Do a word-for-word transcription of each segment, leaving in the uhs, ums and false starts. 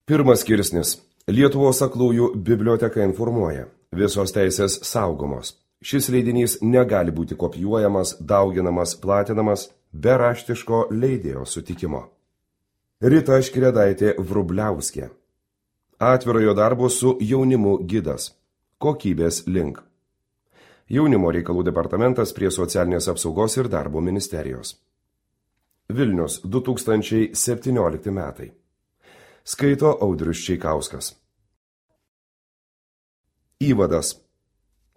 Pirmas skirsnis. Lietuvos aklųjų biblioteka informuoja. Visos teisės saugomos. Šis leidinys negali būti kopijuojamas, dauginamas, platinamas be raštiško leidėjo sutikimo. Rita Škredaitė Vrubliauskė. Atvirojo darbo su jaunimu gidas. Kokybės link. Jaunimo reikalų departamentas prie socialinės apsaugos ir darbo ministerijos. Vilnius, du tūkstančiai septyniolikti metai. Skaito Audrius Čeikauskas. Įvadas.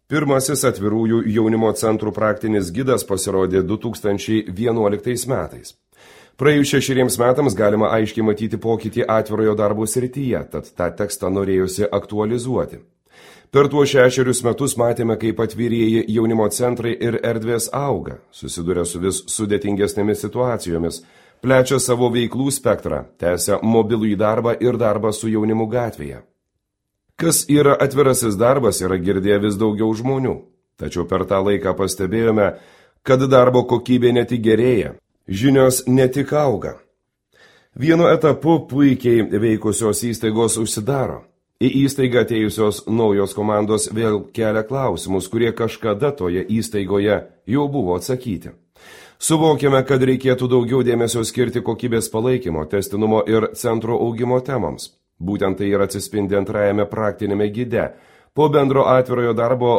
Pirmasis atvirųjų jaunimo centrų praktinis gidas pasirodė du tūkstančiai vienuoliktais metais. Praėjus šešeriems metams galima aiškiai matyti pokytį atvirojo darbo srityje, tad tą tekstą norėjusi aktualizuoti. Per tuos šešerius metus matėme, kaip atvirieji jaunimo centrai ir erdvės auga, susiduria su vis sudėtingesnėmis situacijomis, plečia savo veiklų spektrą, tęsia mobilų į darbą ir darbą su jaunimu gatvėje. Kas yra atvirasis darbas, yra girdėję vis daugiau žmonių, tačiau per tą laiką pastebėjome, kad darbo kokybė ne tik gerėja, žinios ne tik auga. Vienu etapu puikiai veikusios įstaigos užsidaro. Į įstaigą atėjusios naujos komandos vėl kelia klausimus, kurie kažkada toje įstaigoje jau buvo atsakyti. Suvokiame, kad reikėtų daugiau dėmesio skirti kokybės palaikymo, tęstinumo ir centro augimo temams. Būtent tai ir atsispindi antrajame praktinėme gide. Po bendro atvirojo darbo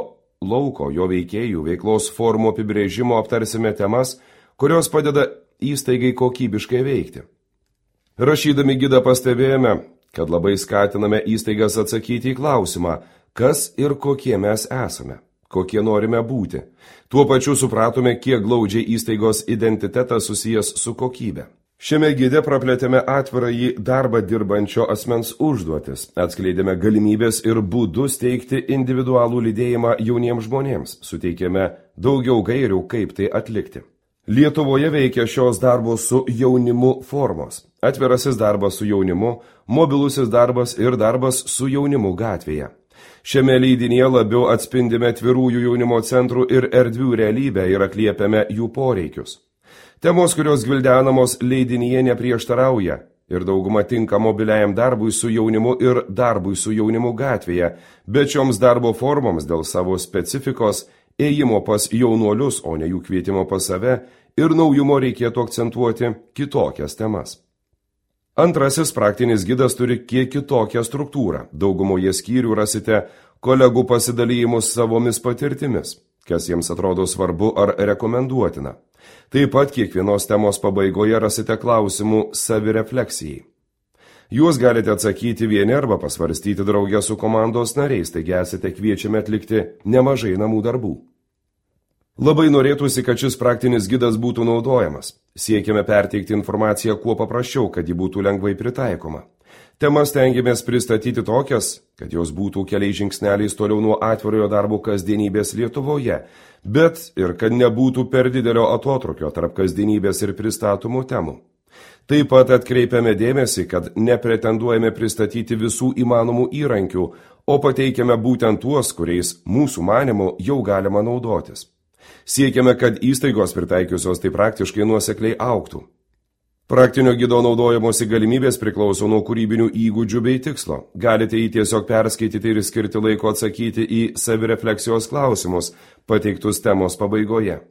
lauko, jo veikėjų, veiklos formų apibrėžimo aptarsime temas, kurios padeda įstaigai kokybiškai veikti. Rašydami gidą pastebėjome, kad labai skatiname įstaigas atsakyti į klausimą, kas ir kokie mes esame, kokie norime būti. Tuo pačiu supratome, kiek glaudžiai įstaigos identitetas susijęs su kokybė. Šiame gide praplėtėme atvirąjį darbą dirbančio asmens užduotis, atskleidėme galimybės ir būdus teikti individualų lydėjimą jauniems žmonėms, suteikėme daugiau gairių, kaip tai atlikti. Lietuvoje veikia šios darbo su jaunimu formos. Atvirasis darbas su jaunimu, mobilusis darbas ir darbas su jaunimu gatvėje. Šiame leidinyje labiau atspindime atvirųjų jaunimo centrų ir erdvių realybę ir atliepiame jų poreikius. Temos, kurios gvildenamos leidinyje neprieštarauja ir dauguma tinka mobiliajam darbui su jaunimu ir darbui su jaunimu gatvėje, bet šioms darbo formoms dėl savo specifikos, ėjimo pas jaunuolius, o ne jų kvietimo pas save, ir naujumo reikėtų akcentuoti kitokias temas. Antrasis praktinis gidas turi kiek kitokią struktūrą. Daugumoje skyrių rasite kolegų pasidalymus savomis patirtimis, kas jiems atrodo svarbu ar rekomenduotina. Taip pat kiekvienos temos pabaigoje rasite klausimų savirefleksijai. Jūs galite atsakyti vieni arba pasvarstyti draugę su komandos nariais, taigi esate kviečiami atlikti nemažai namų darbų. Labai norėtųsi, kad šis praktinis gidas būtų naudojamas. Siekiame perteikti informaciją kuo paprasčiau, kad ji būtų lengvai pritaikoma. Temas stengiamės pristatyti tokias, kad jos būtų keliais žingsneliais toliau nuo atvirojo darbo kasdienybės Lietuvoje, bet ir kad nebūtų per didelio atotrukio tarp kasdienybės ir pristatomų temų. Taip pat atkreipiame dėmesį, kad nepretenduojame pristatyti visų įmanomų įrankių, o pateikiame būtent tuos, kuriais mūsų manymu jau galima naudotis. Siekiame, kad įstaigos pritaikiusios tai praktiškai nuosekliai augtų. Praktinio gido naudojamosi galimybės priklauso nuo kūrybinių įgūdžių bei tikslo. Galite jį tiesiog perskaityti ir skirti laiko atsakyti į savirefleksijos klausimus, pateiktus temos pabaigoje.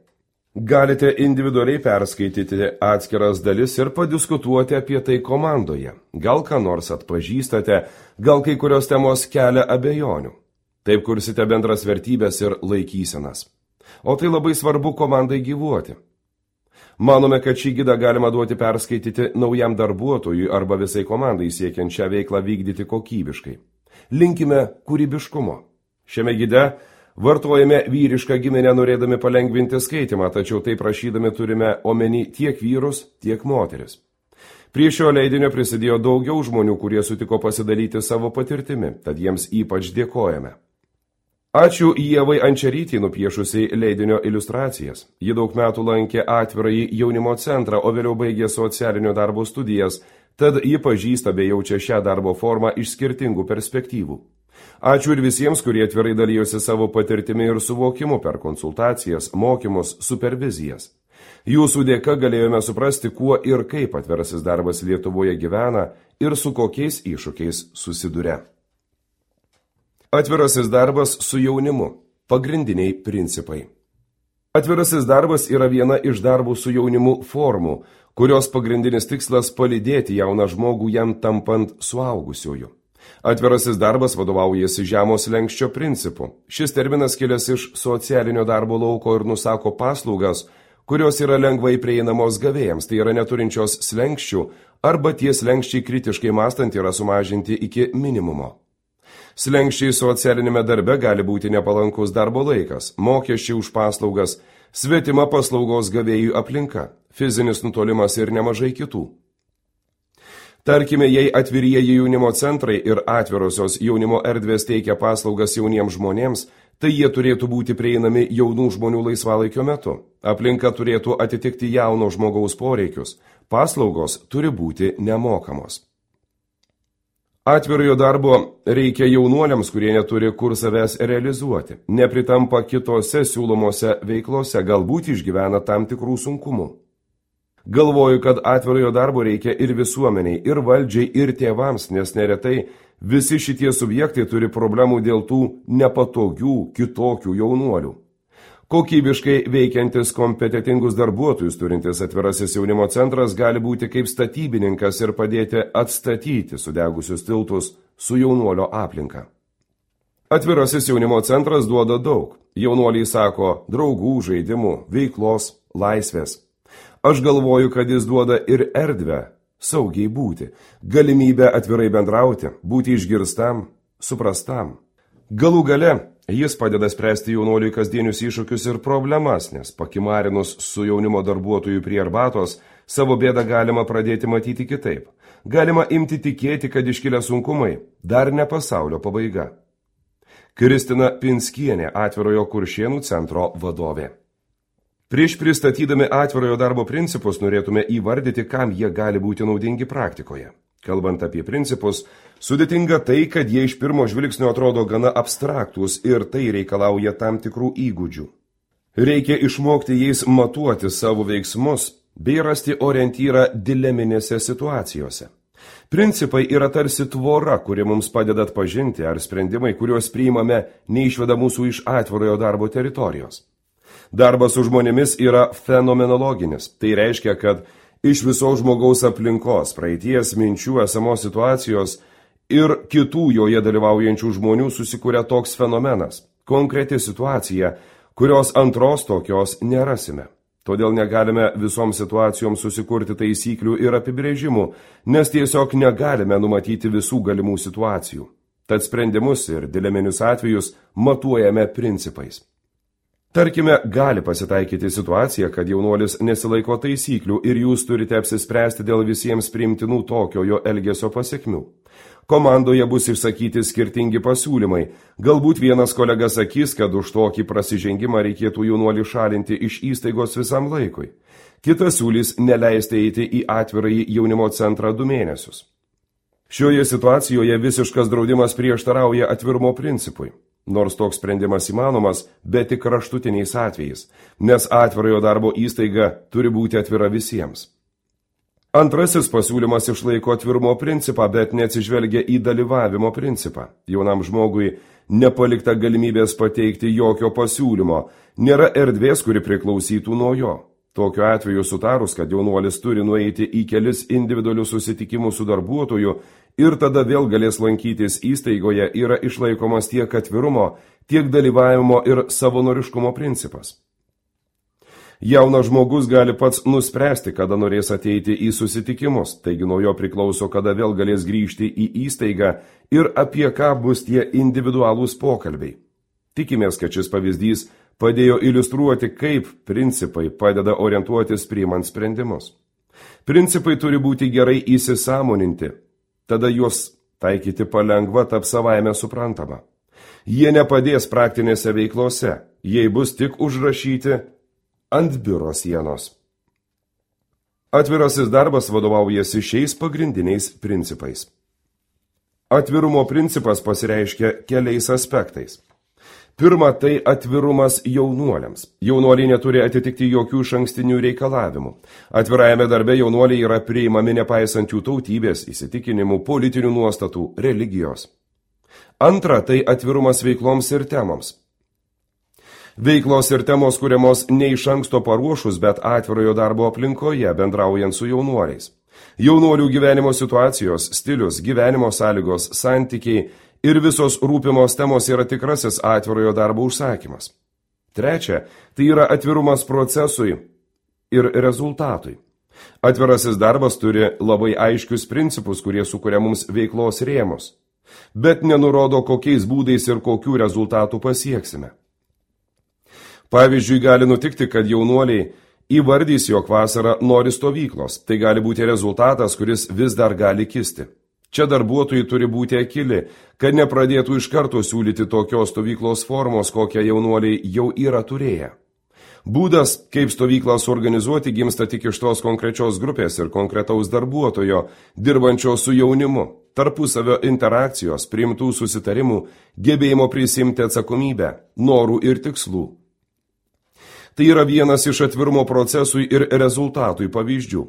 Galite individualiai perskaityti atskiras dalis ir padiskutuoti apie tai komandoje. Gal ką nors atpažįstate, gal kai kurios temos kelia abejonių. Taip kursite bendras vertybės ir laikysenas. O tai labai svarbu komandai gyvuoti. Manome, kad šį gidą galima duoti perskaityti naujam darbuotojui arba visai komandai siekiant šią veiklą vykdyti kokybiškai. Linkime kūrybiškumo. Šiame gide vartojame vyrišką giminę norėdami palengvinti skaitimą, tačiau tai prašydami turime omeny tiek vyrus, tiek moteris. Prie šio leidinio prisidėjo daugiau žmonių, kurie sutiko pasidalyti savo patirtimi, tad jiems ypač dėkojame. Ačiū Ievai Ančerytei nupiešusiai leidinio iliustracijas. Ji daug metų lankė atvirąjį jaunimo centrą, o vėliau baigė socialinio darbo studijas, tad ji pažįsta bei jaučia šią darbo formą iš skirtingų perspektyvų. Ačiū ir visiems, kurie atvirai dalijosi savo patirtimi ir suvokimu per konsultacijas, mokymus, supervizijas. Jūsų dėka galėjome suprasti, kuo ir kaip atvirasis darbas Lietuvoje gyvena ir su kokiais iššūkiais susiduria. Atvirasis darbas su jaunimu. Pagrindiniai principai. Atvirasis darbas yra viena iš darbų su jaunimu formų, kurios pagrindinis tikslas palydėti jauną žmogų jam tampant suaugusiuoju. Atvirasis darbas vadovaujasi žemo slenksčio principu. Šis terminas kilęs iš socialinio darbo lauko ir nusako paslaugas, kurios yra lengvai prieinamos gavėjams, tai yra neturinčios slenkščių, arba tie slenkščiai kritiškai mąstant yra sumažinti iki minimumo. Slenkščiai socialinėme darbe gali būti nepalankus darbo laikas, mokesčiai už paslaugas, svetima paslaugos gavėjų aplinka, fizinis nutolimas ir nemažai kitų. Tarkime, jei atvirieji jaunimo centrai ir atvirosios jaunimo erdvės teikia paslaugas jauniems žmonėms, tai jie turėtų būti prieinami jaunų žmonių laisvalaikio metu. Aplinka turėtų atitikti jauno žmogaus poreikius. Paslaugos turi būti nemokamos. Atvirojo darbo reikia jaunuoliams, kurie neturi kur savęs realizuoti, nepritampa kitose siūlomose veiklose, galbūt išgyvena tam tikrų sunkumų. Galvoju, kad atvirojo darbo reikia ir visuomeniai, ir valdžiai, ir tėvams, nes neretai visi šitie subjektai turi problemų dėl tų nepatogių, kitokių jaunuolių. Kokybiškai veikiantis kompetentingus darbuotojus turintis atvirasis jaunimo centras gali būti kaip statybininkas ir padėti atstatyti sudegusius tiltus su jaunuolio aplinka. Atvirasis jaunimo centras duoda daug. Jaunuoliai sako draugų, žaidimų, veiklos, laisvės. Aš galvoju, kad jis duoda ir erdvę saugiai būti, galimybę atvirai bendrauti, būti išgirstam, suprastam. Galų gale jis padeda spręsti jaunuoliui kasdienius iššūkius ir problemas, nes pakimarinus su jaunimo darbuotojų prie arbatos, savo bėdą galima pradėti matyti kitaip. Galima imti tikėti, kad iškilę sunkumai dar ne pasaulio pabaiga. Kristina Pinskienė, Atvirojo Kuršėnų centro vadovė. Prieš pristatydami atvirojo darbo principus norėtume įvardyti, kam jie gali būti naudingi praktikoje. Kalbant apie principus, sudėtinga tai, kad jie iš pirmo žvilgsnio atrodo gana abstraktus ir tai reikalauja tam tikrų įgūdžių. Reikia išmokti jais matuoti savo veiksmus bei rasti orientyrą dileminėse situacijose. Principai yra tarsi tvora, kuri mums padeda atpažinti, ar sprendimai, kuriuos priimame, neišveda mūsų iš atvirojo darbo teritorijos. Darbas su žmonėmis yra fenomenologinis. Tai reiškia, kad iš visos žmogaus aplinkos, praeities, minčių, esamos situacijos ir kitų joje dalyvaujančių žmonių susikuria toks fenomenas, konkreti situacija, kurios antros tokios nerasime. Todėl negalime visoms situacijoms susikurti taisyklių ir apibrėžimų, nes tiesiog negalime numatyti visų galimų situacijų. Tad sprendimus ir dileminius atvejus matuojame principais. Tarkime, gali pasitaikyti situacija, kad jaunuolis nesilaiko taisyklių ir jūs turite apsispręsti dėl visiems priimtinų tokiojo elgesio pasekmių. Komandoje bus išsakyti skirtingi pasiūlymai. Galbūt vienas kolega sakys, kad už tokį prasižengimą reikėtų jaunuolį šalinti iš įstaigos visam laikui. Kitas siūlys neleisti eiti į atvirąjį jaunimo centrą du mėnesius. Šioje situacijoje visiškas draudimas prieštarauja atvirumo principui. Nors toks sprendimas įmanomas, bet tik kraštutiniais atvejais, nes atvirojo darbo įstaiga turi būti atvira visiems. Antrasis pasiūlymas išlaiko atvirumo principą, bet neatsižvelgia į dalyvavimo principą. Jaunam žmogui nepalikta galimybės pateikti jokio pasiūlymo, nėra erdvės, kuri priklausytų nuo jo. Tokiu atveju sutarus, kad jaunuolis turi nueiti į kelis individualius susitikimus su darbuotoju ir tada vėl galės lankytis įstaigoje, yra išlaikomas tiek atvirumo, tiek dalyvavimo ir savanoriškumo principas. Jaunas žmogus gali pats nuspręsti, kada norės ateiti į susitikimus, taigi nuo jo priklauso, kada vėl galės grįžti į įstaigą ir apie ką bus tie individualūs pokalbiai. Tikimės, kad šis pavyzdys padėjo iliustruoti, kaip principai padeda orientuotis priimant sprendimus. Principai turi būti gerai įsisąmoninti, tada juos taikyti palengva taps savaime suprantama. Jie nepadės praktinėse veiklose, jei bus tik užrašyti ant biuro sienos. Atvirasis darbas vadovaujasi šiais pagrindiniais principais. Atvirumo principas pasireiškia keliais aspektais. Pirma, tai atvirumas jaunuoliams. Jaunuoliai neturi atitikti jokių išankstinių reikalavimų. Atvirajame darbe jaunuoliai yra priimami nepaisant jų tautybės, įsitikinimų, politinių nuostatų, religijos. Antra, tai atvirumas veikloms ir temoms. Veiklos ir temos kuriamos ne iš anksto paruošus, bet atvirojo darbo aplinkoje, bendraujant su jaunuoliais. Jaunuolių gyvenimo situacijos, stilius, gyvenimo sąlygos, santykiai ir visos rūpimos temos yra tikrasis atvirojo darbo užsakymas. Trečia, tai yra atvirumas procesui ir rezultatui. Atvirasis darbas turi labai aiškius principus, kurie sukuria mums veiklos rėmus, bet nenurodo, kokiais būdais ir kokių rezultatų pasieksime. Pavyzdžiui, gali nutikti, kad jaunuoliai įvardys, jog vasarą nori stovyklos. Tai gali būti rezultatas, kuris vis dar gali kisti. Čia darbuotojai turi būti akili, kad nepradėtų iš karto siūlyti tokios stovyklos formos, kokią jaunuoliai jau yra turėję. Būdas, kaip stovyklą suorganizuoti, gimsta tik iš tos konkrečios grupės ir konkretaus darbuotojo, dirbančio su jaunimu, tarpusavio interakcijos, priimtų susitarimų, gebėjimo prisimti atsakomybę, norų ir tikslų. Tai yra vienas iš atvirumo procesui ir rezultatui pavyzdžių.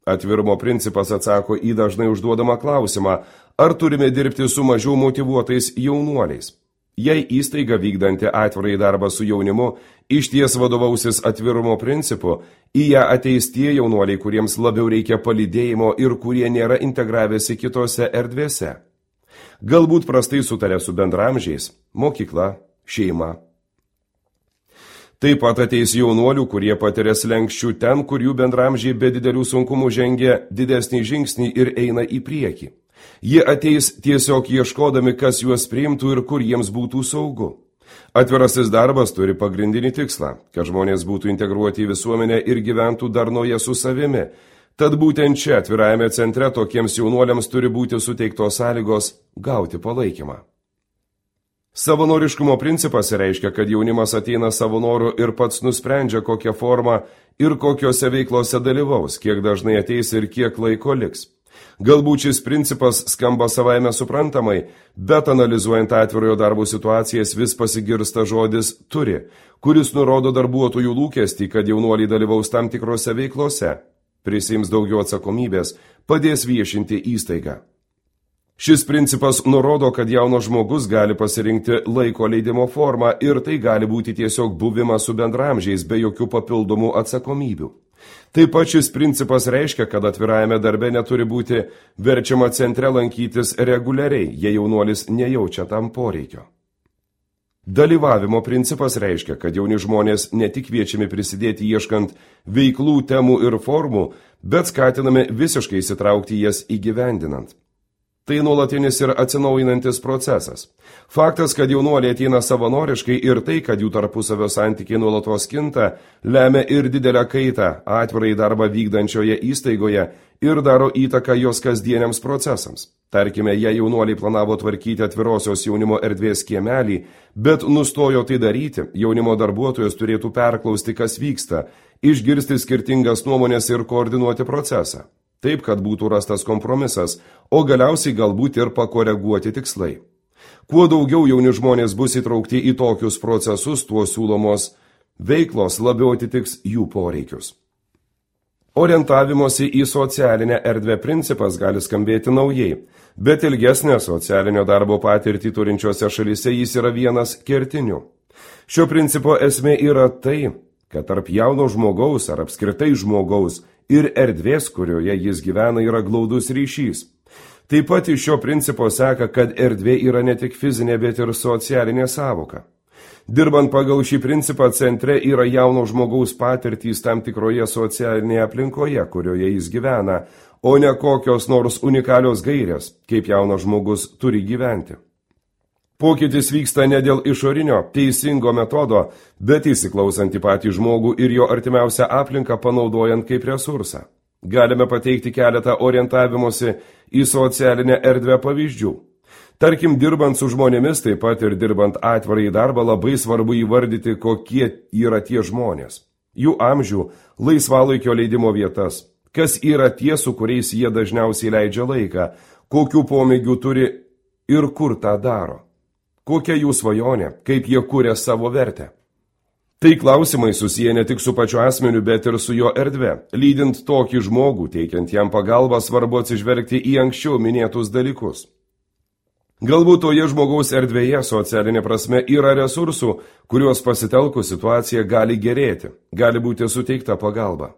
Atvirumo principas atsako į dažnai užduodamą klausimą, ar turime dirbti su mažiau motyvuotais jaunuoliais. Jei įstaiga vykdanti atvirai darbą su jaunimu išties vadovausis atvirumo principu, į ją ateis tie jaunuoliai, kuriems labiau reikia palydėjimo ir kurie nėra integravęsi kitose erdvėse. Galbūt prastai sutarė su bendramžiais, mokykla, šeima. Taip pat ateis jaunuolių, kurie patiria slenkščių ten, kur jų bendramžiai be didelių sunkumų žengia didesnį žingsnį ir eina į priekį. Jie ateis tiesiog ieškodami, kas juos priimtų ir kur jiems būtų saugu. Atvirasis darbas turi pagrindinį tikslą, kad žmonės būtų integruoti į visuomenę ir gyventų darnoje su savimi. Tad būtent čia atvirajame centre tokiems jaunuoliams turi būti suteiktos sąlygos gauti palaikymą. Savanoriškumo principas reiškia, kad jaunimas ateina savo noru ir pats nusprendžia, kokią formą ir kokiose veiklose dalyvaus, kiek dažnai ateis ir kiek laiko liks. Galbūt šis principas skamba savaime suprantamai, bet analizuojant atvirojo darbo situacijas vis pasigirsta žodis turi, kuris nurodo darbuotojų lūkestį, kad jaunuoliai dalyvaus tam tikrose veiklose, prisiims daugiau atsakomybės, padės viešinti įstaigą. Šis principas nurodo, kad jaunas žmogus gali pasirinkti laiko leidimo formą ir tai gali būti tiesiog buvimas su bendramžiais be jokių papildomų atsakomybių. Taip pat šis principas reiškia, kad atvirajame darbe neturi būti verčiama centre lankytis reguliariai, jei jaunuolis nejaučia tam poreikio. Dalyvavimo principas reiškia, kad jauni žmonės ne tik kviečiami prisidėti ieškant veiklų, temų ir formų, bet skatinami visiškai įsitraukti jas įgyvendinant. Tai nuolatinis ir atsinaujinantis procesas. Faktas, kad jaunuoliai ateina savanoriškai ir tai, kad jų tarpusavio santykiai nuolatos kinta, lemia ir didelę kaitą atvirai darbą vykdančioje įstaigoje ir daro įtaką jos kasdieniams procesams. Tarkime, jei jaunuoliai planavo tvarkyti atvirosios jaunimo erdvės kiemelį, bet nustojo tai daryti, jaunimo darbuotojas turėtų perklausti, kas vyksta, išgirsti skirtingas nuomonės ir koordinuoti procesą. Taip, kad būtų rastas kompromisas, o galiausiai galbūt ir pakoreguoti tikslai. Kuo daugiau jauni žmonės bus įtraukti į tokius procesus, tuo siūlomos veiklos labiau atitiks jų poreikius. Orientavimosi į socialinę erdvę principas gali skambėti naujai, bet ilgesnė socialinio darbo patirtį turinčiose šalyse jis yra vienas kertinių. Šio principo esmė yra tai, kad tarp jauno žmogaus ar apskritai žmogaus ir erdvės, kurioje jis gyvena, yra glaudus ryšys. Taip pat iš šio principo seka, kad erdvė yra ne tik fizinė, bet ir socialinė sąvoka. Dirbant pagal šį principą, centre yra jauno žmogaus patirtys tam tikroje socialinėje aplinkoje, kurioje jis gyvena, o ne kokios nors unikalios gairės, kaip jaunas žmogus turi gyventi. Pokytis vyksta ne dėl išorinio, teisingo metodo, bet įsiklausant į patį žmogų ir jo artimiausią aplinką panaudojant kaip resursą. Galime pateikti keletą orientavimosi į socialinę erdvę pavyzdžių. Tarkim, dirbant su žmonėmis, taip pat ir dirbant atvirai darbą, labai svarbu įvardyti, kokie yra tie žmonės. Jų amžių, laisvalaikio leidimo vietas, kas yra tie, su kuriais jie dažniausiai leidžia laiką, kokių pomėgių turi ir kur tą daro. Kokia jų svajonė, kaip jie kuria savo vertę? Tai klausimai susiję ne tik su pačiu asmeniu, bet ir su jo erdve. Lydint tokį žmogų, teikiant jam pagalbą, svarbu atsižvelgti į anksčiau minėtus dalykus. Galbūt toje žmogaus erdvėje socialinė prasme yra resursų, kuriuos pasitelkus situacija gali gerėti, gali būti suteikta pagalba.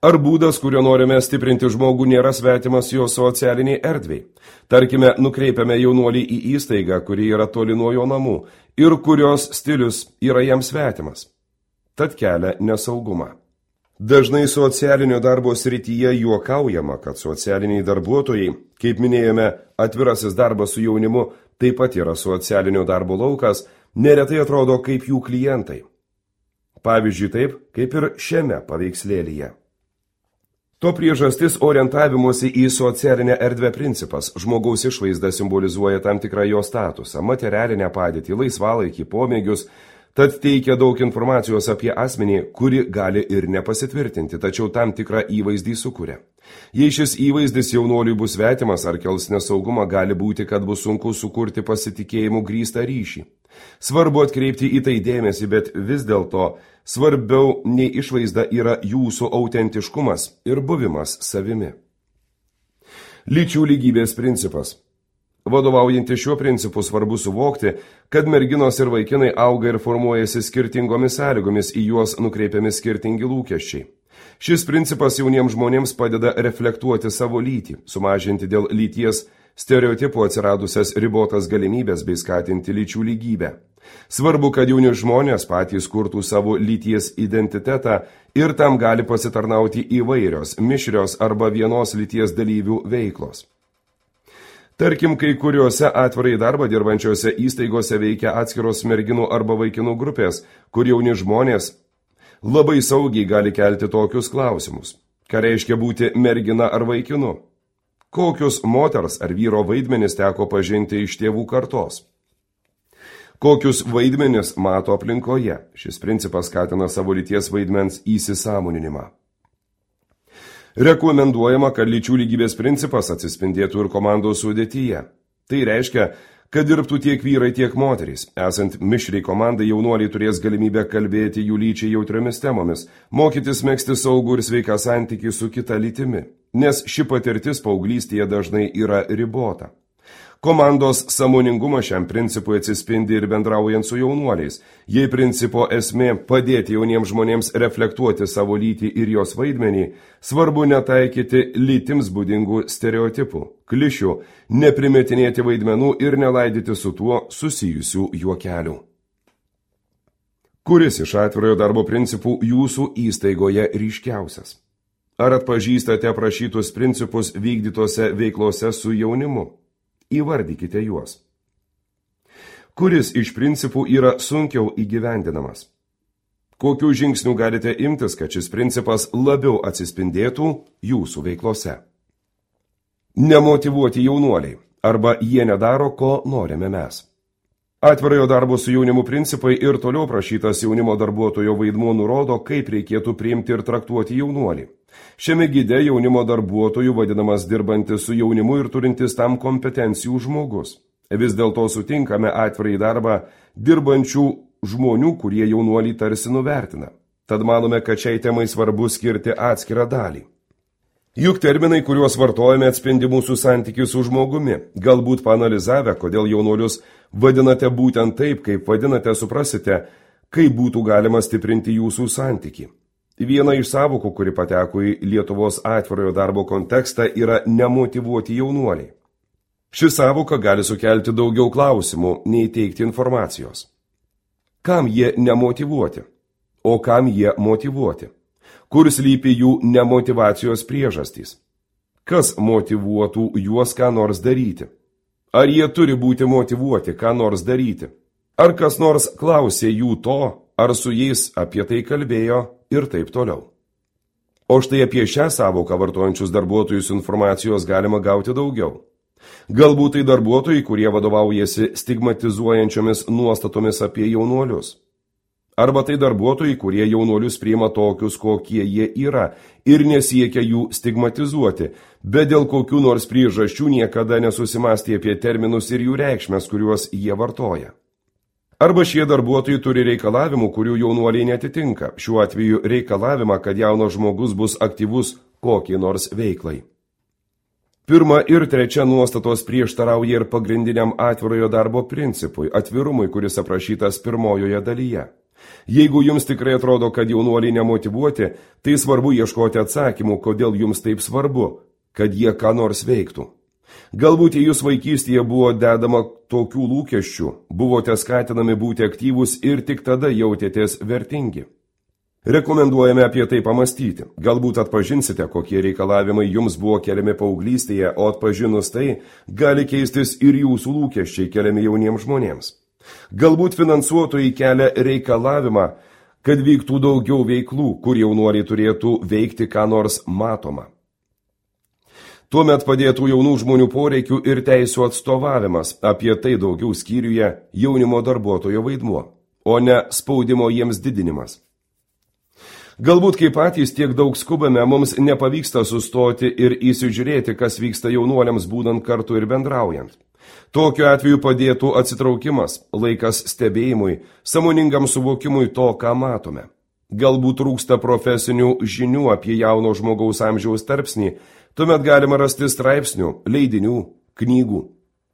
Ar būdas, kuriuo norime stiprinti žmogų, nėra svetimas jo socialiniai erdvei? Tarkime, nukreipiame jaunuolį į įstaigą, kuri yra toli nuo jo namų ir kurios stilius yra jam svetimas. Tad kelia nesaugumą. Dažnai socialinio darbo srityje juokaujama, kad socialiniai darbuotojai, kaip minėjome, atvirasis darbas su jaunimu taip pat yra socialinio darbo laukas, neretai atrodo kaip jų klientai. Pavyzdžiui, taip, kaip ir šiame paveikslėlyje. To priežastis orientavimuose į socialinę erdvę principas. Žmogaus išvaizda simbolizuoja tam tikrą jo statusą, materialinę padėtį, laisvalaikį, pomėgius, tad teikia daug informacijos apie asmenį, kuri gali ir nepasitvirtinti, tačiau tam tikrą įvaizdį sukuria. Jei šis įvaizdis jaunuoliui bus svetimas ar kels nesaugumą, gali būti, kad bus sunku sukurti pasitikėjimų grįstą ryšį. Svarbu atkreipti į tai dėmesį, bet vis dėlto svarbiau nei išvaizda yra jūsų autentiškumas ir buvimas savimi. Lyčių lygybės principas. Vadovaujantis šiuo principu svarbu suvokti, kad merginos ir vaikinai auga ir formuojasi skirtingomis sąlygomis, į juos nukreipiami skirtingi lūkesčiai. Šis principas jauniems žmonėms padeda reflektuoti savo lytį, sumažinti dėl lyties stereotipų atsiradusias ribotas galimybės bei skatinti lyčių lygybę. Svarbu, kad jauni žmonės patys kurtų savo lyties identitetą ir tam gali pasitarnauti įvairios, mišrios arba vienos lyties dalyvių veiklos. Tarkim, kai kuriuose atvirai darbą dirbančiose įstaigose veikia atskiros merginų arba vaikinų grupės, kur jauni žmonės labai saugiai gali kelti tokius klausimus. Ką reiškia būti mergina ar vaikinu? Kokius moters ar vyro vaidmenis teko pažinti iš tėvų kartos? Kokius vaidmenis mato aplinkoje? Šis principas skatina savo lyties vaidmens įsisąmoninimą. Rekomenduojama, kad lyčių lygybės principas atsispindėtų ir komandos sudėtyje. Tai reiškia, kad dirbtų tiek vyrai, tiek moterys. Esant mišriai komandai, jaunuoliai turės galimybę kalbėti jų lyčiai jautriomis temomis, mokytis megzti saugų ir sveiką santykį su kita lytimi, nes ši patirtis paauglystėje dažnai yra ribota. Komandos sąmoningumas šiam principui atsispindi ir bendraujant su jaunuoliais. Jei principo esmė padėti jauniems žmonėms reflektuoti savo lytį ir jos vaidmenį, svarbu netaikyti lytims būdingų stereotipų, klišių, neprimetinėti vaidmenų ir nelaidyti su tuo susijusių juokelių. Kuris iš atvirojo darbo principų jūsų įstaigoje ryškiausias? Ar atpažįstate aprašytus principus vykdytose veiklose su jaunimu? Įvardykite juos. Kuris iš principų yra sunkiau įgyvendinamas? Kokių žingsnių galite imtis, kad šis principas labiau atsispindėtų jūsų veiklose? Nemotyvuoti jaunuoliai, arba jie nedaro, ko norime mes. Atvirojo darbo su jaunimu principai ir toliau prašytas jaunimo darbuotojo vaidmuo nurodo, kaip reikėtų priimti ir traktuoti jaunuolį. Šiame gide jaunimo darbuotojų vadinamas dirbantis su jaunimu ir turintis tam kompetencijų žmogus. Vis dėlto sutinkame atvirai darbą dirbančių žmonių, kurie jaunuolį tarsi nuvertina. Tad manome, kad šiai temai svarbu skirti atskirą dalį. Juk terminai, kuriuos vartojame, atspindi mūsų santykių su žmogumi. Galbūt paanalizavę, kodėl jaunuolius vadinate būtent taip, kaip vadinate, suprasite, kaip būtų galima stiprinti jūsų santykį. Viena iš savokų, kuri pateko į Lietuvos atvirojo darbo kontekstą, yra nemotyvuoti jaunuoliai. Ši savoka gali sukelti daugiau klausimų, nei teikti informacijos. Kam jie nemotyvuoti? O kam jie motyvuoti? Kur slypi jų nemotyvacijos priežastys? Kas motyvuotų juos ką nors daryti? Ar jie turi būti motyvuoti ką nors daryti? Ar kas nors klausė jų to, ar su jais apie tai kalbėjo ir taip toliau. O štai apie šią savoką vartojančius darbuotojus informacijos galima gauti daugiau. Galbūt tai darbuotojai, kurie vadovaujasi stigmatizuojančiomis nuostatomis apie jaunuolius. Arba tai darbuotojai, kurie jaunuolius priima tokius, kokie jie yra ir nesiekia jų stigmatizuoti, bet dėl kokių nors priežasčių niekada nesusimastė apie terminus ir jų reikšmes, kuriuos jie vartoja. Arba šie darbuotojai turi reikalavimų, kurių jaunuoliai netitinka, šiuo atveju reikalavimą, kad jaunas žmogus bus aktyvus kokiai nors veiklai. Pirma ir trečia nuostatos prieštarauja ir pagrindiniam atvirojo darbo principui, atvirumui, kuris aprašytas pirmojoje dalyje. Jeigu jums tikrai atrodo, kad jaunuoliai nemotyvuoti, tai svarbu ieškoti atsakymų, kodėl jums taip svarbu, kad jie ką nors veiktų. Galbūt į jūs vaikystėje buvo dedama tokių lūkesčių, buvote skatinami būti aktyvūs ir tik tada jautėtės vertingi. Rekomenduojame apie tai pamastyti. Galbūt atpažinsite, kokie reikalavimai jums buvo keliami paauglystėje, o atpažinus tai, gali keistis ir jūsų lūkesčiai keliami jauniems žmonėms. Galbūt finansuotojai kelia reikalavimą, kad vyktų daugiau veiklų, kur jaunuoliai turėtų veikti ką nors matomą. Tuomet padėtų jaunų žmonių poreikių ir teisų atstovavimas, apie tai daugiau skyriuje jaunimo darbuotojo vaidmuo, o ne spaudimo jiems didinimas. Galbūt kaip patys tiek daug skubame, mums nepavyksta sustoti ir įsižiūrėti, kas vyksta jaunuoliams būnant kartu ir bendraujant. Tokiu atveju padėtų atsitraukimas, laikas stebėjimui, sąmoningam suvokimui to, ką matome. Galbūt trūksta profesinių žinių apie jauno žmogaus amžiaus tarpsnį, tuomet galima rasti straipsnių, leidinių, knygų.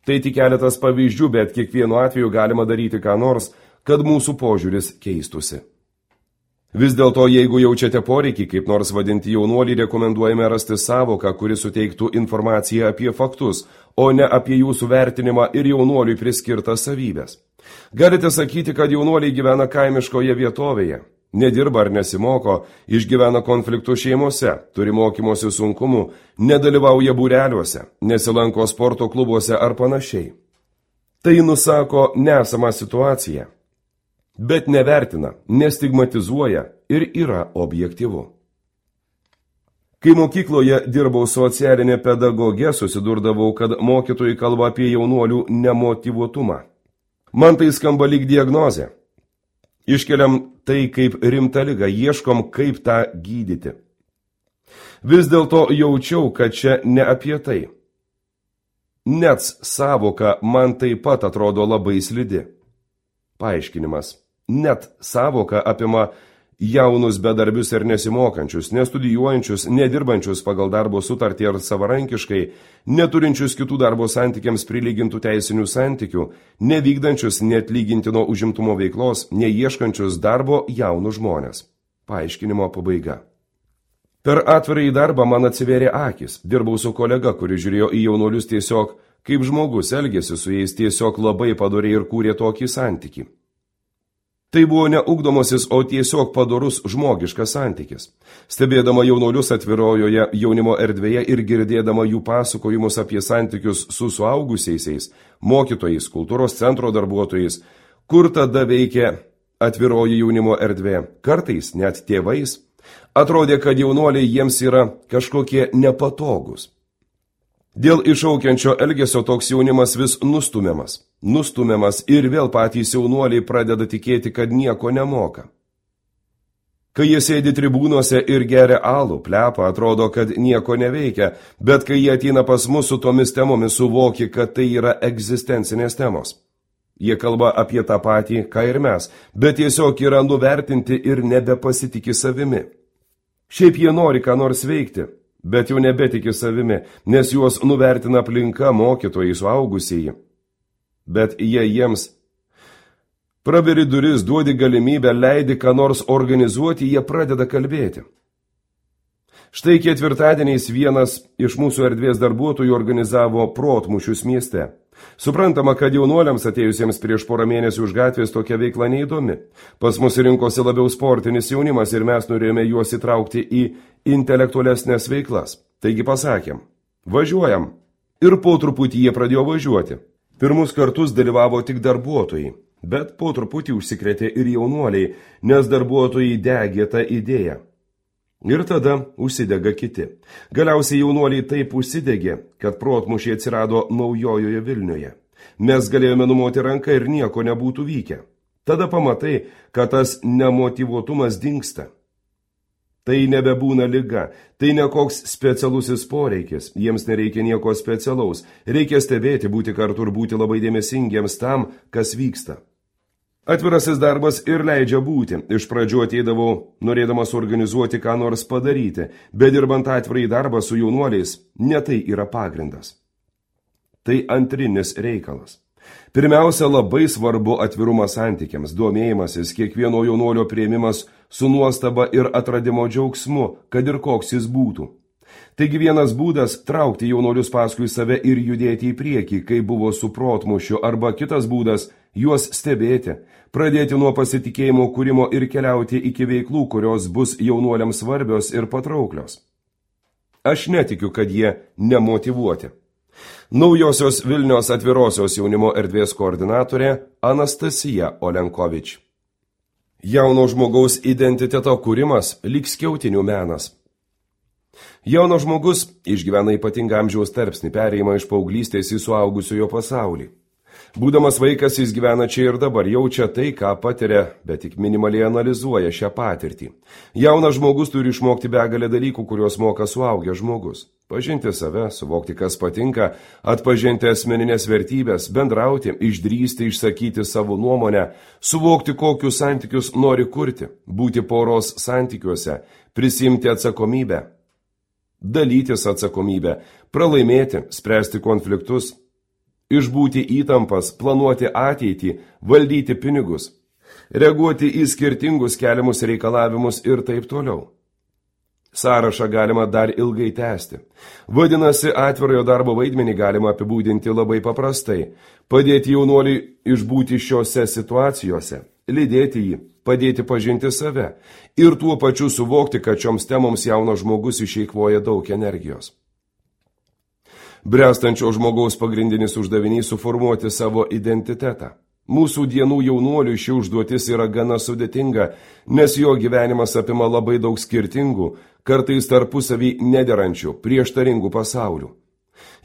Tai tik keletas pavyzdžių, bet kiekvienu atveju galima daryti ką nors, kad mūsų požiūris keistusi. Vis dėlto, jeigu jaučiate poreikį kaip nors vadinti jaunuolį, rekomenduojame rasti sąvoką, kuri suteiktų informaciją apie faktus, o ne apie jūsų vertinimą ir jaunuoliui priskirtas savybės. Galite sakyti, kad jaunuoliai gyvena kaimiškoje vietovėje, nedirba ar nesimoko, išgyvena konfliktų šeimose, turi mokymosi sunkumų, nedalyvauja būreliuose, nesilanko sporto klubuose ar panašiai. Tai nusako nesamą situaciją, bet nevertina, nestigmatizuoja ir yra objektyvu. Kai mokykloje dirbau socialinė pedagogė, susidurdavau, kad mokytojai kalba apie jaunuolių nemotyvuotumą. Man tai skamba lyg diagnozė. Iškeliam tai kaip rimtą ligą, ieškom, kaip tą gydyti. Vis dėlto jaučiau, kad čia ne apie tai. Net sąvoka man taip pat atrodo labai slidi. Paaiškinimas. Net sąvoka apima jaunus bedarbius ir nesimokančius, nestudijuojančius, nedirbančius pagal darbo sutartį ar savarankiškai, neturinčius kitų darbo santykiams prilygintų teisinių santykių, nevykdančius neatlygintino užimtumo veiklos, neieškančius darbo jaunus žmonės. Paaiškinimo pabaiga. Per atvirąjį darbą man atsivėrė akis. Dirbau su kolega, kuris žiūrėjo į jaunuolius tiesiog, kaip žmogus elgėsi su jais tiesiog labai padoriai ir kūrė tokį santykį. Tai buvo ne ugdomasis, o tiesiog padorus žmogiškas santykis. Stebėdama jaunuolius atvirojoje jaunimo erdvėje ir girdėdama jų pasakojimus apie santykius su suaugusiaisiais, mokytojais, kultūros centro darbuotojais, kur tada veikia atviroji jaunimo erdvė, kartais net tėvais, atrodė, kad jaunuoliai jiems yra kažkokie nepatogus. Dėl iššaukiančio elgesio toks jaunimas vis nustumiamas. Nustumiamas ir vėl patys jaunuoliai pradeda tikėti, kad nieko nemoka. Kai jie sėdi tribūnose ir geria alų, plepa, atrodo, kad nieko neveikia, bet kai jie ateina pas mus su tomis temomis, suvoki, kad tai yra egzistencinės temos. Jie kalba apie tą patį, ką ir mes, bet tiesiog yra nuvertinti ir nebepasitikė savimi. Šiaip jie nori ką nors veikti, bet jau nebetiki savimi, nes juos nuvertina aplinka, mokytojai, suaugusieji. Bet jie jiems praveri duris, duodi galimybę, leidi ką nors organizuoti, jie pradeda kalbėti. Štai ketvirtadieniais vienas iš mūsų erdvės darbuotojų organizavo protmūšius mieste. Suprantama, kad jaunuoliams atėjusiems prieš porą mėnesių už gatvės tokia veikla neįdomi. Pas mus rinkosi labiau sportinis jaunimas ir mes norėjome juos įtraukti į intelektualesnės veiklas. Taigi pasakėm, važiuojam. Ir po truputį jie pradėjo važiuoti. Pirmus kartus dalyvavo tik darbuotojai, bet po truputį užsikrėtė ir jaunuoliai, nes darbuotojai degė tą idėją. Ir tada užsidega kiti. Galiausiai jaunuoliai taip užsidegė, kad protmūšiai atsirado naujojoje Vilniuje. Mes galėjome numoti ranką ir nieko nebūtų vykę. Tada pamatai, kad tas nemotyvuotumas dingsta. Tai nebebūna liga, tai ne koks specialusis poreikis, jiems nereikia nieko specialaus, reikia stebėti, būti kartu ir būti labai dėmesingiems tam, kas vyksta. Atvirasis darbas ir leidžia būti. Iš pradžių ateidavau, norėdamas organizuoti ką nors padaryti, bet dirbant atvirai darbą su jaunuoliais, ne tai yra pagrindas. Tai antrinis reikalas. Pirmiausia, labai svarbu atvirumas santykiams, domėjimasis, kiekvieno jaunuolio priėmimas su nuostaba ir atradimo džiaugsmu, kad ir koks jis būtų. Taigi vienas būdas – traukti jaunuolius paskui save ir judėti į priekį, kai buvo su protmušiu, arba kitas būdas – juos stebėti, pradėti nuo pasitikėjimo kūrimo ir keliauti iki veiklų, kurios bus jaunuoliams svarbios ir patrauklios. Aš netikiu, kad jie nemotyvuoti. Naujosios Vilniaus atvirosios jaunimo erdvės koordinatorė Anastasija Olenkovič. Jauno žmogaus identiteto kūrimas lyg skiautinių menas. Jaunas žmogus išgyvena ypatingą amžiaus tarpsnį, perėjimą iš paauglystės į suaugusiojo pasaulį. Būdamas vaikas jis gyvena čia ir dabar, jaučia tai, ką patiria, bet tik minimaliai analizuoja šią patirtį. Jaunas žmogus turi išmokti begalę dalykų, kuriuos moka suaugęs žmogus. Pažinti save, suvokti, kas patinka, atpažinti asmeninės vertybės, bendrauti, išdrįsti, išsakyti savo nuomonę, suvokti, kokius santykius nori kurti, būti poros santykiuose, prisimti atsakomybę, dalytis atsakomybę, pralaimėti, spręsti konfliktus, išbūti įtampas, planuoti ateitį, valdyti pinigus, reaguoti į skirtingus keliamus reikalavimus ir taip toliau. Sąrašą galima dar ilgai tęsti. Vadinasi, atvirojo darbo vaidmenį galima apibūdinti labai paprastai. Padėti jaunuoliui išbūti šiose situacijose, lydėti jį, padėti pažinti save ir tuo pačiu suvokti, kad šioms temoms jaunas žmogus išeikvoja daug energijos. Bręstančio žmogaus pagrindinis uždavinys suformuoti savo identitetą. Mūsų dienų jaunuoliui ši užduotis yra gana sudėtinga, nes jo gyvenimas apima labai daug skirtingų, kartais tarpusavį nederančių, prieštaringų pasaulių.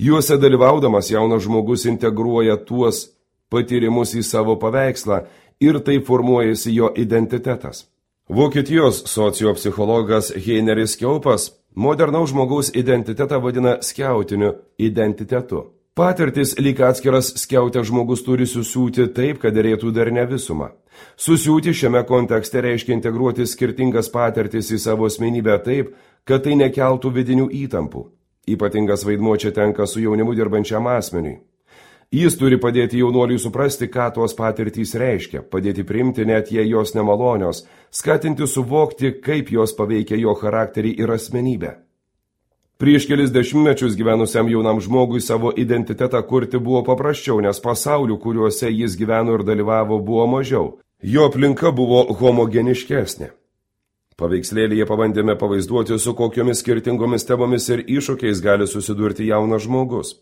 Juose dalyvaudamas jaunas žmogus integruoja tuos patyrimus į savo paveikslą ir taip formuojasi jo identitetas. Vokietijos sociopsichologas Heineris Kiaupas modernaus žmogaus identitetą vadina skiautiniu identitetu. Patirtis lyg atskiras skiautės žmogus turi susiūti taip, kad derėtų dar ne visumą. Susiūti šiame kontekste reiškia integruoti skirtingas patirtis į savo asmenybę taip, kad tai nekeltų vidinių įtampų. Ypatingas vaidmuo čia tenka su jaunimu dirbančiam asmeniui. Jis turi padėti jaunuoliui suprasti, ką tos patirtys reiškia, padėti priimti net jei jos nemalonios, skatinti suvokti, kaip jos paveikia jo charakterį ir asmenybę. Prieš kelis dešimtmečius gyvenusiam jaunam žmogui savo identitetą kurti buvo paprasčiau, nes pasaulių, kuriuose jis gyveno ir dalyvavo, buvo mažiau. Jo aplinka buvo homogeniškesnė. Paveikslėlyje pabandėme pavaizduoti, su kokiomis skirtingomis temomis ir iššūkiais gali susidurti jaunas žmogus.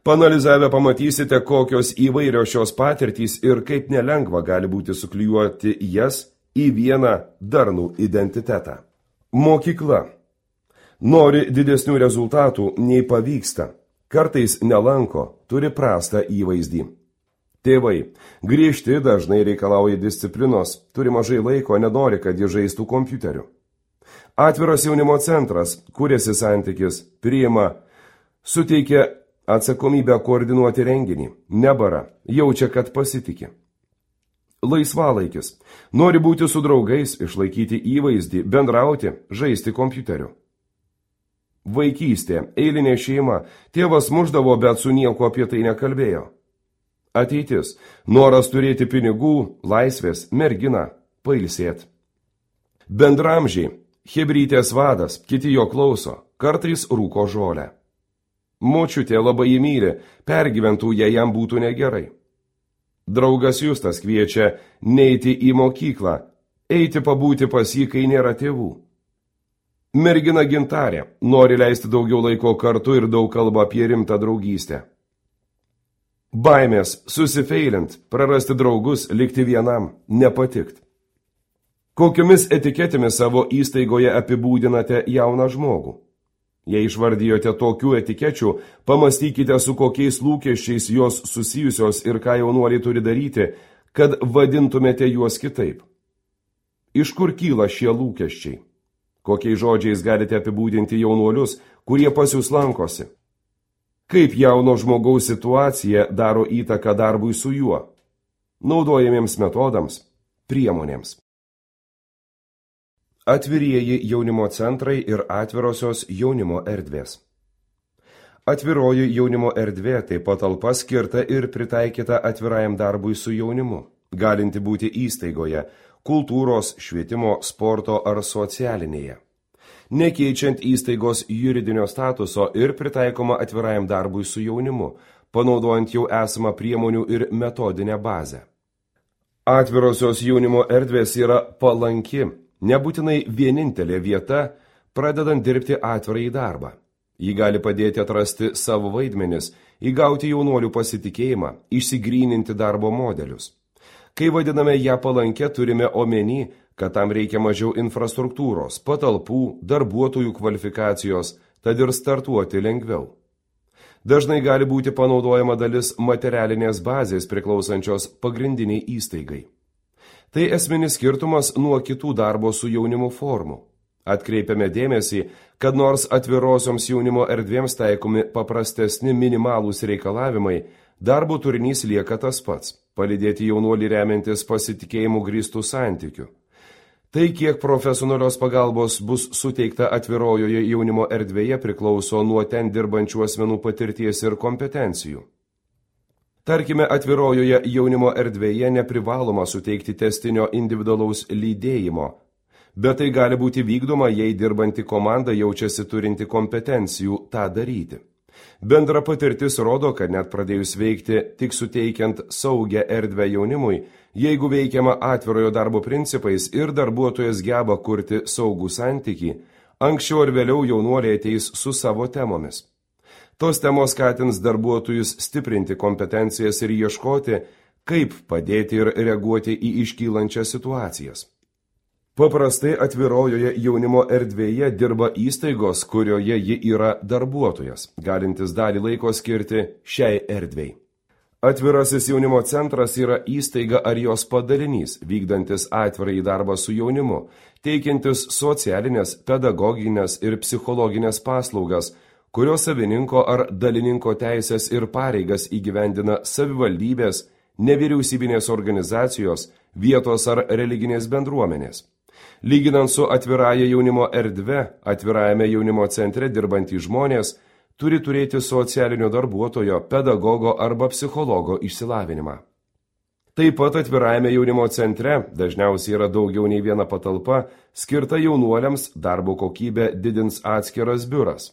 Panalizavę pamatysite, kokios įvairios šios patirtys ir kaip nelengva gali būti suklijuoti jas į vieną darnų identitetą. Mokykla. Nori didesnių rezultatų, nei pavyksta. Kartais nelanko, turi prastą įvaizdį. Tėvai. Griežti dažnai reikalauja disciplinos, turi mažai laiko, nenori, kad jie žaistų kompiuteriu. Atviras jaunimo centras, kuriasi santykis, priima, suteikia atsakomybę koordinuoti renginį, nebara, jaučia, kad pasitikė. Laisvalaikis. Nori būti su draugais, išlaikyti įvaizdį, bendrauti, žaisti kompiuteriu. Vaikystė, eilinė šeima, tėvas muždavo, bet su nieko apie tai nekalbėjo. Ateitis, noras turėti pinigų, laisvės, mergina, pailsėt. Bendramžiai, chebrytės vadas, kiti jo klauso, kartais rūko žolę. Močiutė labai jį myli, pergyventų, jei jam būtų negerai. Draugas Justas kviečia neiti į mokyklą, eiti pabūti pas jį, kai nėra tėvų. Mergina Gintarė nori leisti daugiau laiko kartu ir daug kalba apie rimtą draugystę. Baimės, susifeilint, prarasti draugus, likti vienam, nepatikt. Kokiomis etiketėmis savo įstaigoje apibūdinate jauną žmogų? Jei išvardijote tokių etikečių, pamastykite, su kokiais lūkesčiais jos susijusios ir ką jaunuoliai turi daryti, kad vadintumėte juos kitaip? Iš kur kyla šie lūkesčiai? Kokiais žodžiais galite apibūdinti jaunuolius, kurie pas jūs lankosi? Kaip jauno žmogaus situacija daro įtaką darbui su juo? Naudojamiems metodams, priemonėms. Atvirieji jaunimo centrai ir atvirosios jaunimo erdvės. Atviroji jaunimo erdvė tai patalpa skirta ir pritaikyta atvirajam darbui su jaunimu, galinti būti įstaigoje, kultūros, švietimo, sporto ar socialinėje, nekeičiant įstaigos juridinio statuso ir pritaikoma atvirajam darbui su jaunimu, panaudojant jau esamą priemonių ir metodinę bazę. Atvirosios jaunimo erdvės yra palanki, nebūtinai vienintelė vieta, pradedant dirbti atvirąjį darbą. Ji gali padėti atrasti savo vaidmenis, įgauti jaunuolių pasitikėjimą, išsigryninti darbo modelius. Kai vadiname ją palankę, turime omeny, kad tam reikia mažiau infrastruktūros, patalpų, darbuotojų kvalifikacijos, tad ir startuoti lengviau. Dažnai gali būti panaudojama dalis materialinės bazės priklausančios pagrindiniai įstaigai. Tai esminis skirtumas nuo kitų darbo su jaunimu formų. Atkreipiame dėmesį, kad nors atvirosioms jaunimo erdvėms taikomi paprastesni minimalūs reikalavimai, darbo turinys lieka tas pats – palydėti jaunuolį remiantis pasitikėjimų grįstų santykių. Tai, kiek profesionalios pagalbos bus suteikta atvirojoje jaunimo erdvėje, priklauso nuo ten dirbančių asmenų patirties ir kompetencijų. Tarkime, atvirojoje jaunimo erdvėje neprivaloma suteikti testinio individualaus lydėjimo, bet tai gali būti vykdoma, jei dirbanti komanda jaučiasi turinti kompetencijų tą daryti. Bendra patirtis rodo, kad net pradėjus veikti tik suteikiant saugią erdvę jaunimui, jeigu veikiama atvirojo darbo principais ir darbuotojas geba kurti saugų santykį, anksčiau ar vėliau jaunuoliai ateis su savo temomis. Tos temos skatins darbuotojus stiprinti kompetencijas ir ieškoti, kaip padėti ir reaguoti į iškylančias situacijas. Paprastai atvirojoje jaunimo erdvėje dirba įstaigos, kurioje ji yra darbuotojas, galintis dalį laiko skirti šiai erdvei. Atvirasis jaunimo centras yra įstaiga ar jos padalinys, vykdantis atvirąjį darbą su jaunimu, teikiantis socialinės, pedagoginės ir psichologinės paslaugas, kurios savininko ar dalininko teisės ir pareigas įgyvendina savivaldybės, nevyriausybinės organizacijos, vietos ar religinės bendruomenės. Lyginant su atvirąja jaunimo erdve, atvirajame jaunimo centre dirbantys žmonės turi turėti socialinio darbuotojo, pedagogo arba psichologo išsilavinimą. Taip pat atvirajame jaunimo centre dažniausiai yra daugiau nei viena patalpa, skirta jaunuoliams, darbo kokybę didins atskiras biuras.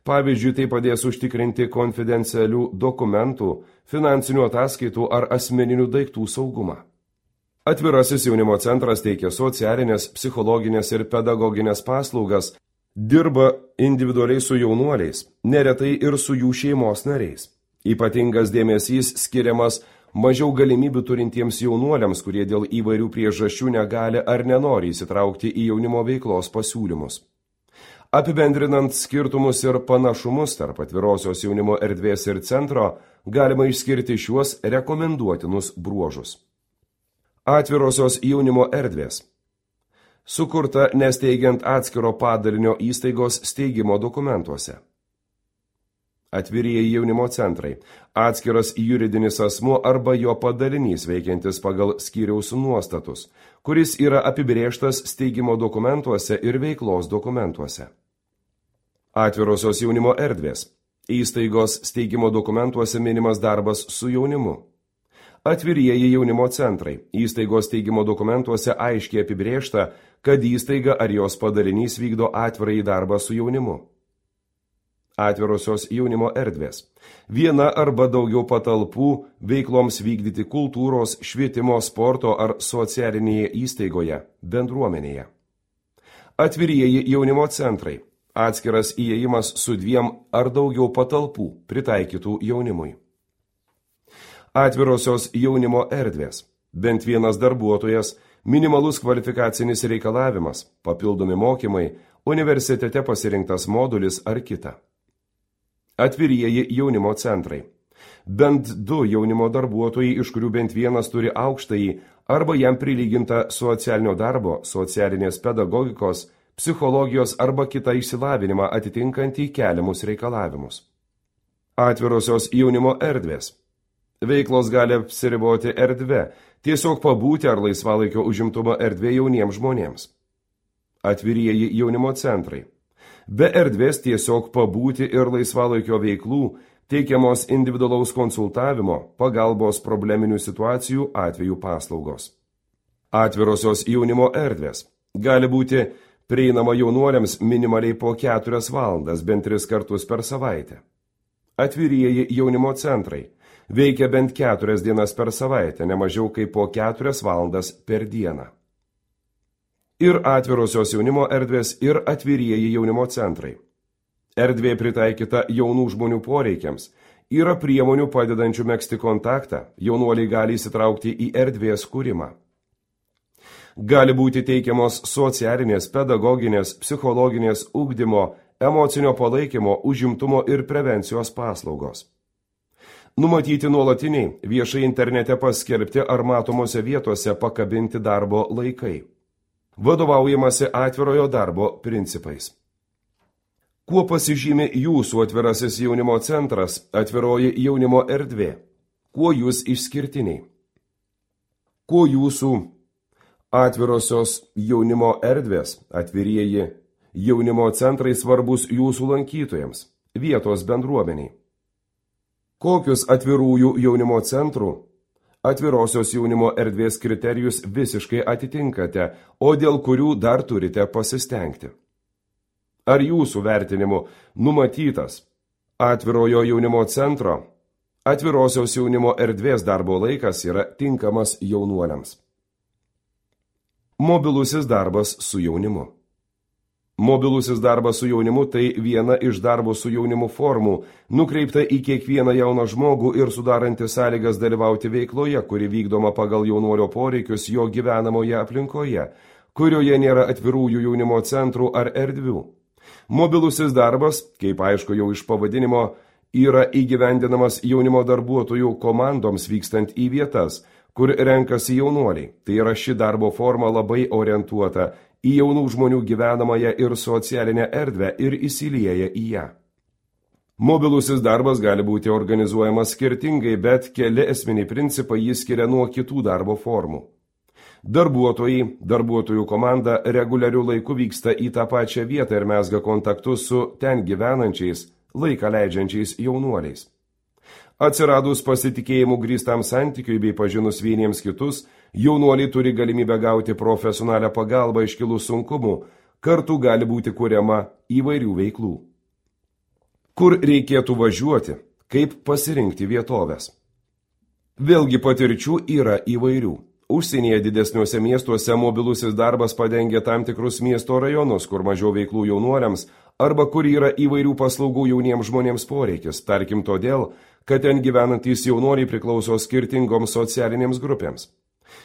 Pavyzdžiui, tai padės užtikrinti konfidencialių dokumentų, finansinių ataskaitų ar asmeninių daiktų saugumą. Atvirasis jaunimo centras teikia socialinės, psichologinės ir pedagoginės paslaugas, dirba individualiai su jaunuoliais, neretai ir su jų šeimos nariais. Ypatingas dėmesys skiriamas mažiau galimybių turintiems jaunuoliams, kurie dėl įvairių priežasčių negali ar nenori įsitraukti į jaunimo veiklos pasiūlymus. Apibendrinant skirtumus ir panašumus tarp atvirosios jaunimo erdvės ir centro, galima išskirti šiuos rekomenduotinus bruožus. Atvirosios jaunimo erdvės. Sukurta nesteigiant atskiro padalinio įstaigos steigimo dokumentuose. Atvirieji jaunimo centrai. Atskiras juridinis asmuo arba jo padalinys veikiantis pagal skyriaus nuostatus, kuris yra apibrėžtas steigimo dokumentuose ir veiklos dokumentuose. Atvirosios jaunimo erdvės. Įstaigos steigimo dokumentuose minimas darbas su jaunimu. Atvirieji jaunimo centrai. Įstaigos steigimo dokumentuose aiškiai apibrėžta, kad įstaiga ar jos padalinys vykdo atvirąjį darbą su jaunimu. Atvirosios jaunimo erdvės. Viena arba daugiau patalpų veikloms vykdyti kultūros, švietimo, sporto ar socialinėje įstaigoje, bendruomenėje. Atvirieji jaunimo centrai. Atskiras įėjimas su dviem ar daugiau patalpų pritaikytų jaunimui. Atvirosios jaunimo erdvės. Bent vienas darbuotojas, minimalus kvalifikacinis reikalavimas, papildomi mokymai, universitete pasirinktas modulis ar kita. Atvirieji jaunimo centrai. bent du jaunimo darbuotojai, iš kurių bent vienas turi aukštąjį arba jam prilygintą socialinio darbo, socialinės pedagogikos, psichologijos arba kitą išsilavinimą atitinkantį keliamus reikalavimus. Atvirosios jaunimo erdvės. Veiklos gali apsiriboti erdve, tiesiog pabūti ar laisvalaikio užimtumo erdvė jauniems žmonėms. Atvirieji jaunimo centrai. Be erdvės tiesiog pabūti ir laisvalaikio veiklų teikiamos individualaus konsultavimo, pagalbos probleminių situacijų atveju paslaugos. Atvirosios jaunimo erdvės. Gali būti prieinama jaunuoliams minimaliai po keturias valandas, bent tris kartus per savaitę. Atvirieji jaunimo centrai. Veikia bent keturias dienas per savaitę, ne mažiau kaip po keturias valandas per dieną. Ir atvirosios jaunimo erdvės, ir atvirieji jaunimo centrai. Erdvė pritaikyta jaunų žmonių poreikiams. Yra priemonių padedančių megzti kontaktą, jaunuoliai gali įsitraukti į erdvės kūrimą. Gali būti teikiamos socialinės, pedagoginės, psichologinės, ugdymo, emocinio palaikymo, užimtumo ir prevencijos paslaugos. Numatyti nuolatiniai, viešai internete paskelbti ar matomose vietose pakabinti darbo laikai. Vadovaujamasi atvirojo darbo principais. Kuo pasižymi jūsų atvirasis jaunimo centras, atviroji jaunimo erdvė? Kuo jūs išskirtiniai? Kuo jūsų atvirosios jaunimo erdvės, atvirieji jaunimo centrai svarbus jūsų lankytojams, vietos bendruomeniai? Kokius atvirųjų jaunimo centrų, atvirosios jaunimo erdvės kriterijus visiškai atitinkate, o dėl kurių dar turite pasistengti? Ar jūsų vertinimu numatytas atvirojo jaunimo centro, atvirosios jaunimo erdvės darbo laikas yra tinkamas jaunuoliams? Mobilusis darbas su jaunimu. Mobilusis darbas su jaunimu tai viena iš darbo su jaunimu formų, nukreipta į kiekvieną jauną žmogų ir sudaranti sąlygas dalyvauti veikloje, kuri vykdoma pagal jaunuolio poreikius jo gyvenamoje aplinkoje, kurioje nėra atvirųjų jaunimo centrų ar erdvių. Mobilusis darbas, kaip aišku jau iš pavadinimo, yra įgyvendinamas jaunimo darbuotojų komandoms vykstant į vietas, kur renkasi jaunuoliai. Tai yra ši darbo forma labai orientuota į jaunų žmonių gyvenamąją ir socialinę erdvę ir įsilieja į ją. Mobilusis darbas gali būti organizuojamas skirtingai, bet keli esminiai principai jį skiria nuo kitų darbo formų. Darbuotojai, darbuotojų komanda reguliarių laikų vyksta į tą pačią vietą ir mezga kontaktus su ten gyvenančiais, laiką leidžiančiais jaunuoliais. Atsiradus pasitikėjimų grįstam santykiui bei pažinus vieniems kitus, jaunuoliai turi galimybę gauti profesionalią pagalbą iškilus sunkumų, kartu gali būti kuriama įvairių veiklų. Kur reikėtų važiuoti, kaip pasirinkti vietovės? Vėlgi patirčių yra įvairių. Užsienyje didesniuose miestuose mobilusis darbas padengia tam tikrus miesto rajonus, kur mažiau veiklų jaunuoliams, arba kur yra įvairių paslaugų jauniems žmonėms poreikis, tarkim todėl, kad ten gyvenantys jaunuoliai priklauso skirtingoms socialinėms grupėms.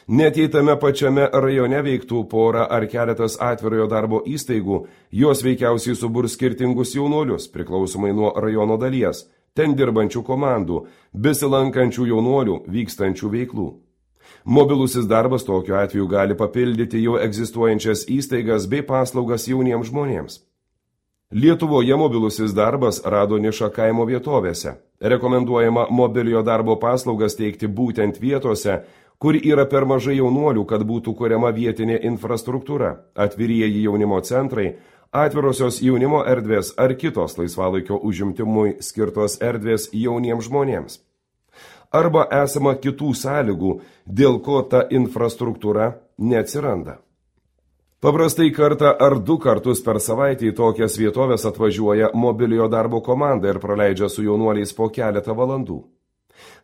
Net jei tame pačiame rajone veiktų pora ar keletas atvirojo darbo įstaigų, jos veikiausiai suburs skirtingus jaunuolius, priklausomai nuo rajono dalies, ten dirbančių komandų, besilankančių jaunuolių, vykstančių veiklų. Mobilusis darbas tokiu atveju gali papildyti jau egzistuojančias įstaigas bei paslaugas jauniems žmonėms. Lietuvoje mobilusis darbas rado nišą kaimo vietovėse. Rekomenduojama mobiliojo darbo paslaugas teikti būtent vietose, kur yra per mažai jaunuolių, kad būtų kuriama vietinė infrastruktūra, atvirieji jaunimo centrai, atvirosios jaunimo erdvės ar kitos laisvalaikio užimtimui skirtos erdvės jauniems žmonėms. Arba esama kitų sąlygų, dėl ko ta infrastruktūra neatsiranda. Paprastai kartą ar du kartus per savaitę į tokias vietovės atvažiuoja mobiliojo darbo komanda ir praleidžia su jaunuoliais po keletą valandų.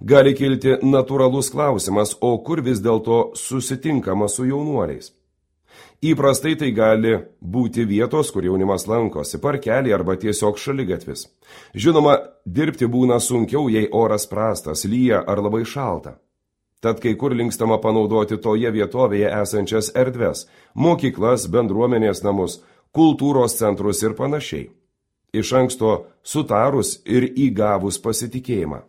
Gali kilti natūralus klausimas, o kur vis dėlto susitinkama su jaunuoliais? Įprastai tai gali būti vietos, kur jaunimas lankosi, parkelį arba tiesiog šaligatvis. Žinoma, dirbti būna sunkiau, jei oras prastas, lyja ar labai šalta. Tad kai kur linkstama panaudoti toje vietovėje esančias erdves, mokyklas, bendruomenės namus, kultūros centrus ir panašiai. Iš anksto sutarus ir įgavus pasitikėjimą.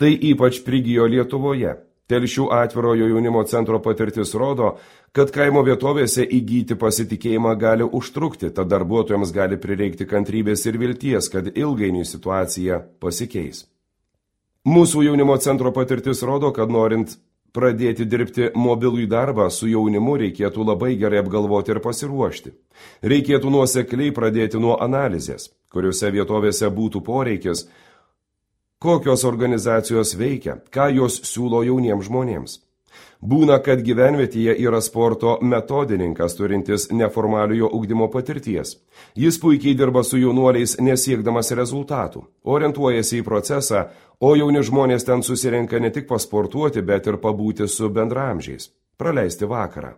Tai ypač prigijo Lietuvoje. Telšių atvirojo jaunimo centro patirtis rodo, kad kaimo vietovėse įgyti pasitikėjimą gali užtrukti, tad darbuotojams gali prireikti kantrybės ir vilties, kad ilgainiui situacija pasikeis. Mūsų jaunimo centro patirtis rodo, kad norint pradėti dirbti mobilų darbą su jaunimu reikėtų labai gerai apgalvoti ir pasiruošti. Reikėtų nuosekliai pradėti nuo analizės, kuriuose vietovėse būtų poreikis, kokios organizacijos veikia, ką jos siūlo jauniems žmonėms. Būna, kad gyvenvietėje yra sporto metodininkas turintis neformaliojo ugdymo patirties. Jis puikiai dirba su jaunuoliais nesiekdamas rezultatų, orientuojasi į procesą, o jauni žmonės ten susirenka ne tik pasportuoti, bet ir pabūti su bendraamžiais, praleisti vakarą.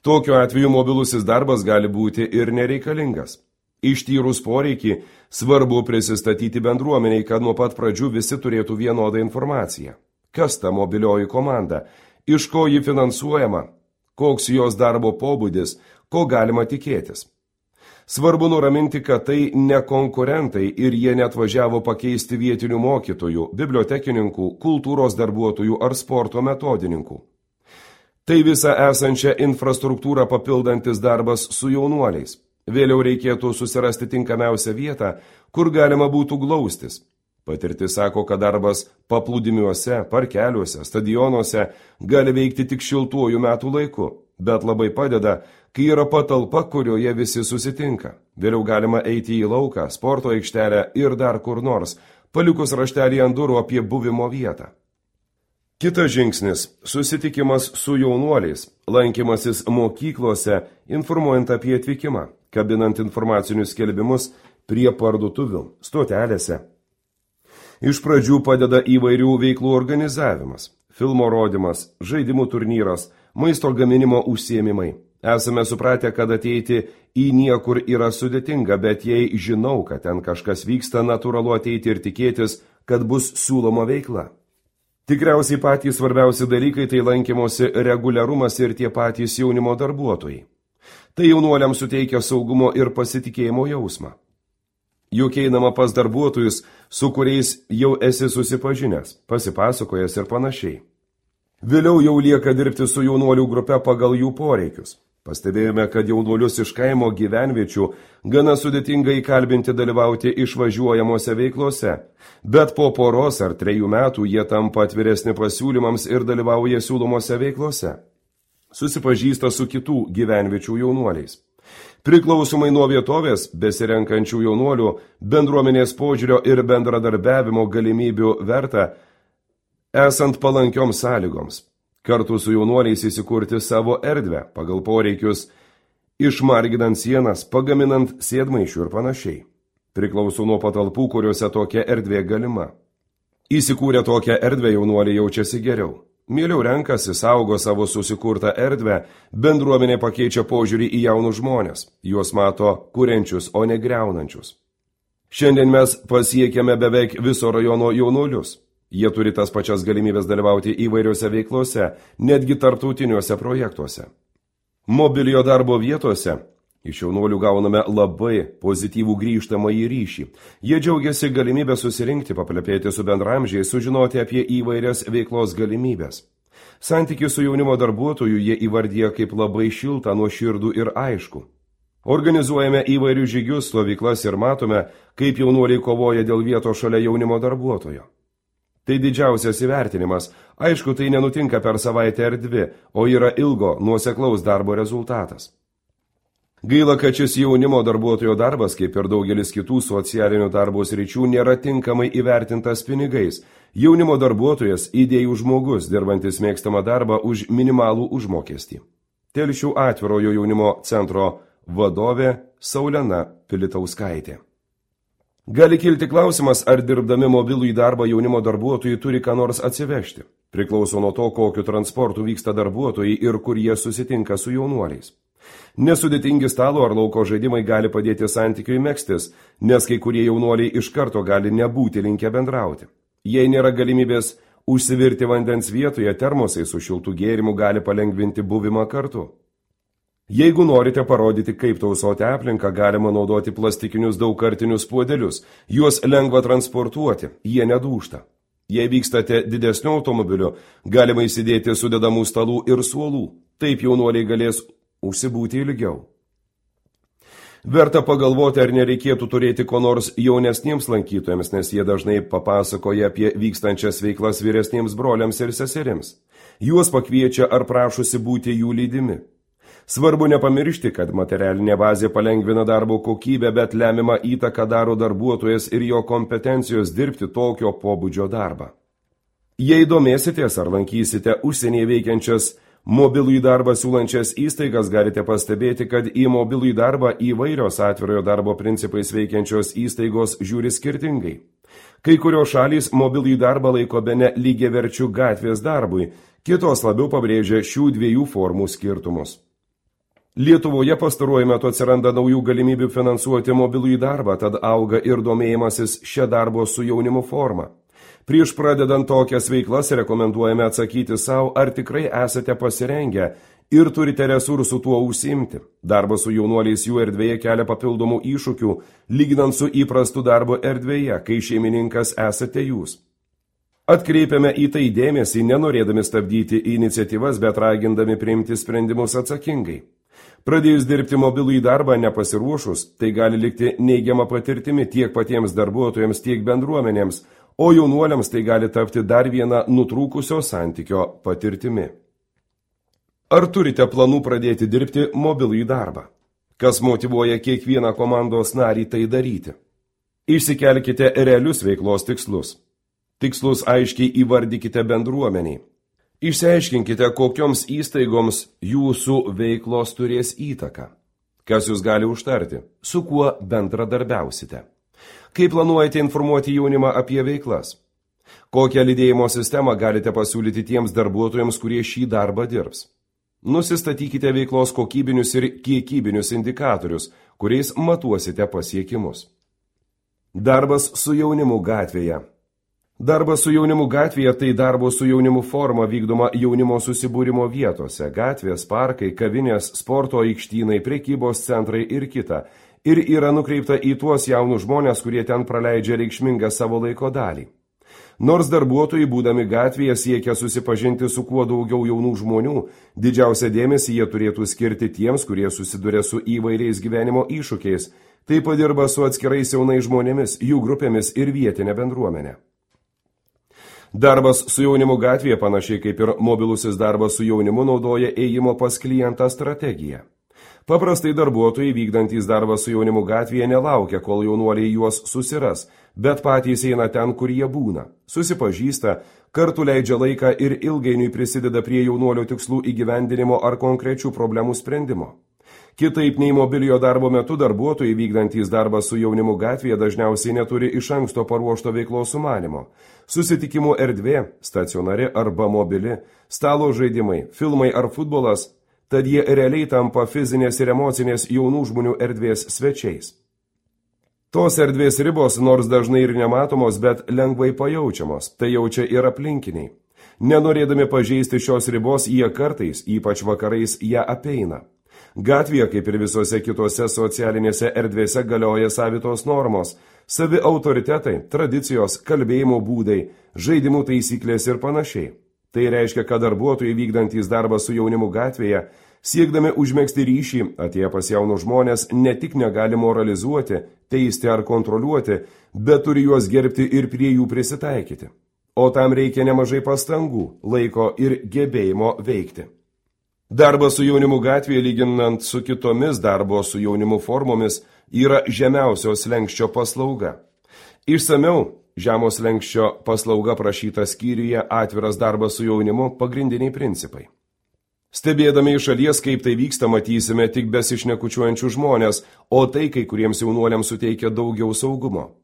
Tokiu atveju mobilusis darbas gali būti ir nereikalingas. Ištyrus poreikį, svarbu prisistatyti bendruomeniai, kad nuo pat pradžių visi turėtų vienodą informaciją. Kas ta mobilioji komanda, iš ko ji finansuojama, koks jos darbo pobūdis, ko galima tikėtis. Svarbu nuraminti, kad tai ne konkurentai ir jie netvažiavo pakeisti vietinių mokytojų, bibliotekininkų, kultūros darbuotojų ar sporto metodininkų. Tai visą esančią infrastruktūrą papildantis darbas su jaunuoliais. Vėliau reikėtų susirasti tinkamiausią vietą, kur galima būtų glaustis. Patirtis sako, kad darbas paplūdimiuose, parkeliuose, stadionuose gali veikti tik šiltuoju metų laiku, bet labai padeda, kai yra patalpa, kurioje visi susitinka. Vėliau galima eiti į lauką, sporto aikštelę ir dar kur nors, palikus raštelį ant durų apie buvimo vietą. Kitas žingsnis – susitikimas su jaunuoliais, lankymasis mokyklose, informuojant apie atvykimą, kabinant informacinius skelbimus prie parduotuvių, stotelėse. Iš pradžių padeda įvairių veiklų organizavimas, filmo rodymas, žaidimų turnyras, maisto gaminimo užsiėmimai. Esame supratę, kad ateiti į niekur yra sudėtinga, bet jei žinau, kad ten kažkas vyksta, natūralu ateiti ir tikėtis, kad bus siūloma veikla. Tikriausiai patys svarbiausi dalykai tai lankymosi reguliarumas ir tie patys jaunimo darbuotojai. Tai jaunuoliams suteikia saugumo ir pasitikėjimo jausmą. Juk einama pas darbuotojus, su kuriais jau esi susipažinęs, pasipasakojęs ir panašiai. Vėliau jau lieka dirbti su jaunuolių grupe pagal jų poreikius. Pastebėjome, kad jaunuolius iš kaimo gyvenviečių gana sudėtinga įkalbinti dalyvauti išvažiuojamose veiklose, bet po poros ar trejų metų jie tampa atviresni pasiūlymams ir dalyvauja siūlomose veiklose. Susipažįsta su kitų gyvenviečių jaunuoliais. Priklausomai nuo vietovės, besirenkančių jaunuolių, bendruomenės požiūrio ir bendradarbiavimo galimybių verta, esant palankioms sąlygoms. Kartu su jaunuoliais įsikurti savo erdvę, pagal poreikius, išmarginant sienas, pagaminant sėdmaišių ir panašiai. Priklauso nuo patalpų, kuriuose tokia erdvė galima. Įsikūrę tokią erdvę jaunuoliai jaučiasi geriau. Mieliau renkasi, saugo savo susikurtą erdvę, bendruomenė pakeičia požiūrį į jaunus žmonės, juos mato kuriančius, o ne griaunančius. Šiandien mes pasiekėme beveik viso rajono jaunuolius. Jie turi tas pačias galimybės dalyvauti įvairiose veiklose, netgi tarptautiniuose projektuose. Mobiliojo darbo vietose iš jaunuolių gauname labai pozityvų grįžtamąjį ryšį. Jie džiaugiasi galimybę susirinkti, paplepėti su bendramžiais, sužinoti apie įvairias veiklos galimybės. Santykį su jaunimo darbuotoju jie įvardyja kaip labai šiltą, nuoširdų ir aišku. Organizuojame įvairius žygius, stovyklas ir matome, kaip jaunuoliai kovoja dėl vietos šalia jaunimo darbuotojo. Tai didžiausias įvertinimas. Aišku, tai nenutinka per savaitę ar dvi, o yra ilgo, nuoseklaus darbo rezultatas. Gaila, kad šis jaunimo darbuotojo darbas, kaip ir daugelis kitų socialinių darbo sričių, nėra tinkamai įvertintas pinigais. Jaunimo darbuotojas – idėjų žmogus, dirbantis mėgstamą darbą už minimalų užmokestį. Telšių atvirojo jaunimo centro vadovė Saulena Pilitauskaitė. Gali kilti klausimas, ar dirbdami mobilų į darbą jaunimo darbuotojai turi ką nors atsivežti. Priklauso nuo to, kokiu transportu vyksta darbuotojai ir kur jie susitinka su jaunuoliais. Nesudėtingi stalo ar lauko žaidimai gali padėti santykiui megztis, nes kai kurie jaunuoliai iš karto gali nebūti linkę bendrauti. Jei nėra galimybės užsivirti vandens vietoje, termosai su šiltų gėrimu gali palengvinti buvimą kartu. Jeigu norite parodyti, kaip tausoti aplinką, galima naudoti plastikinius daugkartinius puodelius. Juos lengva transportuoti, jie nedūžta. Jei vykstate didesniu automobiliu, galima įsidėti sudedamų stalų ir suolų. Taip jaunuoliai galės užsibūti ilgiau. Verta pagalvoti, ar nereikėtų turėti ko nors jaunesniems lankytojams, nes jie dažnai papasakoja apie vykstančias veiklas vyresniems broliams ir seserims. Juos pakviečia ar prašosi būti jų lydimi. Svarbu nepamiršti, kad materialinė bazė palengvina darbo kokybę, bet lemiamą įtaką daro darbuotojas ir jo kompetencijos dirbti tokio pobūdžio darbą. Jei domėsitės ar lankysite užsienyje veikiančias mobilųjį darbą siūlančias įstaigas, galite pastebėti, kad į mobilųjį darbą įvairios atvirojo darbo principais veikiančios įstaigos žiūri skirtingai. Kai kurios šalys mobilųjį darbą laiko bene lygiaverčiu gatvės darbui, kitos labiau pabrėžia šių dviejų formų skirtumus. Lietuvoje pastaruoju metu atsiranda naujų galimybių finansuoti mobilųjį darbą, tad auga ir domėjimasis šią darbo su jaunimu formą. Prieš pradedant tokias veiklas rekomenduojame atsakyti savo, ar tikrai esate pasirengę ir turite resursų tuo užsiimti. Darbas su jaunuoliais jų erdvėje kelia papildomų iššūkių, lyginant su įprastu darbo erdvėje, kai šeimininkas esate jūs. Atkreipiame į tai dėmesį, nenorėdami stabdyti iniciatyvas, bet ragindami priimti sprendimus atsakingai. Pradėjus dirbti mobilųjį darbą nepasiruošus, tai gali likti neigiama patirtimi tiek patiems darbuotojams, tiek bendruomenėms, o jaunuoliams tai gali tapti dar viena nutrūkusio santykio patirtimi. Ar turite planų pradėti dirbti mobilųjį darbą? Kas motyvuoja kiekvieną komandos narį tai daryti? Išsikelkite realius veiklos tikslus. Tikslus aiškiai įvardykite bendruomeniai. Išsiaiškinkite, kokioms įstaigoms jūsų veiklos turės įtaką. Kas jūs gali užtarti, su kuo bendradarbiausite. Kaip planuojate informuoti jaunimą apie veiklas? Kokią lydėjimo sistemą galite pasiūlyti tiems darbuotojams, kurie šį darbą dirbs? Nusistatykite veiklos kokybinius ir kiekybinius indikatorius, kuriais matuosite pasiekimus. Darbas su jaunimu gatvėje. Darbas su jaunimu gatvėje tai darbo su jaunimu forma vykdoma jaunimo susibūrimo vietose, gatvės, parkai, kavinės, sporto aikštynai, prekybos centrai ir kita, ir yra nukreipta į tuos jaunus žmonės, kurie ten praleidžia reikšmingą savo laiko dalį. Nors darbuotojai, būdami gatvėje, siekia susipažinti su kuo daugiau jaunų žmonių, didžiausią dėmesį jie turėtų skirti tiems, kurie susiduria su įvairiais gyvenimo iššūkiais, taip pat dirba su atskirais jaunais žmonėmis, jų grupėmis ir vietinė bendruomenė. Darbas su jaunimu gatvėje, panašiai kaip ir mobilusis darbas su jaunimu, naudoja ėjimo pas klientą strategiją. Paprastai darbuotojai vykdantys darbą su jaunimu gatvėje nelaukia, kol jaunuoliai juos susiras, bet patys eina ten, kur jie būna. Susipažįsta, kartu leidžia laiką ir ilgainiui prisideda prie jaunuolio tikslų įgyvendinimo ar konkrečių problemų sprendimo. Kitaip nei mobiliojo darbo metu darbuotojai vykdantys darbą su jaunimu gatvėje dažniausiai neturi iš anksto paruošto veiklos sumanimo. Susitikimų erdvė, stacionari arba mobili, stalo žaidimai, filmai ar futbolas, tad jie realiai tampa fizinės ir emocinės jaunų žmonių erdvės svečiais. Tos erdvės ribos nors dažnai ir nematomos, bet lengvai pajaučiamos, tai jaučia ir aplinkiniai. Nenorėdami pažeisti šios ribos, jie kartais, ypač vakarais, ją apeina. Gatvėje, kaip ir visose kitose socialinėse erdvėse, galioja savitos normos, savi autoritetai, tradicijos, kalbėjimo būdai, žaidimų taisyklės ir panašiai. Tai reiškia, kad darbuotojai vykdantys darbą su jaunimu gatvėje, siekdami užmegzti ryšį, atėję pas jaunus žmonės, ne tik negali moralizuoti, teisti ar kontroliuoti, bet turi juos gerbti ir prie jų prisitaikyti. O tam reikia nemažai pastangų, laiko ir gebėjimo veikti. Darbas su jaunimu gatvėje, lyginant su kitomis darbo su jaunimu formomis, yra žemiausios slenksčio paslauga. Išsamiau, žemos slenksčio paslauga prašyta skyriuje atviras darbas su jaunimu pagrindiniai principai. Stebėdami iš šalies, kaip tai vyksta, matysime tik besišnekučiuojančių žmonės, o tai kai kuriems jaunuoliams suteikia daugiau saugumo.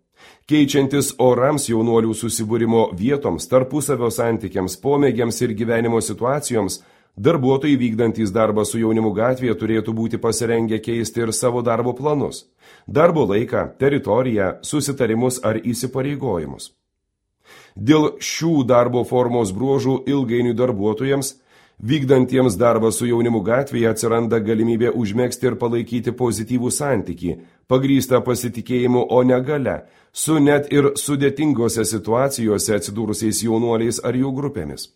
Keičiantis orams jaunuolių susibūrimo vietoms, tarpusavio santykiams, pomėgiams ir gyvenimo situacijoms, darbuotojai vykdantys darbą su jaunimu gatvėje turėtų būti pasirengę keisti ir savo darbo planus, darbo laiką, teritoriją, susitarimus ar įsipareigojimus. Dėl šių darbo formos bruožų ilgainiui darbuotojams Vykdantiems darbą su jaunimu gatvėje atsiranda galimybė užmegzti ir palaikyti pozityvų santykį, pagrįstą pasitikėjimu, o ne galia, su net ir sudėtingose situacijose atsidūrusiais jaunuoliais ar jų grupėmis.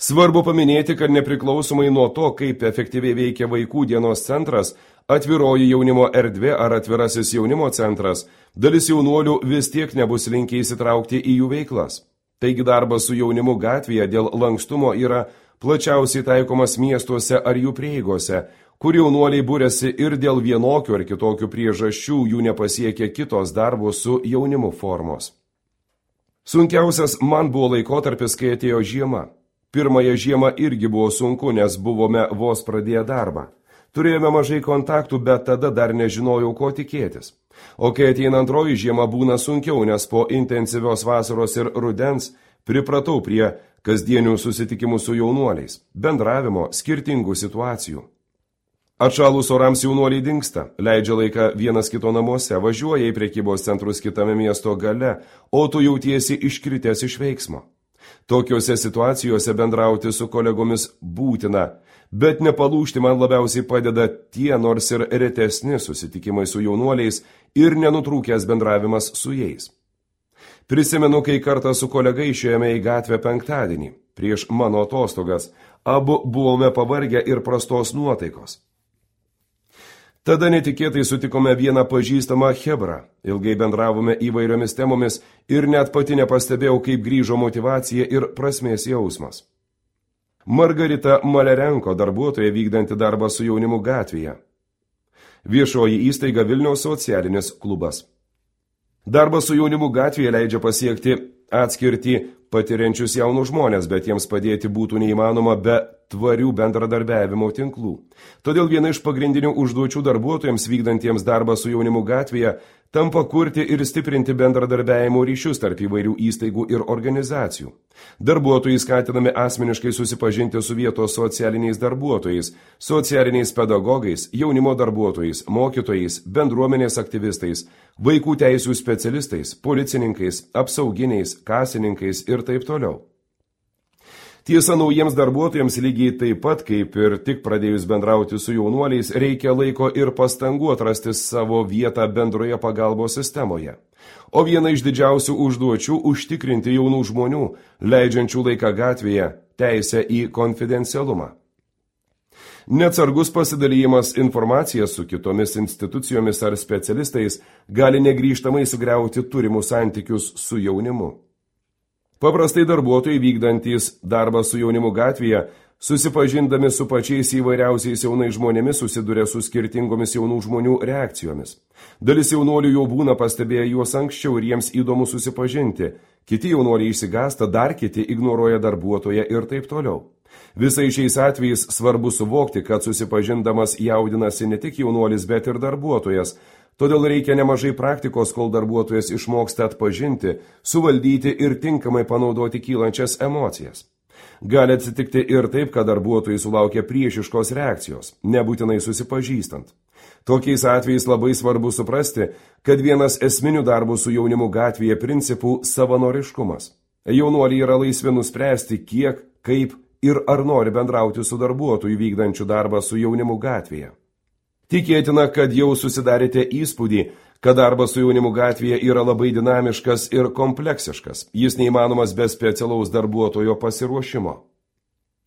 Svarbu paminėti, kad nepriklausomai nuo to, kaip efektyviai veikia vaikų dienos centras, atviroji jaunimo erdvė ar atvirasis jaunimo centras, dalis jaunuolių vis tiek nebus linkę įsitraukti į jų veiklas. Taigi darbas su jaunimu gatvėje dėl lankstumo yra plačiausiai taikomas miestuose ar jų prieigose, kur jaunuoliai būrėsi ir dėl vienokių ar kitokių priežasčių jų nepasiekia kitos darbo su jaunimu formos. Sunkiausias man buvo laikotarpis, kai atėjo žiema. Pirmąją žiemą irgi buvo sunku, nes buvome vos pradėję darbą. Turėjome mažai kontaktų, bet tada dar nežinojau, ko tikėtis. O kai ateina antroji žiema, būna sunkiau, nes po intensyvios vasaros ir rudens pripratau prie kasdienių susitikimų su jaunuoliais, bendravimo, skirtingų situacijų. Atšalus orams jaunuoliai dingsta, leidžia laiką vienas kito namuose, važiuoja į prekybos centrus kitame miesto gale, o tu jautiesi iškritęs iš veiksmo. Tokiuose situacijose bendrauti su kolegomis būtina, bet nepalūžti man labiausiai padeda tie nors ir retesni susitikimai su jaunuoliais ir nenutrūkęs bendravimas su jais. Prisimenu, kai kartą su kolega išėjome į gatvę penktadienį, prieš mano atostogas, abu buvome pavargę ir prastos nuotaikos. Tada netikėtai sutikome vieną pažįstamą chebrą, ilgai bendravome įvairiomis temomis ir net pati nepastebėjau, kaip grįžo motyvacija ir prasmės jausmas. Margarita Malerenko, darbuotoja vykdanti darbą su jaunimu gatvėje. Viešoji įstaiga Vilniaus socialinis klubas. Darbas su jaunimu gatvėje leidžia pasiekti atskirti patiriančius jaunus žmonės, bet jiems padėti būtų neįmanoma be tvarių bendradarbiavimo tinklų. Todėl viena iš pagrindinių užduočių darbuotojams vykdantiems darbą su jaunimu gatvėje tampa kurti ir stiprinti bendradarbiavimo ryšius tarp įvairių įstaigų ir organizacijų. Darbuotojai skatinami asmeniškai susipažinti su vietos socialiniais darbuotojais, socialiniais pedagogais, jaunimo darbuotojais, mokytojais, bendruomenės aktyvistais, vaikų teisių specialistais, policininkais, apsauginiais, kasininkais ir taip toliau. Tiesa, naujiems darbuotojams lygiai taip pat, kaip ir tik pradėjus bendrauti su jaunuoliais, reikia laiko ir pastangų atrasti savo vietą bendroje pagalbos sistemoje. O viena iš didžiausių užduočių – užtikrinti jaunų žmonių, leidžiančių laiką gatvėje, teisę į konfidencialumą. Neatsargus pasidalymas informacija su kitomis institucijomis ar specialistais gali negrįžtamai sugriauti turimus santykius su jaunimu. Paprastai darbuotojai vykdantys darbą su jaunimu gatvėje, susipažindami su pačiais įvairiausiais jaunais žmonėmis, susiduria su skirtingomis jaunų žmonių reakcijomis. Dalis jaunuolių jau būna pastebėję juos anksčiau ir jiems įdomu susipažinti. Kiti jaunuoliai išsigąsta, dar kiti ignoruoja darbuotoją ir taip toliau. Visai šiais atvejais svarbu suvokti, kad susipažindamas jaudinasi ne tik jaunuolis, bet ir darbuotojas. Todėl reikia nemažai praktikos, kol darbuotojas išmoksta atpažinti, suvaldyti ir tinkamai panaudoti kylančias emocijas. Gali atsitikti ir taip, kad darbuotojai sulaukia priešiškos reakcijos, nebūtinai susipažįstant. Tokiais atvejais labai svarbu suprasti, kad vienas esminių darbų su jaunimu gatvėje principų savanoriškumas. Jaunuoliai yra laisvi nuspręsti, kiek, kaip ir ar nori bendrauti su darbuotoju vykdančiu darbą su jaunimu gatvėje. Tikėtina, kad jau susidarėte įspūdį, kad darbas su jaunimu gatvėje yra labai dinamiškas ir kompleksiškas. Jis neįmanomas be specialaus darbuotojo pasiruošimo.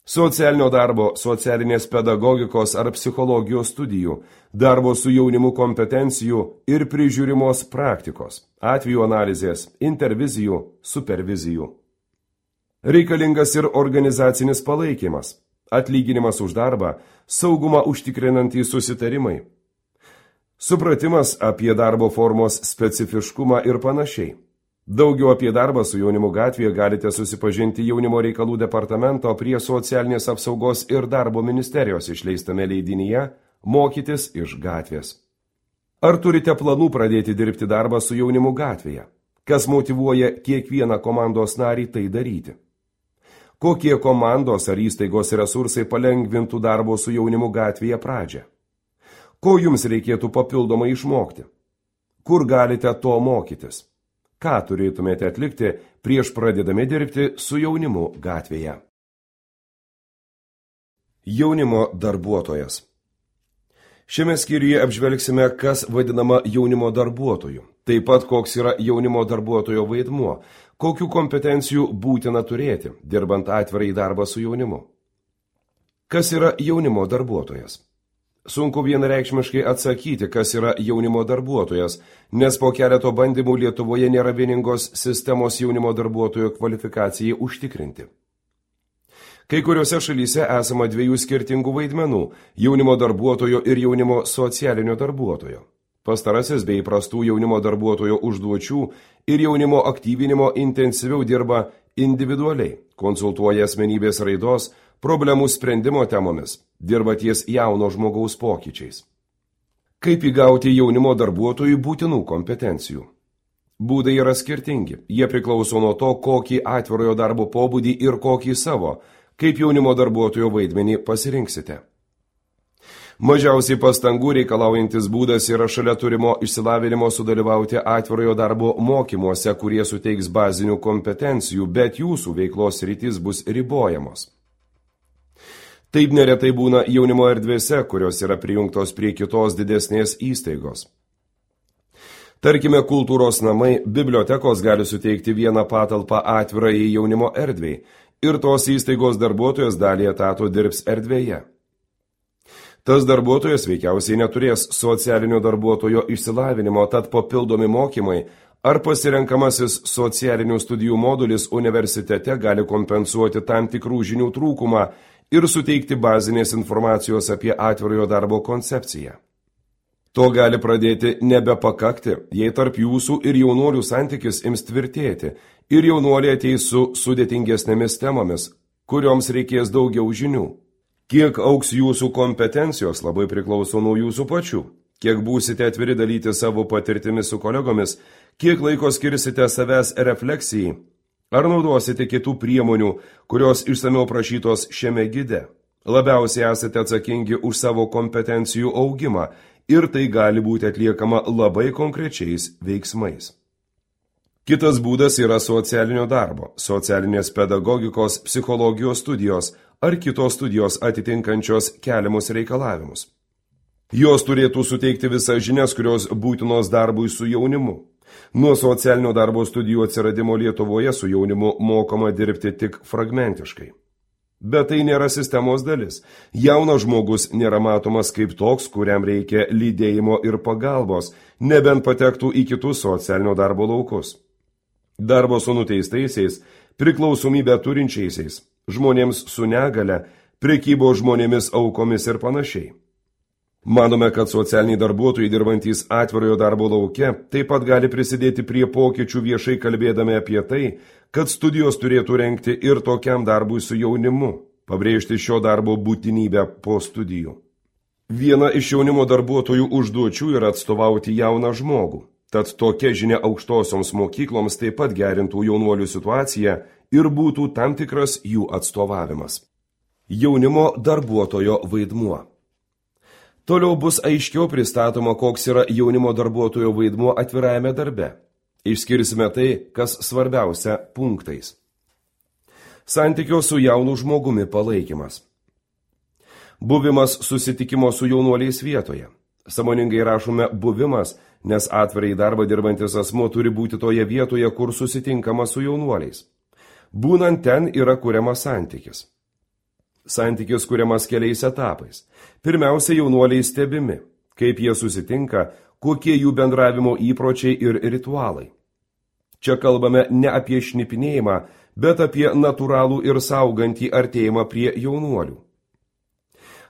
Socialinio darbo, socialinės pedagogikos ar psichologijos studijų, darbo su jaunimu kompetencijų ir prižiūrimos praktikos, atvejų analizės, intervizijų, supervizijų. Reikalingas ir organizacinis palaikymas. Atlyginimas už darbą, saugumą užtikrinantys susitarimai, supratimas apie darbo formos specifiškumą ir panašiai. Daugiau apie darbą su jaunimu gatvėje galite susipažinti Jaunimo reikalų departamento prie socialinės apsaugos ir darbo ministerijos išleistame leidinyje Mokytis iš gatvės. Ar turite planų pradėti dirbti darbą su jaunimu gatvėje? Kas motyvuoja kiekvieną komandos narį tai daryti? Kokie komandos ar įstaigos resursai palengvintų darbo su jaunimu gatvėje pradžią? Ko jums reikėtų papildomai išmokti? Kur galite to mokytis? Ką turėtumėte atlikti prieš pradėdami dirbti su jaunimu gatvėje? Jaunimo darbuotojas. Šiame skyriuje apžvelgsime, kas vadinama jaunimo darbuotoju, taip pat koks yra jaunimo darbuotojo vaidmuo, kokių kompetencijų būtina turėti, dirbant atvirai darbą su jaunimu. Kas yra jaunimo darbuotojas? Sunku vienareikšmiškai atsakyti, kas yra jaunimo darbuotojas, nes po keleto bandymų Lietuvoje nėra vieningos sistemos jaunimo darbuotojo kvalifikacijai užtikrinti. Kai kuriuose šalyse esama dviejų skirtingų vaidmenų – jaunimo darbuotojo ir jaunimo socialinio darbuotojo. Pastarasis bei įprastų jaunimo darbuotojo užduočių ir jaunimo aktyvinimo intensyviau dirba individualiai, konsultuoja asmenybės raidos, problemų sprendimo temomis, dirba ties jauno žmogaus pokyčiais. Kaip įgauti jaunimo darbuotojų būtinų kompetencijų? Būdai yra skirtingi, jie priklauso nuo to, kokį atvirojo darbo pobūdį ir kokį savo, kaip jaunimo darbuotojo vaidmenį pasirinksite. Mažiausiai pastangų reikalaujantis būdas yra šalia turimo išsilavinimo sudalyvauti atvirojo darbo mokymuose, kurie suteiks bazinių kompetencijų, bet jūsų veiklos sritys bus ribojamos. Taip neretai būna jaunimo erdvėse, kurios yra prijungtos prie kitos didesnės įstaigos. Tarkime, kultūros namai, bibliotekos gali suteikti vieną patalpą atvirai jaunimo erdvei, ir tos įstaigos darbuotojas dalį etato dirbs erdvėje. Tas darbuotojas veikiausiai neturės socialinio darbuotojo išsilavinimo, tad papildomi mokymai ar pasirenkamasis socialinių studijų modulis universitete gali kompensuoti tam tikrų žinių trūkumą ir suteikti bazinės informacijos apie atvirojo darbo koncepciją. To gali pradėti nebepakakti, jei tarp jūsų ir jaunuolių santykis ims tvirtėti ir jaunuoliai ateis su sudėtingesnėmis temomis, kurioms reikės daugiau žinių. Kiek auks jūsų kompetencijos labai priklauso nuo jūsų pačių, kiek būsite atviri dalyti savo patirtimis su kolegomis, kiek laiko skirsite savęs refleksijai, ar naudosite kitų priemonių, kurios išsamiau prašytos šiame gide. Labiausiai esate atsakingi už savo kompetencijų augimą, ir tai gali būti atliekama labai konkrečiais veiksmais. Kitas būdas yra socialinio darbo, socialinės pedagogikos, psichologijos studijos ar kitos studijos atitinkančios keliamus reikalavimus. Jos turėtų suteikti visas žinias, kurios būtinos darbui su jaunimu. Nuo socialinio darbo studijų atsiradimo Lietuvoje su jaunimu mokama dirbti tik fragmentiškai. Bet tai nėra sistemos dalis. Jaunas žmogus nėra matomas kaip toks, kuriam reikia lydėjimo ir pagalbos, nebent patektų į kitus socialinio darbo laukus. Darbo su nuteistaisiais, priklausomybę turinčiaisiais, žmonėms su negale, prekybos žmonėmis aukomis ir panašiai. Manome, kad socialiniai darbuotojai dirbantys atvirojo darbo lauke taip pat gali prisidėti prie pokyčių viešai kalbėdami apie tai, kad studijos turėtų rengti ir tokiam darbui su jaunimu, pabrėžti šio darbo būtinybę po studijų. Viena iš jaunimo darbuotojų užduočių yra atstovauti jauną žmogų, tad tokia žinia aukštosioms mokykloms taip pat gerintų jaunuolių situaciją ir būtų tam tikras jų atstovavimas. Jaunimo darbuotojo vaidmuo. Toliau bus aiškiau pristatoma, koks yra jaunimo darbuotojo vaidmuo atvirajame darbe. Išskirsime tai, kas svarbiausia punktais. Santykio su jaunu žmogumi palaikymas. Buvimas susitikimo su jaunuoliais vietoje. Sąmoningai rašome buvimas, nes atvirai darbą dirbantis asmuo turi būti toje vietoje, kur susitinkama su jaunuoliais. Būnant ten yra kuriamas santykis. Santykis kuriamas keliais etapais. Pirmiausia, jaunuoliai stebimi, kaip jie susitinka, kokie jų bendravimo įpročiai ir ritualai. Čia kalbame ne apie šnipinėjimą, bet apie natūralų ir saugantį artėjimą prie jaunuolių.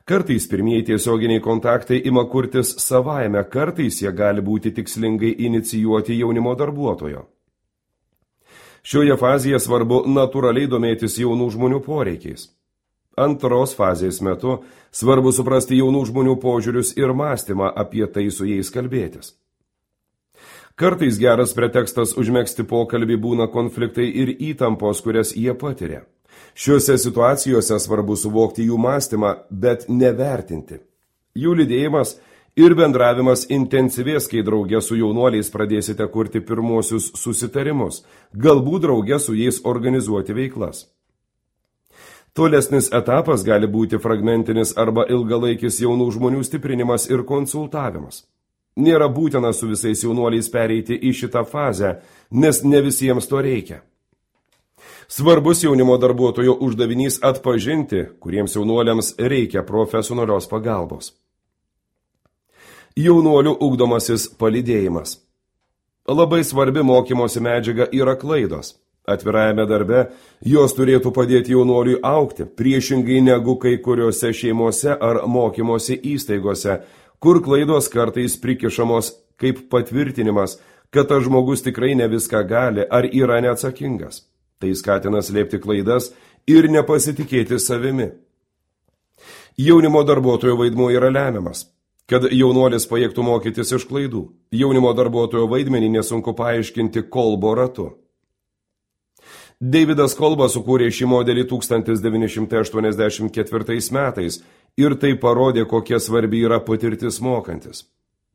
Kartais pirmieji tiesioginiai kontaktai ima kurtis savaime, kartais jie gali būti tikslingai inicijuoti jaunimo darbuotojo. Šioje fazėje svarbu natūraliai domėtis jaunų žmonių poreikiais. Antros fazės metu svarbu suprasti jaunų žmonių požiūrius ir mąstymą apie tai su jais kalbėtis. Kartais geras pretekstas užmegzti pokalbį būna konfliktai ir įtampos, kurias jie patiria. Šiuose situacijose svarbu suvokti jų mąstymą, bet nevertinti. Jų lydėjimas ir bendravimas intensyvės, kai drauge su jaunuoliais pradėsite kurti pirmosius susitarimus, galbūt drauge su jais organizuoti veiklas. Tolesnis etapas gali būti fragmentinis arba ilgalaikis jaunų žmonių stiprinimas ir konsultavimas. Nėra būtina su visais jaunuoliais pereiti į šitą fazę, nes ne visiems to reikia. Svarbus jaunimo darbuotojo uždavinys atpažinti, kuriems jaunuoliams reikia profesionalios pagalbos. Jaunuolių ugdomasis palydėjimas. Labai svarbi mokymosi medžiaga yra klaidos. Atvirajame darbe jos turėtų padėti jaunuoliui augti, priešingai negu kai kuriuose šeimose ar mokymosi įstaigose, kur klaidos kartais prikišamos kaip patvirtinimas, kad tas žmogus tikrai ne viską gali ar yra neatsakingas. Tai skatina slėpti klaidas ir nepasitikėti savimi. Jaunimo darbuotojo vaidmuo yra lemiamas, kad jaunuolis pajėgtų mokytis iš klaidų. Jaunimo darbuotojo vaidmenį nesunku paaiškinti Kolbo ratu. Davidas Kolba sukūrė šį modelį tūkstantis devyni šimtai aštuoniasdešimt ketvirtais metais ir tai parodė, kokia svarbi yra patirtis mokantis.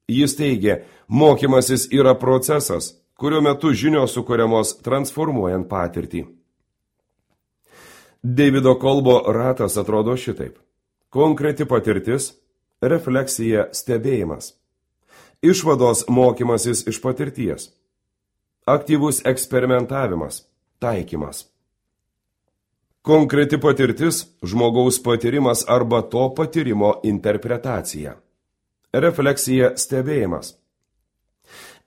Jis teigė, mokymasis yra procesas, kurio metu žinios sukuriamos transformuojant patirtį. Davido Kolbo ratas atrodo šitaip. Konkreti patirtis, refleksija, stebėjimas. Išvados mokymasis iš patirties. Aktyvus eksperimentavimas. Taikymas. Konkreti patirtis – žmogaus patyrimas arba to patyrimo interpretacija. Refleksija – stebėjimas.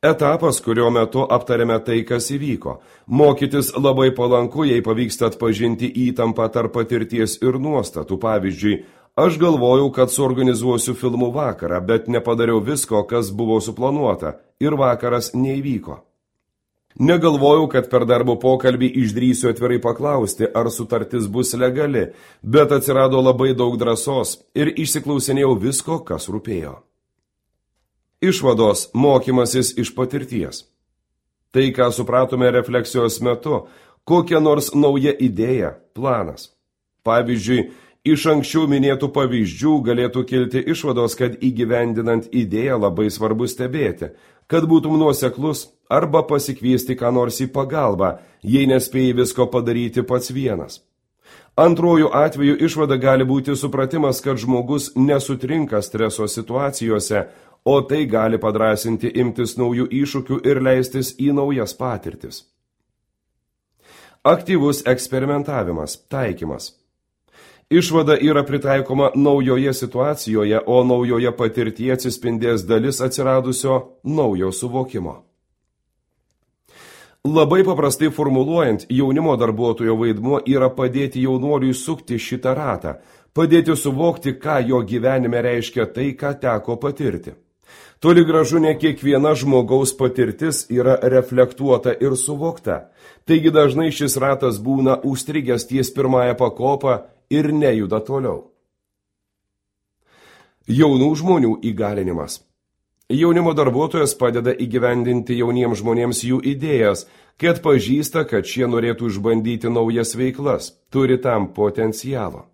Etapas, kurio metu aptarėme tai, kas įvyko. Mokytis labai palanku, jei pavyksta atpažinti įtampą tarp patirties ir nuostatų. Pavyzdžiui, aš galvojau, kad suorganizuosiu filmų vakarą, bet nepadariau visko, kas buvo suplanuota, ir vakaras neįvyko. Negalvojau, kad per darbo pokalbį išdrįsiu atvirai paklausti, ar sutartis bus legali, bet atsirado labai daug drąsos ir išsiklausinėjau visko, kas rūpėjo. Išvados – mokymasis iš patirties. Tai, ką supratome refleksijos metu, kokia nors nauja idėja, planas. Pavyzdžiui, iš anksčiau minėtų pavyzdžių galėtų kilti išvados, kad įgyvendinant idėją labai svarbu stebėti, kad būtum nuoseklus arba pasikviesti ką nors į pagalbą, jei nespėjai visko padaryti pats vienas. Antrojų atveju išvada gali būti supratimas, kad žmogus nesutrinka streso situacijose, o tai gali padrąsinti imtis naujų iššūkių ir leistis į naujas patirtis. Aktyvus eksperimentavimas, taikymas. Išvada yra pritaikoma naujoje situacijoje, o naujoje patirtyje atsispindės dalis atsiradusio naujo suvokimo. Labai paprastai formuluojant, jaunimo darbuotojo vaidmuo yra padėti jaunuoliui sukti šitą ratą, padėti suvokti, ką jo gyvenime reiškia tai, ką teko patirti. Toli gražu ne kiekviena žmogaus patirtis yra reflektuota ir suvokta, taigi dažnai šis ratas būna užstrigęs ties pirmąją pakopą ir nejuda toliau. Jaunų žmonių įgalinimas. Jaunimo darbuotojas padeda įgyvendinti jauniems žmonėms jų idėjas, kai atpažįsta, kad šie norėtų išbandyti naujas veiklas, turi tam potencialo.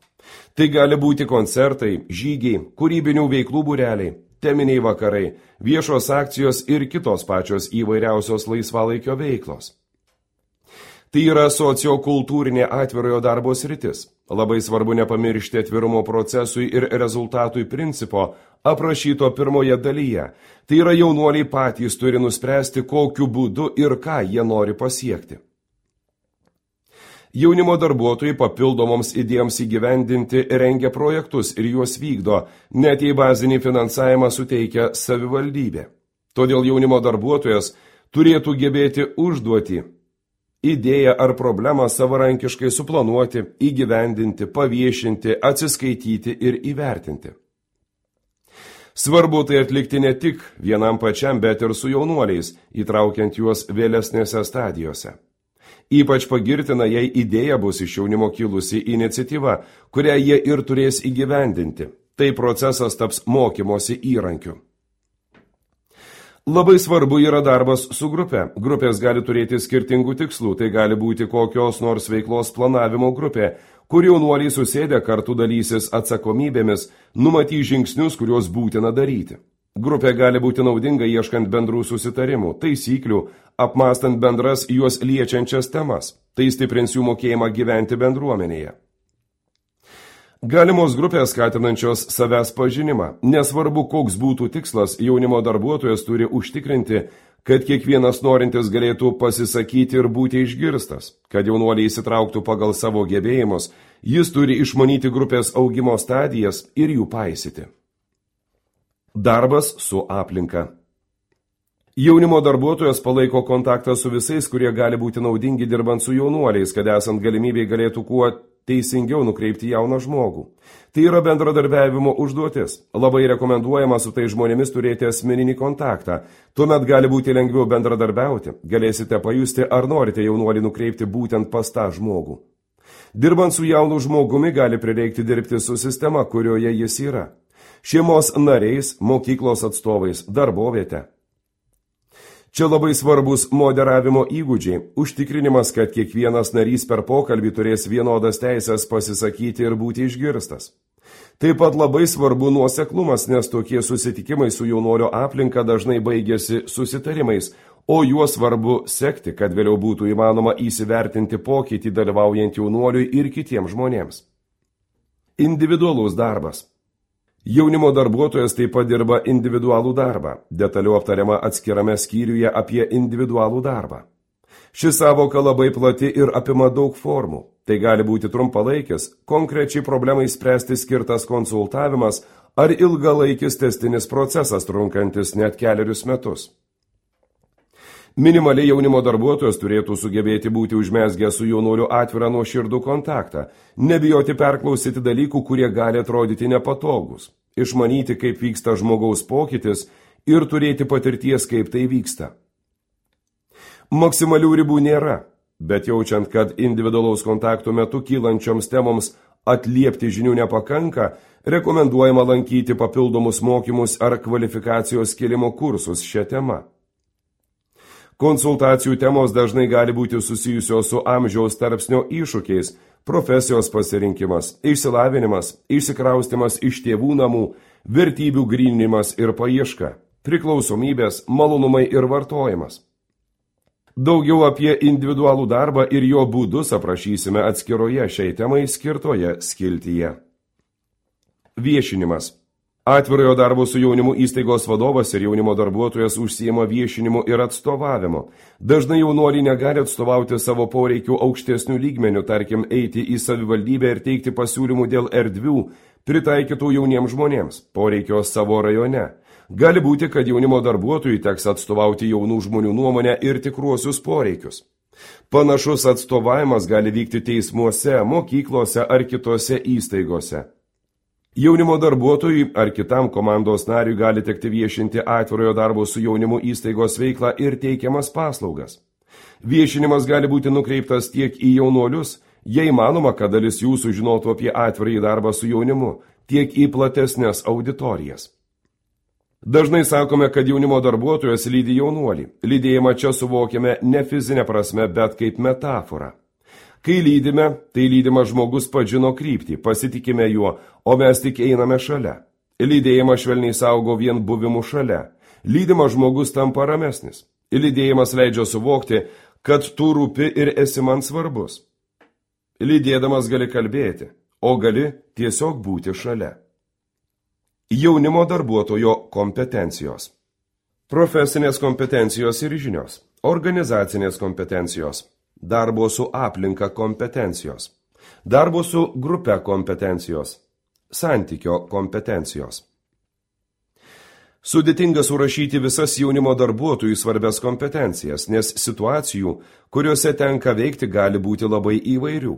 Tai gali būti koncertai, žygiai, kūrybinių veiklų būreliai, teminiai vakarai, viešos akcijos ir kitos pačios įvairiausios laisvalaikio veiklos. Tai yra sociokultūrinė atvirojo darbo sritis. Labai svarbu nepamiršti atvirumo procesui ir rezultatui principo, aprašyto pirmoje dalyje. Tai yra jaunuoliai patys turi nuspręsti, kokiu būdu ir ką jie nori pasiekti. Jaunimo darbuotojai papildomoms idėjoms įgyvendinti rengia projektus ir juos vykdo, net jei bazinį finansavimą suteikia savivaldybė. Todėl jaunimo darbuotojas turėtų gebėti užduoti idėją ar problemą savarankiškai suplanuoti, įgyvendinti, paviešinti, atsiskaityti ir įvertinti. Svarbu tai atlikti ne tik vienam pačiam, bet ir su jaunuoliais, įtraukiant juos vėlesnėse stadijose. Ypač pagirtina, jei idėja bus iš jaunimo kilusi iniciatyva, kurią jie ir turės įgyvendinti. Tai procesas taps mokymosi įrankiu. Labai svarbu yra darbas su grupe. Grupės gali turėti skirtingų tikslų, tai gali būti kokios nors veiklos planavimo grupė, kur jaunuoliai susėdę kartu dalysis atsakomybėmis, numatys žingsnius, kuriuos būtina daryti. Grupė gali būti naudinga ieškant bendrų susitarimų, taisyklių, apmąstant bendras juos liečiančias temas. Tai stiprins jų mokėjimą gyventi bendruomenėje. Galimos grupės skatinančios savęs pažinimą. Nesvarbu, koks būtų tikslas, jaunimo darbuotojas turi užtikrinti, kad kiekvienas norintis galėtų pasisakyti ir būti išgirstas, kad jaunuoliai įsitrauktų pagal savo gebėjimus, jis turi išmanyti grupės augimo stadijas ir jų paisyti. Darbas su aplinka. Jaunimo darbuotojas palaiko kontaktą su visais, kurie gali būti naudingi dirbant su jaunuoliais, kad esant galimybei galėtų kuo teisingiau nukreipti jauną žmogų. Tai yra bendradarbiavimo užduotis. Labai rekomenduojama su tai žmonėmis turėti asmeninį kontaktą. Tuomet gali būti lengviau bendradarbiauti. Galėsite pajusti, ar norite jaunuolį nukreipti būtent pas tą žmogų. Dirbant su jaunu žmogumi gali prireikti dirbti su sistema, kurioje jis yra. Šeimos nariais, mokyklos atstovais, darboviete. Čia labai svarbus moderavimo įgūdžiai, užtikrinimas, kad kiekvienas narys per pokalbį turės vienodas teisės pasisakyti ir būti išgirstas. Taip pat labai svarbu nuoseklumas, nes tokie susitikimai su jaunuolio aplinka dažnai baigėsi susitarimais, o juos svarbu sekti, kad vėliau būtų įmanoma įsivertinti pokytį dalyvaujant jaunuoliui ir kitiems žmonėms. Individualus darbas. Jaunimo darbuotojas taip pat dirba individualų darbą, detaliau aptariama atskirame skyriuje apie individualų darbą. Ši savoka labai plati ir apima daug formų. Tai gali būti trumpalaikis, konkrečiai problemai spręsti skirtas konsultavimas ar ilgalaikis tęstinis procesas trunkantis net kelerius metus. Minimaliai jaunimo darbuotojas turėtų sugebėti būti užmezgę su jaunuoliu atvirą nuoširdų kontaktą, nebijoti perklausyti dalykų, kurie gali atrodyti nepatogus, išmanyti, kaip vyksta žmogaus pokytis ir turėti patirties, kaip tai vyksta. Maksimalių ribų nėra, bet jaučiant, kad individualaus kontakto metu kylančioms temoms atliepti žinių nepakanka, rekomenduojama lankyti papildomus mokymus ar kvalifikacijos kėlimo kursus šią temą. Konsultacijų temos dažnai gali būti susijusios su amžiaus tarpsnio iššūkiais, profesijos pasirinkimas, išsilavinimas, išsikraustimas iš tėvų namų, vertybių gryninimas ir paieška, priklausomybės, malonumai ir vartojimas. Daugiau apie individualų darbą ir jo būdus aprašysime atskiroje šiai temai skirtoje skiltyje. Viešinimas. Atvirojo darbo su jaunimu įstaigos vadovas ir jaunimo darbuotojas užsiima viešinimu ir atstovavimu. Dažnai jaunuoliai negali atstovauti savo poreikių aukštesnių lygmenių, tarkim, eiti į savivaldybę ir teikti pasiūlymų dėl erdvių, pritaikytų jauniems žmonėms, poreikio savo rajone. Gali būti, kad jaunimo darbuotojui teks atstovauti jaunų žmonių nuomonę ir tikruosius poreikius. Panašus atstovavimas gali vykti teismuose, mokyklose ar kitose įstaigose. Jaunimo darbuotojui ar kitam komandos nariui gali tekti viešinti atvirojo darbo su jaunimu įstaigos veiklą ir teikiamas paslaugas. Viešinimas gali būti nukreiptas tiek į jaunuolius, jei manoma, kad dalis jų sužinotų apie atvirąjį darbą su jaunimu, tiek į platesnės auditorijas. Dažnai sakome, kad jaunimo darbuotojas lydi jaunuolį. Lydėjimą čia suvokiame ne fizinę prasme, bet kaip metaforą. Kai lydime, tai lydimas žmogus pažino kryptį, pasitikime juo, o mes tik einame šalia. Lydėjimas švelniai saugo vien buvimu šalia. Lydimas žmogus tampa ramesnis. Lydėjimas leidžia suvokti, kad tu rūpi ir esi man svarbus. Lydėdamas gali kalbėti, o gali tiesiog būti šalia. Jaunimo darbuotojo kompetencijos. Profesinės kompetencijos ir žinios. Organizacinės kompetencijos. Darbo su aplinka kompetencijos, darbo su grupe kompetencijos, santykio kompetencijos. Sudėtinga surašyti visas jaunimo darbuotojų svarbias kompetencijas, nes situacijų, kuriuose tenka veikti, gali būti labai įvairių.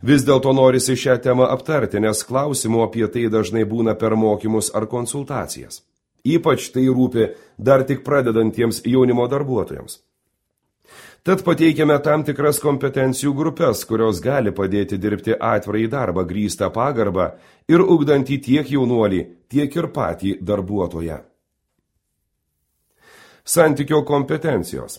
Vis dėlto norisi šią temą aptarti, nes klausimų apie tai dažnai būna per mokymus ar konsultacijas. Ypač tai rūpi dar tik pradedantiems jaunimo darbuotojams. Tad pateikiame tam tikras kompetencijų grupės, kurios gali padėti dirbti atvirąjį darbą grįstą pagarbą ir ugdantį tiek jaunuolį, tiek ir patį darbuotoją. Santykio kompetencijos.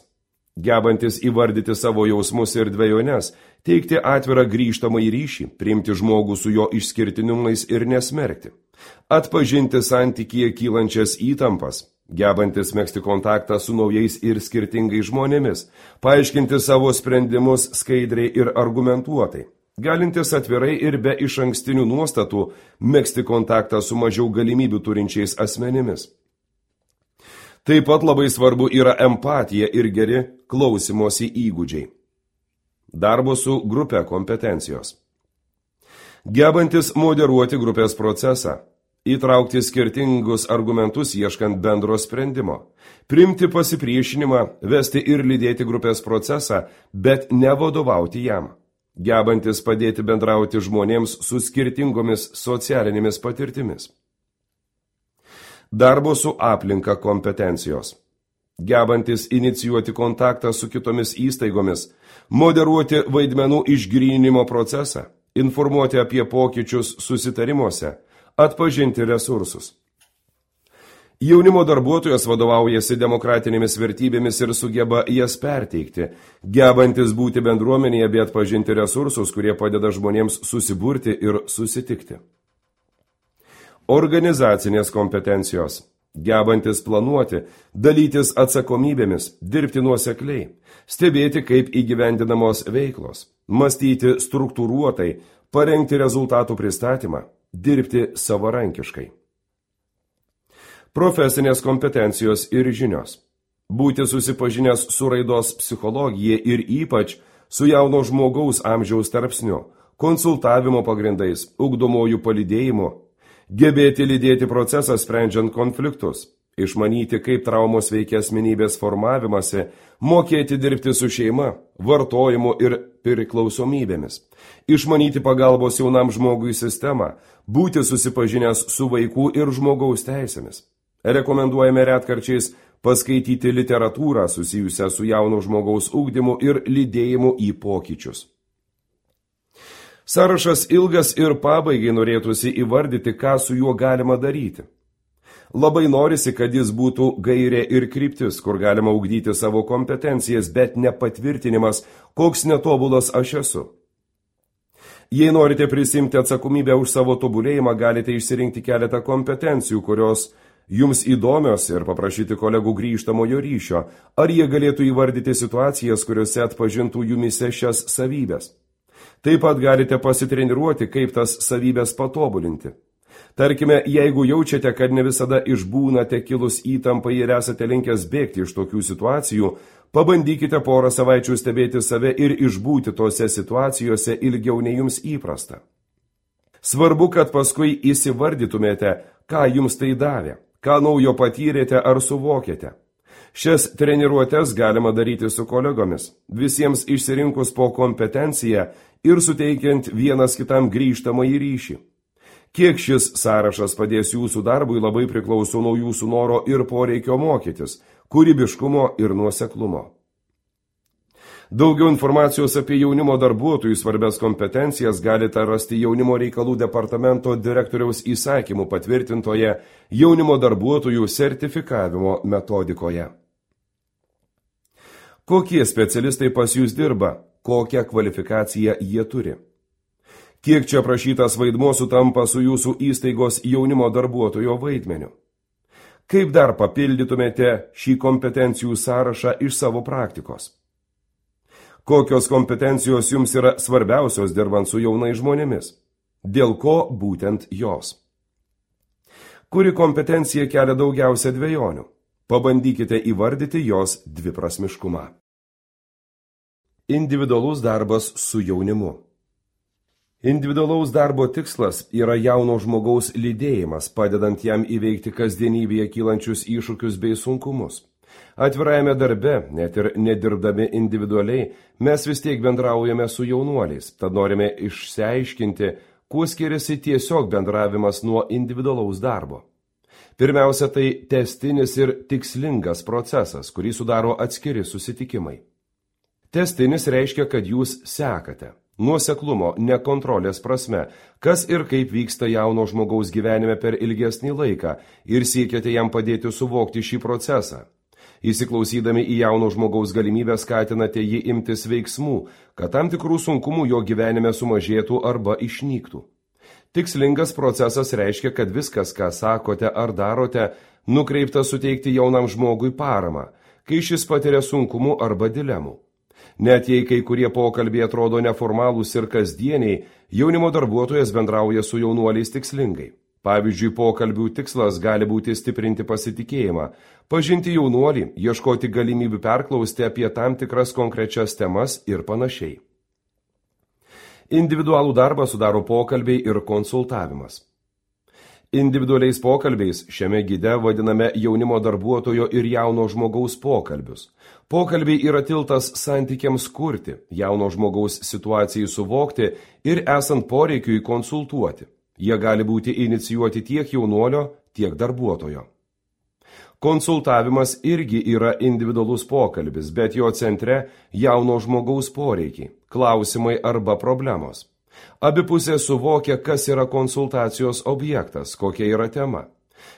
Gebantis įvardyti savo jausmus ir dvejones, teikti atvirą grįžtamą į ryšį, priimti žmogų su jo išskirtinumais ir nesmerkti. Atpažinti santykyje kylančias įtampas. Gebantis megzti kontaktą su naujais ir skirtingais žmonėmis, paaiškinti savo sprendimus skaidriai ir argumentuotai, galintis atvirai ir be išankstinių nuostatų megzti kontaktą su mažiau galimybių turinčiais asmenimis. Taip pat labai svarbu yra empatija ir geri klausymosi įgūdžiai. Darbo su grupe kompetencijos. Gebantis moderuoti grupės procesą, įtraukti skirtingus argumentus ieškant bendro sprendimo, priimti pasipriešinimą, vesti ir lydėti grupės procesą, bet nevadovauti jam. Gebantis padėti bendrauti žmonėms su skirtingomis socialinėmis patirtimis. Darbo su aplinka kompetencijos. Gebantis inicijuoti kontaktą su kitomis įstaigomis, moderuoti vaidmenų išgryninimo procesą, informuoti apie pokyčius susitarimuose, atpažinti resursus. Jaunimo darbuotojas vadovaujasi demokratinėmis vertybėmis ir sugeba jas perteikti, gebantis būti bendruomenėje bei atpažinti resursus, kurie padeda žmonėms susiburti ir susitikti. Organizacinės kompetencijos. Gebantis planuoti, dalytis atsakomybėmis, dirbti nuosekliai, stebėti, kaip įgyvendinamos veiklos, mąstyti struktūruotai, parengti rezultatų pristatymą, dirbti savarankiškai. Profesinės kompetencijos ir žinios. Būti susipažinęs su raidos psichologija ir ypač su jauno žmogaus amžiaus tarpsniu, konsultavimo pagrindais, ugdomojų palydėjimu, gebėti lydėti procesą sprendžiant konfliktus, išmanyti, kaip traumos veikia asmenybės formavimąsi, mokėti dirbti su šeima, vartojimu ir priklausomybėmis, išmanyti pagalbos jaunam žmogui sistemą, būti susipažinęs su vaikų ir žmogaus teisėmis. Rekomenduojame retkarčiais paskaityti literatūrą susijusią su jauno žmogaus ugdymu ir lydėjimu į pokyčius. Sąrašas ilgas ir pabaigai norėtųsi įvardyti, ką su juo galima daryti. Labai norisi, kad jis būtų gairė ir kryptis, kur galima ugdyti savo kompetencijas, bet ne patvirtinimas, koks netobulas aš esu. Jei norite prisimti atsakomybę už savo tobulėjimą, galite išsirinkti keletą kompetencijų, kurios jums įdomios ir paprašyti kolegų grįžtamojo ryšio, ar jie galėtų įvardyti situacijas, kuriuose atpažintų jumise šias savybės. Taip pat galite pasitreniruoti, kaip tas savybės patobulinti. Tarkime, jeigu jaučiate, kad ne visada išbūnate kilus įtampai ir esate linkęs bėgti iš tokių situacijų, pabandykite porą savaičių stebėti save ir išbūti tose situacijose ilgiau nei jums įprasta. Svarbu, kad paskui įsivardytumėte, ką jums tai davė, ką naujo patyrėte ar suvokėte. Šias treniruotes galima daryti su kolegomis, visiems išsirinkus po kompetenciją ir suteikiant vienas kitam grįžtamąjį ryšį. Kiek šis sąrašas padės jūsų darbui, labai priklauso nuo jūsų noro ir poreikio mokytis, kūrybiškumo ir nuoseklumo. Daugiau informacijos apie jaunimo darbuotojų svarbias kompetencijas galite rasti Jaunimo reikalų departamento direktoriaus įsakymų patvirtintoje jaunimo darbuotojų sertifikavimo metodikoje. Kokie specialistai pas jūs dirba, kokią kvalifikaciją jie turi? Kiek čia prašytas vaidmuo sutampa su jūsų įstaigos jaunimo darbuotojo vaidmeniu? Kaip dar papildytumėte šį kompetencijų sąrašą iš savo praktikos? Kokios kompetencijos jums yra svarbiausios dirbant su jaunais žmonėmis? Dėl ko būtent jos? Kuri kompetencija kelia daugiausia dvejonių? Pabandykite įvardyti jos dviprasmiškumą. Individualus darbas su jaunimu. Individualaus darbo tikslas yra jauno žmogaus lydėjimas, padedant jam įveikti kasdienybėje kylančius iššūkius bei sunkumus. Atvirajame darbe, net ir nedirbdami individualiai, mes vis tiek bendraujame su jaunuoliais, tad norime išsiaiškinti, kuo skiriasi tiesiog bendravimas nuo individualaus darbo. Pirmiausia, tai tęstinis ir tikslingas procesas, kurį sudaro atskiri susitikimai. Tęstinis reiškia, kad jūs sekate. Nuoseklumo, ne kontrolės prasme, kas ir kaip vyksta jauno žmogaus gyvenime per ilgesnį laiką ir siekiate jam padėti suvokti šį procesą. Įsiklausydami į jauno žmogaus galimybę skatinate jį imtis veiksmų, kad tam tikrų sunkumų jo gyvenime sumažėtų arba išnyktų. Tikslingas procesas reiškia, kad viskas, ką sakote ar darote, nukreipta suteikti jaunam žmogui paramą, kai šis patiria sunkumų arba dilemų. Net jei kai kurie pokalbiai atrodo neformalūs ir kasdieniai, jaunimo darbuotojas bendrauja su jaunuoliais tikslingai. Pavyzdžiui, pokalbių tikslas gali būti stiprinti pasitikėjimą, pažinti jaunuolį, ieškoti galimybių perklausti apie tam tikras konkrečias temas ir panašiai. Individualų darbą sudaro pokalbiai ir konsultavimas. Individualiais pokalbiais šiame gide vadiname jaunimo darbuotojo ir jauno žmogaus pokalbius. Pokalbiai yra tiltas santykiams kurti, jauno žmogaus situacijai suvokti ir esant poreikiui konsultuoti. Jie gali būti inicijuoti tiek jaunuolio, tiek darbuotojo. Konsultavimas irgi yra individualus pokalbis, bet jo centre jauno žmogaus poreikiai, klausimai arba problemos. Abi pusės suvokia, kas yra konsultacijos objektas, kokia yra tema.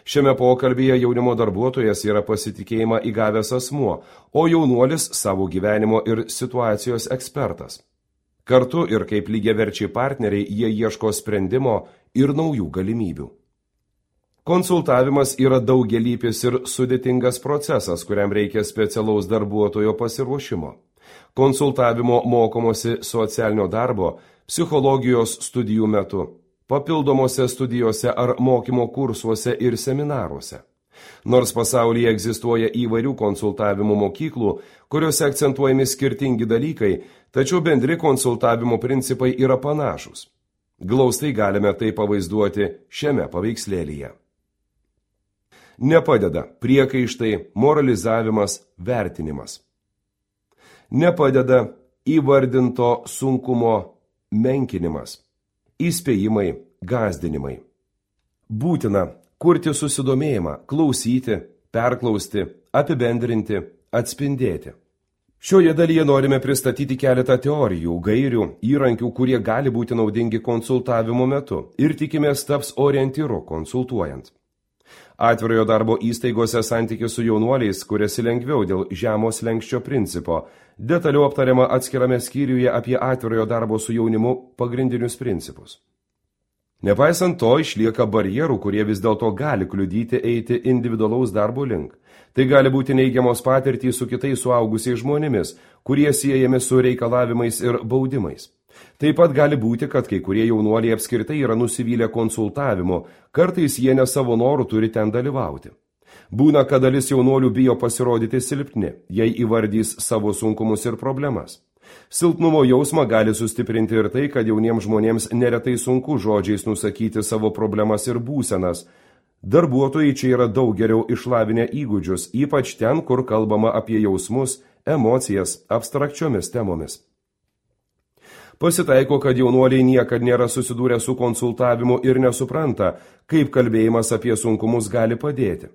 Šiame pokalbyje jaunimo darbuotojas yra pasitikėjimą įgavęs asmuo, o jaunuolis savo gyvenimo ir situacijos ekspertas. Kartu ir kaip lygiaverčiai partneriai jie ieško sprendimo ir naujų galimybių. Konsultavimas yra daugialypis ir sudėtingas procesas, kuriam reikia specialaus darbuotojo pasiruošimo. Konsultavimo mokomosi socialinio darbo, psichologijos studijų metu, papildomose studijose ar mokymo kursuose ir seminaruose. Nors pasaulyje egzistuoja įvairių konsultavimo mokyklų, kuriuose akcentuojami skirtingi dalykai, tačiau bendri konsultavimo principai yra panašūs. Glaustai galime tai pavaizduoti šiame paveikslėlyje. Nepadeda priekaištai, moralizavimas, vertinimas. Nepadeda įvardinto sunkumo menkinimas, įspėjimai, gąsdinimai. Būtina kurti susidomėjimą, klausyti, perklausti, apibendrinti, atspindėti. Šioje dalyje norime pristatyti keletą teorijų, gairių, įrankių, kurie gali būti naudingi konsultavimo metu ir tikimės taps orientyru konsultuojant. Atvirojo darbo įstaigose santykis su jaunuoliais kuriasi lengviau dėl žemo slenksčio principo. Detaliau aptariama atskirame skyriuje apie atvirojo darbo su jaunimu pagrindinius principus. Nepaisant to, išlieka barjerų, kurie vis dėlto gali kliudyti eiti individualaus darbo link. Tai gali būti neigiamos patirtys su kitais suaugusiais žmonėmis, kurie siejami su reikalavimais ir baudimais. Taip pat gali būti, kad kai kurie jaunuoliai apskritai yra nusivylę konsultavimu, kartais jie ne savo norų turi ten dalyvauti. Būna, kad dalis jaunuolių bijo pasirodyti silpni, jei įvardys savo sunkumus ir problemas. Silpnumo jausmą gali sustiprinti ir tai, kad jauniems žmonėms neretai sunku žodžiais nusakyti savo problemas ir būsenas. Darbuotojai čia yra daug geriau išlavinę įgūdžius, ypač ten, kur kalbama apie jausmus, emocijas, abstrakčiomis temomis. Pasitaiko, kad jaunuoliai niekad nėra susidūrę su konsultavimu ir nesupranta, kaip kalbėjimas apie sunkumus gali padėti.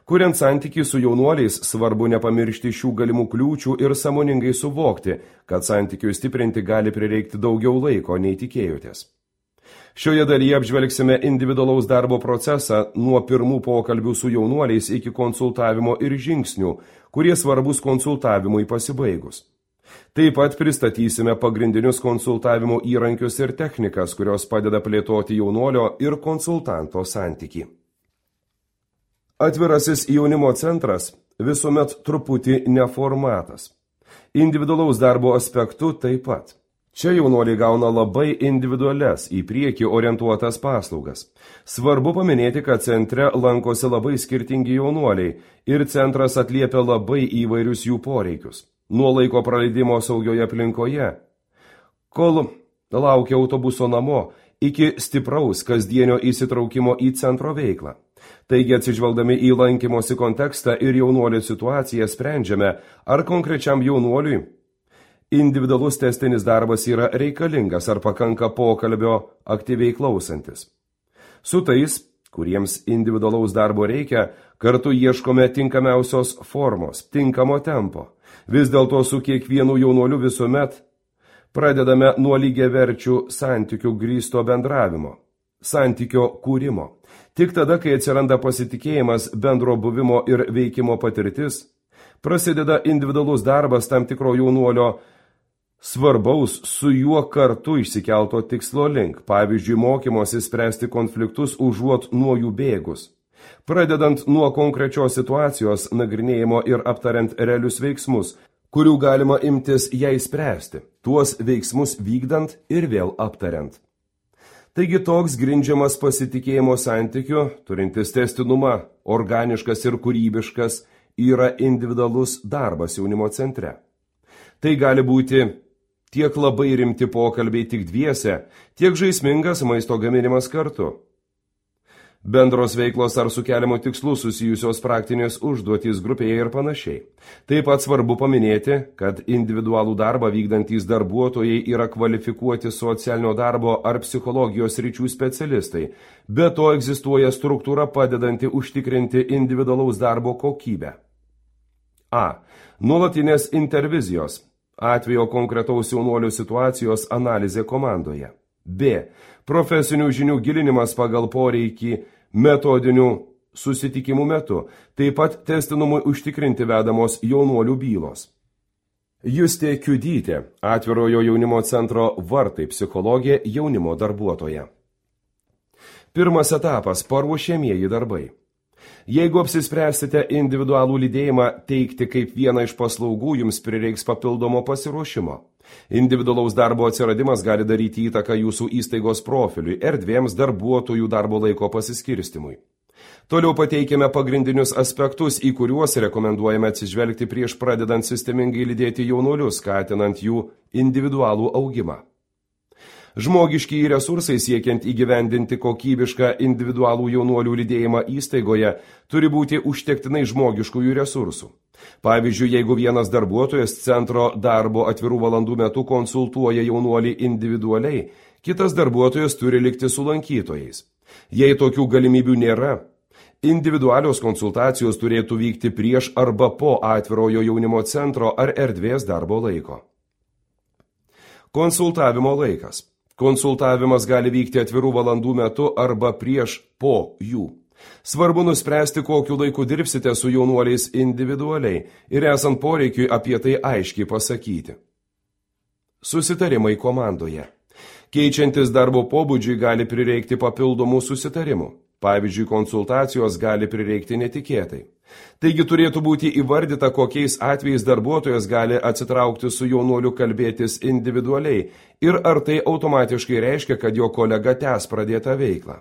Kuriant santykį su jaunuoliais, svarbu nepamiršti šių galimų kliūčių ir sąmoningai suvokti, kad santykiui stiprinti gali prireikti daugiau laiko, nei tikėjotės. Šioje dalyje apžvelgsime individualaus darbo procesą nuo pirmų pokalbių su jaunuoliais iki konsultavimo ir žingsnių, kurie svarbus konsultavimui pasibaigus. Taip pat pristatysime pagrindinius konsultavimo įrankius ir technikas, kurios padeda plėtoti jaunuolio ir konsultanto santykį. Atvirasis jaunimo centras visuomet truputį neformatas. Individualaus darbo aspektu taip pat. Čia jaunuoliai gauna labai individualias, į priekį orientuotas paslaugas. Svarbu paminėti, kad centre lankosi labai skirtingi jaunuoliai ir centras atliepia labai įvairius jų poreikius. Nuo laiko praleidimo saugioje aplinkoje, kol laukia autobuso namo, iki stipraus kasdienio įsitraukimo į centro veiklą. Taigi atsižvelgdami į lankymosi kontekstą ir jaunuolio situaciją sprendžiame, ar konkrečiam jaunuoliui individualus tęstinis darbas yra reikalingas ar pakanka pokalbio aktyviai klausantis. Su tais, kuriems individualaus darbo reikia, kartu ieškome tinkamiausios formos, tinkamo tempo. Vis dėlto su kiekvienu jaunuoliu visuomet pradedame nuo lygiaverčių santykių grįsto bendravimo, santykio kūrimo. Tik tada, kai atsiranda pasitikėjimas, bendro buvimo ir veikimo patirtis, prasideda individualus darbas tam tikro jaunuolio svarbaus su juo kartu išsikelto tikslo link, pavyzdžiui, mokymosi spręsti konfliktus užuot nuo jų bėgus. Pradedant nuo konkrečios situacijos nagrinėjimo ir aptariant realius veiksmus, kurių galima imtis ją spręsti, tuos veiksmus vykdant ir vėl aptariant. Taigi toks grindžiamas pasitikėjimo santykiu, turintis testinumą, organiškas ir kūrybiškas, yra individualus darbas jaunimo centre. Tai gali būti tiek labai rimti pokalbiai tik dviese, tiek žaismingas maisto gaminimas kartu. Bendros veiklos ar su keliamu tikslu susijusios praktinės užduotys grupėje ir panašiai. Taip pat svarbu paminėti, kad individualų darbą vykdantys darbuotojai yra kvalifikuoti socialinio darbo ar psichologijos ryčių specialistai, be to egzistuoja struktūra padedanti užtikrinti individualaus darbo kokybę. A. Nuolatinės intervizijos, atvejo konkretaus jaunuolio situacijos analizė komandoje. B. Profesinių žinių gilinimas pagal poreikį metodinių susitikimų metu, taip pat testinumui užtikrinti vedamos jaunuolių bylos. Justė Kiudytė, atvirojo jaunimo centro Vartai psichologė, jaunimo darbuotoja. Pirmas etapas – paruošiamieji darbai. Jeigu apsispręsite individualų lydėjimą teikti kaip vieną iš paslaugų, jums prireiks papildomo pasiruošimo. Individualaus darbo atsiradimas gali daryti įtaką jūsų įstaigos profiliui, erdvėms, darbuotojų darbo laiko pasiskirstimui. Toliau pateikėme pagrindinius aspektus, į kuriuos rekomenduojame atsižvelgti prieš pradedant sistemingai lydėti jaunuolius, skatinant jų individualų augimą. Žmogiški resursai siekiant įgyvendinti kokybišką individualų jaunuolių lydėjimą įstaigoje turi būti užtektinai žmogiškųjų resursų. Pavyzdžiui, jeigu vienas darbuotojas centro darbo atvirų valandų metu konsultuoja jaunuolį individualiai, kitas darbuotojas turi likti su lankytojais. Jei tokių galimybių nėra, individualios konsultacijos turėtų vykti prieš arba po atvirojo jaunimo centro ar erdvės darbo laiko. Konsultavimo laikas. Konsultavimas gali vykti atvirų valandų metu arba prieš po jų. Svarbu nuspręsti, kokiu laiku dirbsite su jaunuoliais individualiai ir esant poreikiui apie tai aiškiai pasakyti. Susitarimai komandoje. Keičiantis darbo pobūdžiui gali prireikti papildomų susitarimų. Pavyzdžiui, konsultacijos gali prireikti netikėtai. Taigi turėtų būti įvardyta, kokiais atvejais darbuotojas gali atsitraukti su jaunuoliu kalbėtis individualiai ir ar tai automatiškai reiškia, kad jo kolega tęs pradėtą veiklą.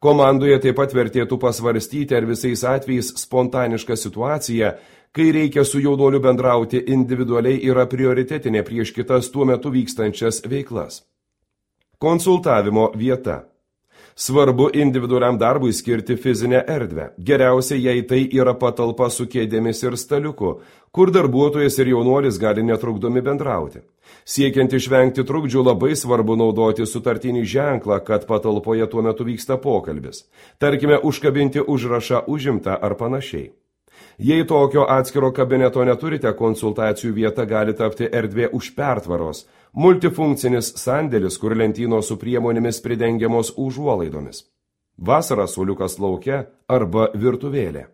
Komandoje taip pat vertėtų pasvarstyti, ar visais atvejais spontaniška situacija, kai reikia su jaunuoliu bendrauti individualiai, yra prioritetinė prieš kitas tuo metu vykstančias veiklas. Konsultavimo vieta. Svarbu individualiam darbui skirti fizinę erdvę. Geriausia, jei tai yra patalpa su kėdėmis ir staliuku, kur darbuotojas ir jaunuolis gali netrukdomi bendrauti. Siekiant išvengti trukdžių, labai svarbu naudoti sutartinį ženklą, kad patalpoje tuo metu vyksta pokalbis. Tarkime, užkabinti užrašą užimta ar panašiai. Jei tokio atskiro kabineto neturite, konsultacijų vieta gali tapti erdvė už pertvaros, multifunkcinis sandėlis, kur lentynos su priemonėmis pridengiamos užuolaidomis. Vasarą suoliukas lauke arba virtuvėlė.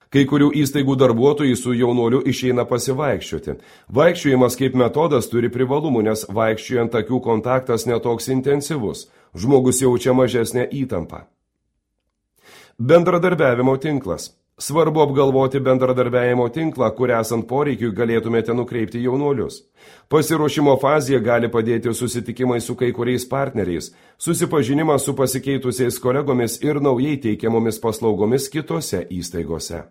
Kai kurių įstaigų darbuotojai su jaunuoliu išeina pasivaikščioti. Vaikščiojimas kaip metodas turi privalumų, nes vaikščiojant akių kontaktas netoks intensyvus, žmogus jaučia mažesnę įtampą. Bendradarbiavimo tinklas. Svarbu apgalvoti bendradarbiavimo tinklą, kur esant poreikiui galėtumėte nukreipti jaunuolius. Pasiruošimo fazėje gali padėti susitikimai su kai kuriais partneriais, susipažinimas su pasikeitusiais kolegomis ir naujai teikiamomis paslaugomis kitose įstaigose.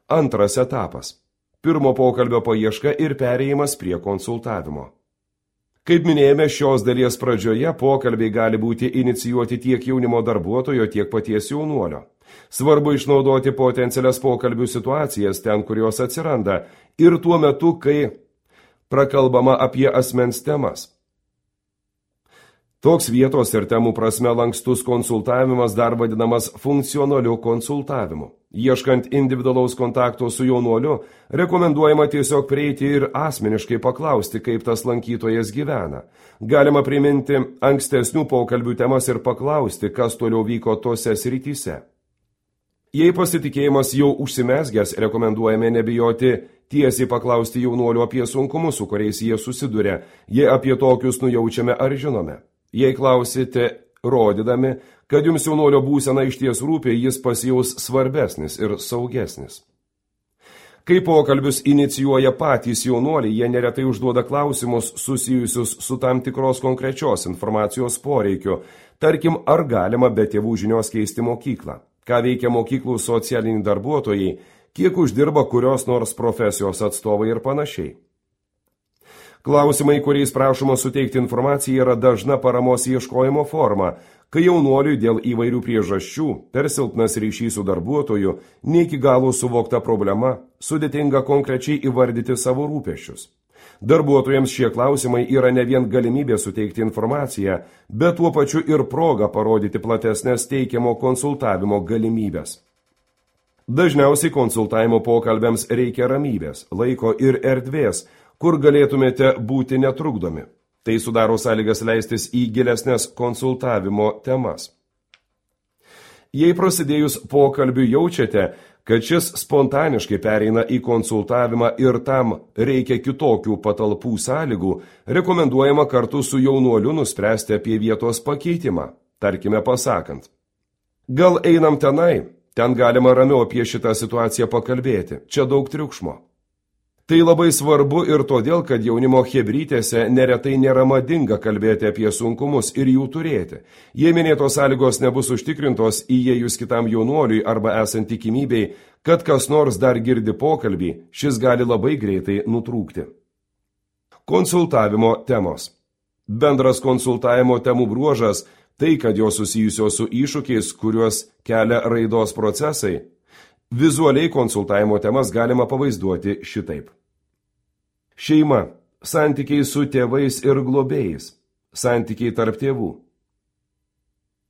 Antras etapas. Pirmo pokalbio paieška ir perėjimas prie konsultavimo. Kaip minėjome, šios dalies pradžioje pokalbiai gali būti inicijuoti tiek jaunimo darbuotojo, tiek paties jaunuolio. Svarbu išnaudoti potencialias pokalbių situacijas ten, kur jos atsiranda, ir tuo metu, kai prakalbama apie asmens temas. Toks vietos ir temų prasme lankstus konsultavimas dar vadinamas funkcionaliu konsultavimu. Ieškant individualaus kontakto su jaunuoliu, rekomenduojama tiesiog prieiti ir asmeniškai paklausti, kaip tas lankytojas gyvena. Galima priminti ankstesnių pokalbių temas ir paklausti, kas toliau vyko tose srityse. Jei pasitikėjimas jau užsimezgęs, rekomenduojame nebijoti tiesiai paklausti jaunuolių apie sunkumus, su kuriais jie susiduria, jei apie tokius nujaučiame ar žinome. Jei klausite, rodydami, kad jums jaunuolio būsena iš ties rūpi, jis pasijaus svarbesnis ir saugesnis. Kai pokalbius inicijuoja patys jaunuoliai, jie neretai užduoda klausimus susijusius su tam tikros konkrečios informacijos poreikiu. Tarkim, ar galima be tėvų žinios keisti mokyklą? Ką veikia mokyklų socialiniai darbuotojai? Kiek uždirba kurios nors profesijos atstovai ir panašiai? Klausimai, kuriais prašoma suteikti informaciją, yra dažna paramos ieškojimo forma, kai jaunuoliui dėl įvairių priežasčių, per silpnas ryšys su darbuotoju, ne iki galo suvokta problema, sudėtinga konkrečiai įvardyti savo rūpesčius. Darbuotojams šie klausimai yra ne vien galimybė suteikti informaciją, bet tuo pačiu ir proga parodyti platesnės teikiamo konsultavimo galimybės. Dažniausiai konsultavimo pokalbiams reikia ramybės, laiko ir erdvės, kur galėtumėte būti netrukdomi. Tai sudaro sąlygas leistis į gilesnės konsultavimo temas. Jei prasidėjus pokalbiu jaučiate, kad šis spontaniškai pereina į konsultavimą ir tam reikia kitokių patalpų sąlygų, rekomenduojama kartu su jaunuoliu nuspręsti apie vietos pakeitimą, tarkime pasakant. Gal einam tenai, ten galima ramiau apie šitą situaciją pakalbėti, čia daug triukšmo. Tai labai svarbu ir todėl, kad jaunimo chebrytėse neretai nėra madinga kalbėti apie sunkumus ir jų turėti. Jei minėtos sąlygos nebus užtikrintos įėjus kitam jaunuoliui arba esant tikimybei, kad kas nors dar girdi pokalbį, šis gali labai greitai nutrūkti. Konsultavimo temos. Bendras konsultavimo temų bruožas – tai, kad jos susijusios su iššūkiais, kuriuos kelia raidos procesai. Vizualiai konsultavimo temas galima pavaizduoti šitaip. Šeima, santykiai su tėvais ir globėjais, santykiai tarp tėvų.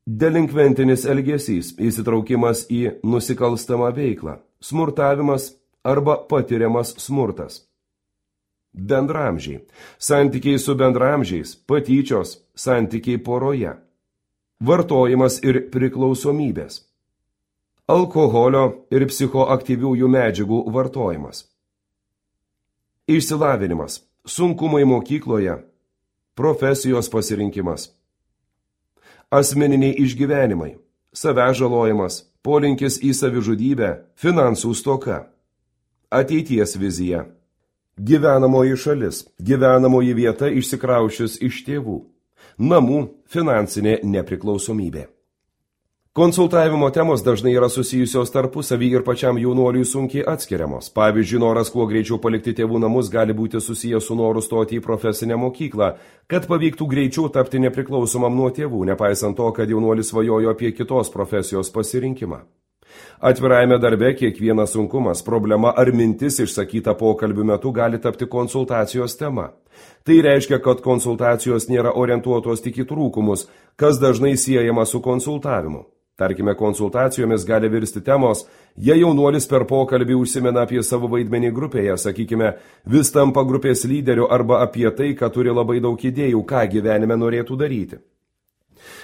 Delinkventinis elgesys, įsitraukimas į nusikalstamą veiklą, smurtavimas arba patiriamas smurtas. Bendramžiai, santykiai su bendramžiais, patyčios, santykiai poroje. Vartojimas ir priklausomybės. Alkoholio ir psichoaktyviųjų medžiagų vartojimas. Išsilavinimas, sunkumai mokykloje, profesijos pasirinkimas. Asmeniniai išgyvenimai, savęs žalojimas, polinkis į savižudybę, finansų stoka. Ateities vizija. Gyvenamoji šalis, gyvenamoji vieta išsikraušius iš tėvų. Namų finansinė nepriklausomybė. Konsultavimo temos dažnai yra susijusios tarpusavy ir pačiam jaunuoliui sunkiai atskiriamos. Pavyzdžiui, noras kuo greičiau palikti tėvų namus gali būti susijęs su noru stoti į profesinę mokyklą, kad pavyktų greičiau tapti nepriklausomam nuo tėvų, nepaisant to, kad jaunuolis svajojo apie kitos profesijos pasirinkimą. Atvirajame darbe kiekvienas sunkumas, problema ar mintis išsakyta pokalbių metu gali tapti konsultacijos tema. Tai reiškia, kad konsultacijos nėra orientuotos tik į trūkumus, kas dažnai siejama su konsultavimu. Tarkime, konsultacijomis gali virsti temos, jei jaunuolis per pokalbį užsimena apie savo vaidmenį grupėje, sakykime, vis tampa grupės lyderiu arba apie tai, kad turi labai daug idėjų, ką gyvenime norėtų daryti.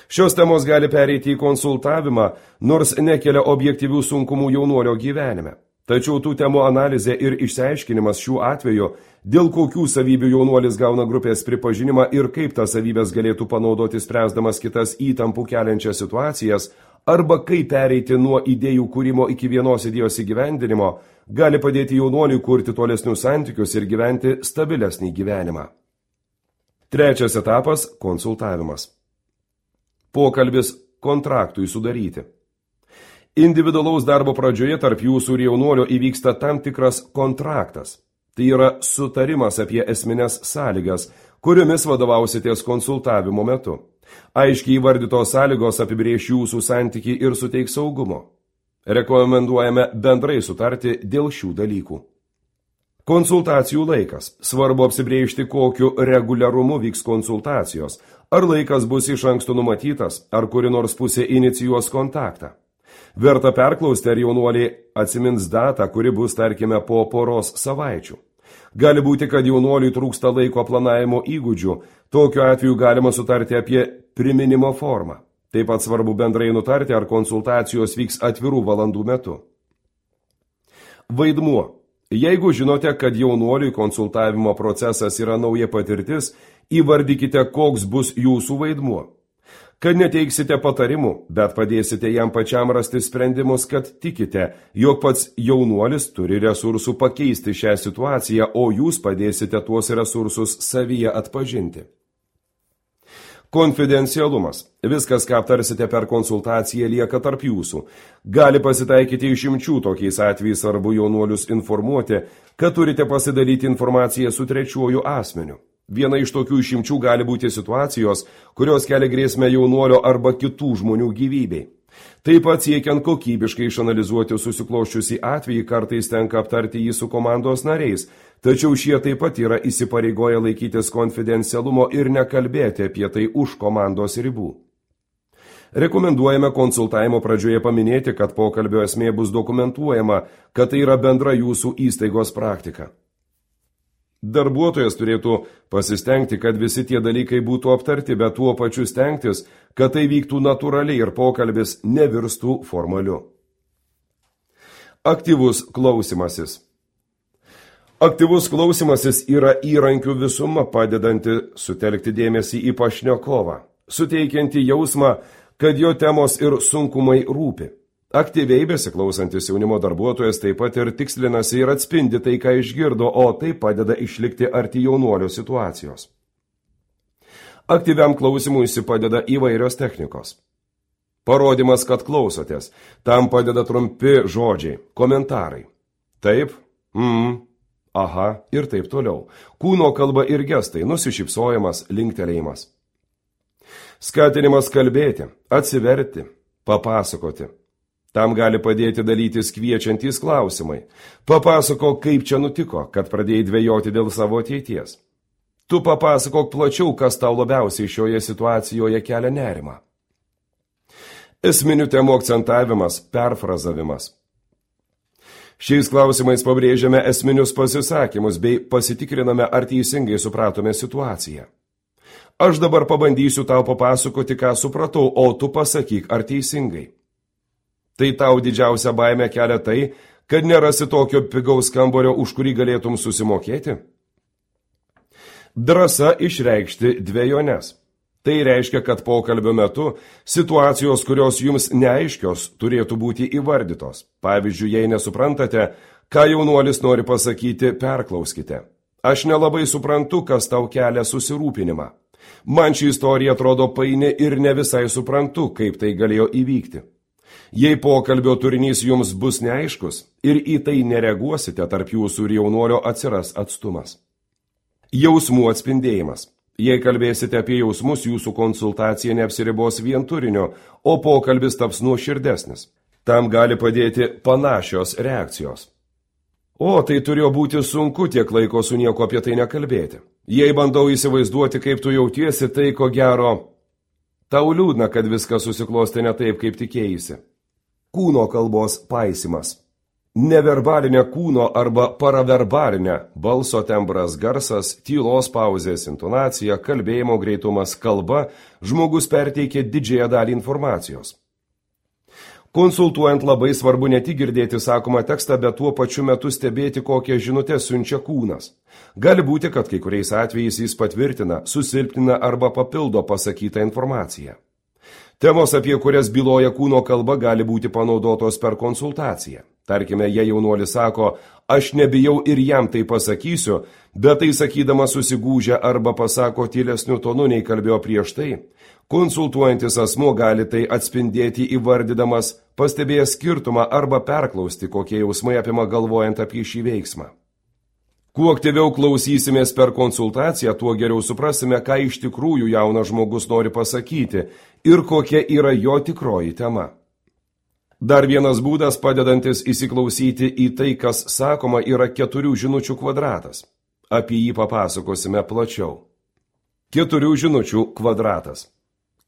Šios temos gali pereiti į konsultavimą, nors nekelia objektyvių sunkumų jaunuolio gyvenime. Tačiau tų temų analizė ir išsiaiškinimas šiuo atveju, dėl kokių savybių jaunuolis gauna grupės pripažinimą ir kaip tas savybės galėtų panaudoti spręsdamas kitas įtampų keliančias situacijas, arba kaip pereiti nuo idėjų kūrimo iki vienos idėjos įgyvendinimo, gali padėti jaunuoliui kurti tolesnius santykius ir gyventi stabilesnį gyvenimą. Trečias etapas – konsultavimas. Pokalbis kontraktui sudaryti. Individualaus darbo pradžioje tarp jūsų ir jaunuolio įvyksta tam tikras kontraktas. Tai yra sutarimas apie esmines sąlygas, kuriomis vadovausitės konsultavimo metu. Aiškiai įvardytos sąlygos apibrėš jūsų santykį ir suteiks saugumo. Rekomenduojame bendrai sutarti dėl šių dalykų. Konsultacijų laikas. Svarbu apsibrėžti, kokiu reguliarumu vyks konsultacijos. Ar laikas bus iš anksto numatytas, ar kuri nors pusė inicijuos kontaktą. Verta perklausti, ar jaunuoliai atsimins datą, kuri bus, tarkime, po poros savaičių. Gali būti, kad jaunuoliui trūksta laiko planavimo įgūdžių, tokiu atveju galima sutarti apie priminimo formą. Taip pat svarbu bendrai nutarti, ar konsultacijos vyks atvirų valandų metu. Vaidmuo. Jeigu žinote, kad jaunuoliui konsultavimo procesas yra nauja patirtis, įvardykite, koks bus jūsų vaidmuo. kad neteiksite patarimų, bet padėsite jam pačiam rasti sprendimus, kad tikite, jog pats jaunuolis turi resursų pakeisti šią situaciją, o jūs padėsite tuos resursus savyje atpažinti. Konfidencialumas. Viskas, ką aptarsite per konsultaciją, lieka tarp jūsų. Gali pasitaikyti išimčių, tokiais atvejais svarbu jaunuolius informuoti, kad turite pasidalyti informaciją su trečiuoju asmeniu. Viena iš tokių išimčių gali būti situacijos, kurios kelia grėsmę jaunuolio arba kitų žmonių gyvybei. Taip pat siekiant kokybiškai išanalizuoti susikloščiusį atvejį, kartais tenka aptarti jį su komandos nariais, tačiau šie taip pat yra įsipareigoję laikytis konfidencialumo ir nekalbėti apie tai už komandos ribų. Rekomenduojame konsultavimo pradžioje paminėti, kad pokalbio esmė bus dokumentuojama, kad tai yra bendra jūsų įstaigos praktika. Darbuotojas turėtų pasistengti, kad visi tie dalykai būtų aptarti, bet tuo pačiu stengtis, kad tai vyktų natūraliai ir pokalbis nevirstų formaliu. Aktyvus klausimasis. Aktyvus klausimasis yra įrankių visuma, padedanti sutelkti dėmesį į pašnekovą, suteikianti jausmą, kad jo temos ir sunkumai rūpi. Aktyviai besiklausantis jaunimo darbuotojas taip pat ir tikslinasi ir atspindi tai, ką išgirdo, o tai padeda išlikti arti jaunuolio situacijos. Aktyviam klausimui padeda įvairios technikos. Parodymas, kad klausotės. Tam padeda trumpi žodžiai, komentarai. Taip, mm, aha ir taip toliau. Kūno kalba ir gestai, nusišypsojimas, linktelėjimas. Skatinimas kalbėti, atsiverti, papasakoti. Tam gali padėti dalytis kviečiantys klausimai. Papasakok, kaip čia nutiko, kad pradėjai dvejoti dėl savo ateities. Tu papasakok plačiau, kas tau labiausiai šioje situacijoje kelia nerimą. Esminių temų akcentavimas, perfrazavimas. Šiais klausimais pabrėžiame esminius pasisakymus bei pasitikriname, ar teisingai supratome situaciją. Aš dabar pabandysiu tau papasakoti, ką supratau, o tu pasakyk, ar teisingai. Tai tau didžiausia baimė kelia tai, kad nerasi tokio pigaus kambario, už kurį galėtum susimokėti? Drąsa išreikšti dvejones. Tai reiškia, kad pokalbio metu situacijos, kurios jums neaiškios, turėtų būti įvardytos. Pavyzdžiui, jei nesuprantate, ką jaunuolis nori pasakyti, perklauskite. Aš nelabai suprantu, kas tau kelia susirūpinimą. Man ši istorija atrodo paini ir ne visai suprantu, kaip tai galėjo įvykti. Jei pokalbio turinys jums bus neaiškus ir į tai nereaguosite, tarp jūsų ir jaunuolio atsiras atstumas. Jausmų atspindėjimas. Jei kalbėsite apie jausmus, jūsų konsultacija neapsiribos vien turinio, o pokalbis taps nuoširdesnis. Tam gali padėti panašios reakcijos. O, tai turėjo būti sunku tiek laiko su nieko apie tai nekalbėti. Jei bandau įsivaizduoti, kaip tu jautiesi, tai ko gero, tau liūdna, kad viskas susiklosti ne taip, kaip tikėjaisi. Kūno kalbos paisimas. Neverbalinė kūno arba paraverbalinė balso tembras, garsas, tylos pauzės, intonacija, kalbėjimo greitumas, kalba, žmogus perteikia didžiąją dalį informacijos. Konsultuojant labai svarbu ne tik girdėti sakomą tekstą, bet tuo pačiu metu stebėti, kokią žinutę siunčia kūnas. Gali būti, kad kai kuriais atvejais jis patvirtina, susilpnina arba papildo pasakytą informaciją. Temos, apie kurias byloja kūno kalba, gali būti panaudotos per konsultaciją. Tarkime, jei jaunuolis sako, aš nebijau ir jam tai pasakysiu, bet tai sakydamas susigūžia arba pasako tylesniu tonu, nei kalbėjo prieš tai, konsultuojantis asmuo gali tai atspindėti įvardydamas, pastebėjęs skirtumą arba perklausti, kokie jausmai apima galvojant apie šį veiksmą. Kuo aktyviau klausysimės per konsultaciją, tuo geriau suprasime, ką iš tikrųjų jaunas žmogus nori pasakyti ir kokia yra jo tikroji tema. Dar vienas būdas padedantis įsiklausyti į tai, kas sakoma, yra keturių žinučių kvadratas. Apie jį papasakosime plačiau. Keturių žinučių kvadratas.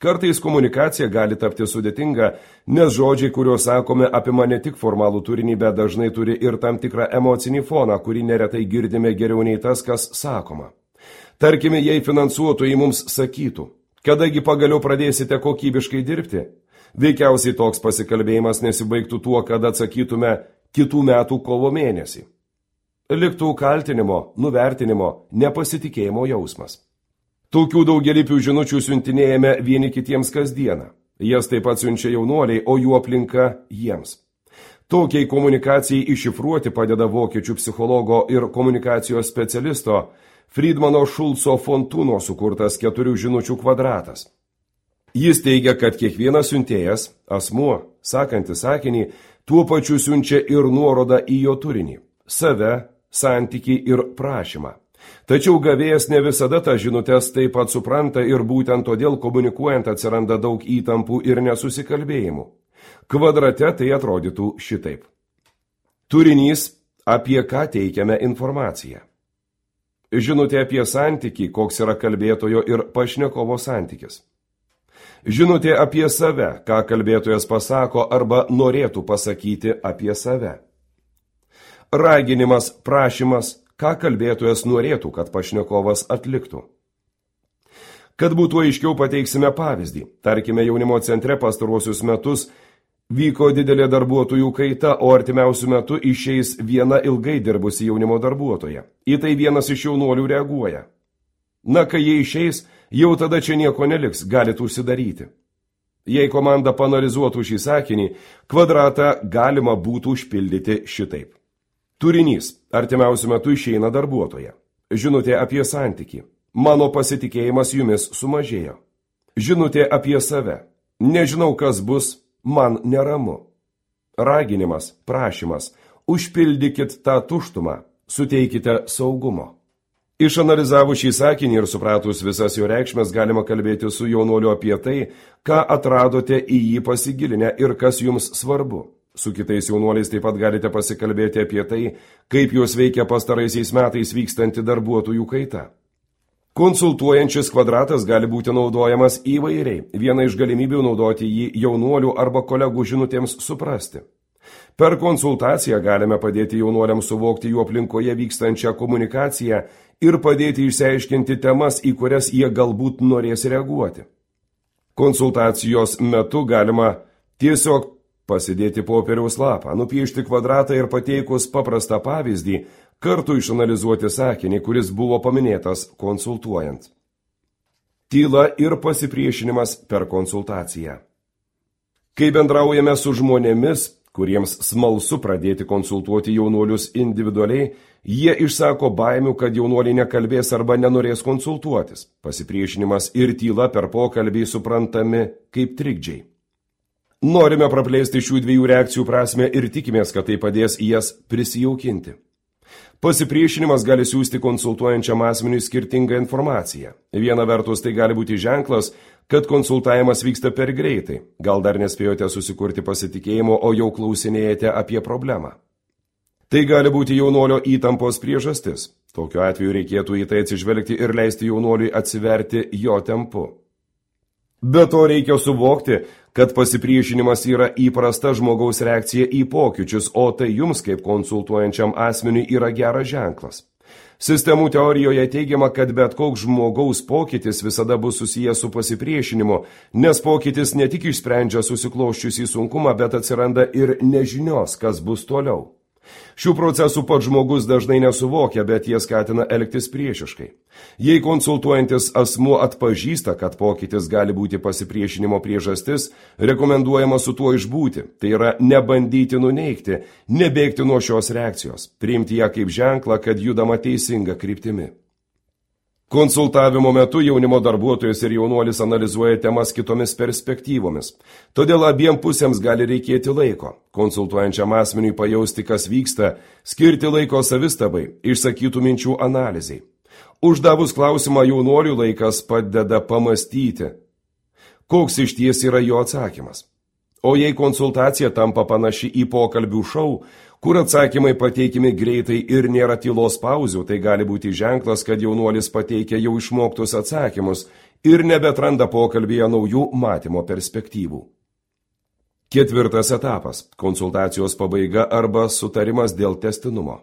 Kartais komunikacija gali tapti sudėtinga, nes žodžiai, kuriuos sakome, apima ne tik formalų turinį, bet dažnai turi ir tam tikrą emocinį foną, kurį neretai girdime geriau nei tas, kas sakoma. Tarkime, jei finansuotojai mums sakytų, kadagi pagaliau pradėsite kokybiškai dirbti, veikiausiai toks pasikalbėjimas nesibaigtų tuo, kad atsakytume kitų metų kovo mėnesį. Liktų kaltinimo, nuvertinimo, nepasitikėjimo jausmas. Tokių daugelypių žinučių siuntinėjame vieni kitiems kasdieną. Jas taip pat siunčia jaunuoliai, o jų aplinka jiems. Tokiai komunikacijai iššifruoti padeda vokiečių psichologo ir komunikacijos specialisto Friedmano Šulco Fontūno sukurtas keturių žinučių kvadratas. Jis teigia, kad kiekvienas siuntėjas, asmuo, sakantis sakinį, tuo pačiu siunčia ir nuorodą į jo turinį – save, santykį ir prašymą. Tačiau gavėjas ne visada tą žinutės taip pat supranta ir būtent todėl komunikuojant atsiranda daug įtampų ir nesusikalbėjimų. Kvadrate tai atrodytų šitaip. Turinys, apie ką teikiame informaciją. Žinutė apie santykį, koks yra kalbėtojo ir pašnekovo santykis. Žinutė apie save, ką kalbėtojas pasako arba norėtų pasakyti apie save. Raginimas, prašymas, ką kalbėtojas norėtų, kad pašnekovas atliktų. Kad būtų aiškiau, pateiksime pavyzdį. Tarkime, jaunimo centre pastaruosius metus vyko didelė darbuotojų kaita, o artimiausių metų išeis viena ilgai dirbusi jaunimo darbuotoja. Į tai vienas iš jaunuolių reaguoja. Na, kai jie išeis, jau tada čia nieko neliks, galit užsidaryti. Jei komanda paanalizuotų šį sakinį, kvadratą galima būtų užpildyti šitaip. Turinys. Artimiausiu metu išeina darbuotoja. Žinutė apie santykį. Mano pasitikėjimas jumis sumažėjo. Žinutė apie save. Nežinau, kas bus, man neramu. Raginimas, prašymas. Užpildykit tą tuštumą. Suteikite saugumo. Išanalizavus šį sakinį ir supratus visas jo reikšmes, galima kalbėti su jaunuoliu apie tai, ką atradote į jį pasigilinę ir kas jums svarbu. Su kitais jaunuoliais taip pat galite pasikalbėti apie tai, kaip juos veikia pastaraisiais metais vykstanti darbuotojų kaita. Konsultuojančis kvadratas gali būti naudojamas įvairiai. Viena iš galimybių naudoti jį jaunuolių arba kolegų žinutėms suprasti. Per konsultaciją galime padėti jaunuoliams suvokti jų aplinkoje vykstančią komunikaciją ir padėti išsiaiškinti temas, į kurias jie galbūt norės reaguoti. Konsultacijos metu galima tiesiog pasidėti popieriaus lapą, nupiešti kvadratą ir pateikus paprastą pavyzdį, kartu išanalizuoti sakinį, kuris buvo paminėtas konsultuojant. Tyla ir pasipriešinimas per konsultaciją. Kai bendraujame su žmonėmis, kuriems smalsu pradėti konsultuoti jaunuolius individualiai, jie išsako baimių, kad jaunuoliai nekalbės arba nenorės konsultuotis. Pasipriešinimas ir tyla per pokalbį suprantami kaip trikdžiai. Norime praplėsti šių dviejų reakcijų prasmę ir tikimės, kad tai padės jas prisijaukinti. Pasipriešinimas gali siūsti konsultuojančiam asmeniui skirtingą informaciją. Viena vertus tai gali būti ženklas, kad konsultavimas vyksta per greitai. Gal dar nespėjote susikurti pasitikėjimo, o jau klausinėjate apie problemą. Tai gali būti jaunuolio įtampos priežastis. Tokiu atveju reikėtų į tai atsižvelgti ir leisti jaunuoliui atsiverti jo tempu. Be to reikia suvokti, kad pasipriešinimas yra įprasta žmogaus reakcija į pokyčius, o tai jums kaip konsultuojančiam asmeniui yra geras ženklas. Sistemų teorijoje teigiama, kad bet koks žmogaus pokytis visada bus susijęs su pasipriešinimu, nes pokytis ne tik išsprendžia susikloščiusį sunkumą, bet atsiranda ir nežinios, kas bus toliau. Šių procesų pats žmogus dažnai nesuvokia, bet jie skatina elgtis priešiškai. Jei konsultuojantis asmuo atpažįsta, kad pokytis gali būti pasipriešinimo priežastis, rekomenduojama su tuo išbūti, tai yra nebandyti nuneigti, nebėgti nuo šios reakcijos, priimti ją kaip ženklą, kad judama teisinga kryptimi. Konsultavimo metu jaunimo darbuotojas ir jaunuolis analizuoja temas kitomis perspektyvomis. Todėl abiem pusėms gali reikėti laiko. Konsultuojančiam asmeniui pajausti, kas vyksta, skirti laiko savistabai, išsakytų minčių analizai. Uždavus klausimą jaunuoliui laikas padeda pamastyti, koks iš ties yra jo atsakymas. O jei konsultacija tampa panaši į pokalbių šou, kur atsakymai pateikimi greitai ir nėra tylos pauzių, tai gali būti ženklas, kad jaunuolis pateikia jau išmoktus atsakymus ir nebetranda pokalbėje naujų matymo perspektyvų. Ketvirtas etapas – konsultacijos pabaiga arba sutarimas dėl tęstinumo.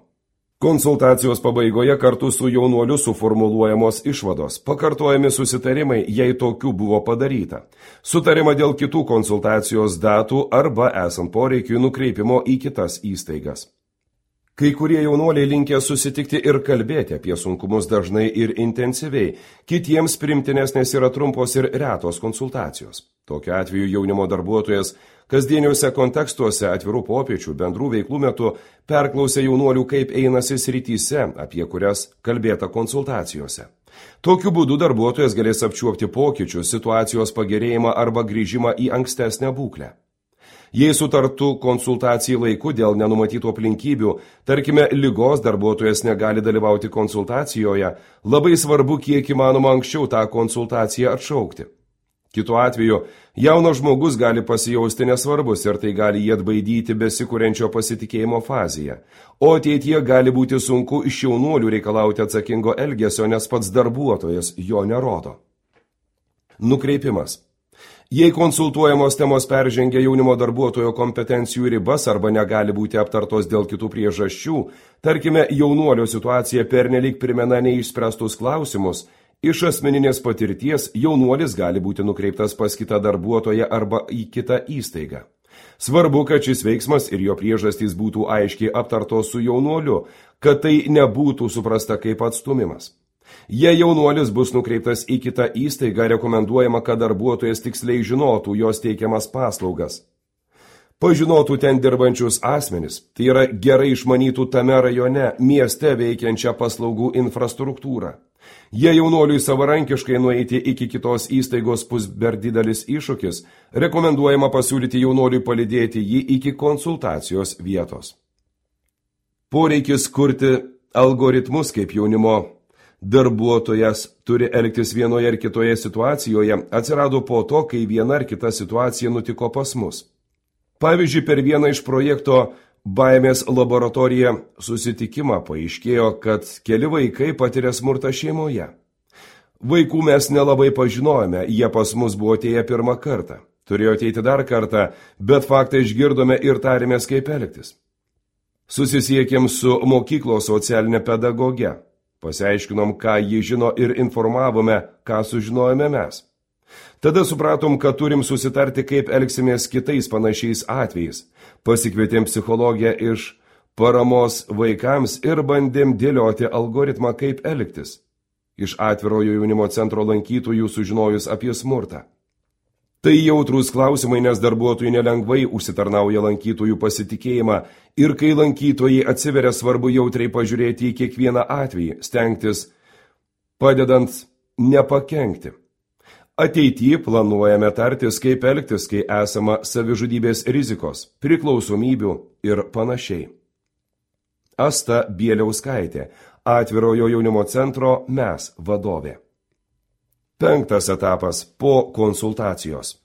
Konsultacijos pabaigoje kartu su jaunuoliu suformuluojamos išvados, pakartojami susitarimai, jei tokių buvo padaryta, sutarima dėl kitų konsultacijos datų arba esant poreikiui nukreipimo į kitas įstaigas. Kai kurie jaunuoliai linkę susitikti ir kalbėti apie sunkumus dažnai ir intensyviai, kitiems primtinesnės yra trumpos ir retos konsultacijos. Tokiu atveju jaunimo darbuotojas kasdieniuose kontekstuose atvirų popiečių bendrų veiklų metu perklausė jaunuolių, kaip einasi srityse, apie kurias kalbėta konsultacijose. Tokiu būdu darbuotojas galės apčiuopti pokyčius, situacijos pagerėjimą arba grįžimą į ankstesnę būklę. Jei sutartų konsultacijai laiku dėl nenumatytų aplinkybių, tarkime, ligos darbuotojas negali dalyvauti konsultacijoje, labai svarbu kiek įmanoma anksčiau tą konsultaciją atšaukti. Kitu atveju, jaunas žmogus gali pasijausti nesvarbus ir tai gali jį atbaidyti besikuriančio pasitikėjimo fazėje, o ateityje gali būti sunku iš jaunuolių reikalauti atsakingo elgesio, nes pats darbuotojas jo nerodo. Nukreipimas. Jei konsultuojamos temos peržengia jaunimo darbuotojo kompetencijų ribas arba negali būti aptartos dėl kitų priežasčių, tarkime, jaunuolio situacija pernelyg primena neišspręstus klausimus, iš asmeninės patirties jaunuolis gali būti nukreiptas pas kitą darbuotoją arba į kitą įstaigą. Svarbu, kad šis veiksmas ir jo priežastys būtų aiškiai aptartos su jaunuoliu, kad tai nebūtų suprasta kaip atstumimas. Jei jaunuolis bus nukreiptas į kitą įstaigą, rekomenduojama, kad darbuotojas tiksliai žinotų jos teikiamas paslaugas. Pažinotų ten dirbančius asmenis, tai yra gerai išmanytų tame rajone, mieste veikiančią paslaugų infrastruktūrą. Jei jaunuoliui savarankiškai nueiti iki kitos įstaigos bus per didelis iššūkis, rekomenduojama pasiūlyti jaunuoliui palydėti jį iki konsultacijos vietos. Poreikis kurti algoritmus kaip jaunimo darbuotojas turi elgtis vienoje ar kitoje situacijoje atsirado po to, kai viena ar kita situacija nutiko pas mus. Pavyzdžiui, per vieną iš projekto baimės laboratorija susitikimą paaiškėjo, kad keli vaikai patiria smurtą šeimoje. Vaikų mes nelabai pažinojome, jie pas mus buvo atėję pirmą kartą. Turėjo ateiti dar kartą, bet faktą išgirdome ir tarėmės, kaip elgtis. Susisiekėm su mokyklos socialinė pedagoge. Pasiaiškinom, ką ji žino ir informavome, ką sužinojome mes. Tada supratom, kad turim susitarti, kaip elgsimės kitais panašiais atvejais. Pasikvietėm psichologę iš paramos vaikams ir bandėm dėlioti algoritmą, kaip elgtis. Iš atvirojo jaunimo centro lankytojų sužinojus apie smurtą. Tai jautrūs klausimai, nes darbuotojai nelengvai užsitarnauja lankytojų pasitikėjimą ir kai lankytojai atsiveria, svarbu jautriai pažiūrėti į kiekvieną atvejį, stengtis padedant nepakenkti. Ateityje planuojame tartis, kaip elgtis, kai esama savižudybės rizikos, priklausomybių ir panašiai. Asta Bieliauskaitė, atvirojo jaunimo centro Mes vadovė. Penktas etapas – po konsultacijos.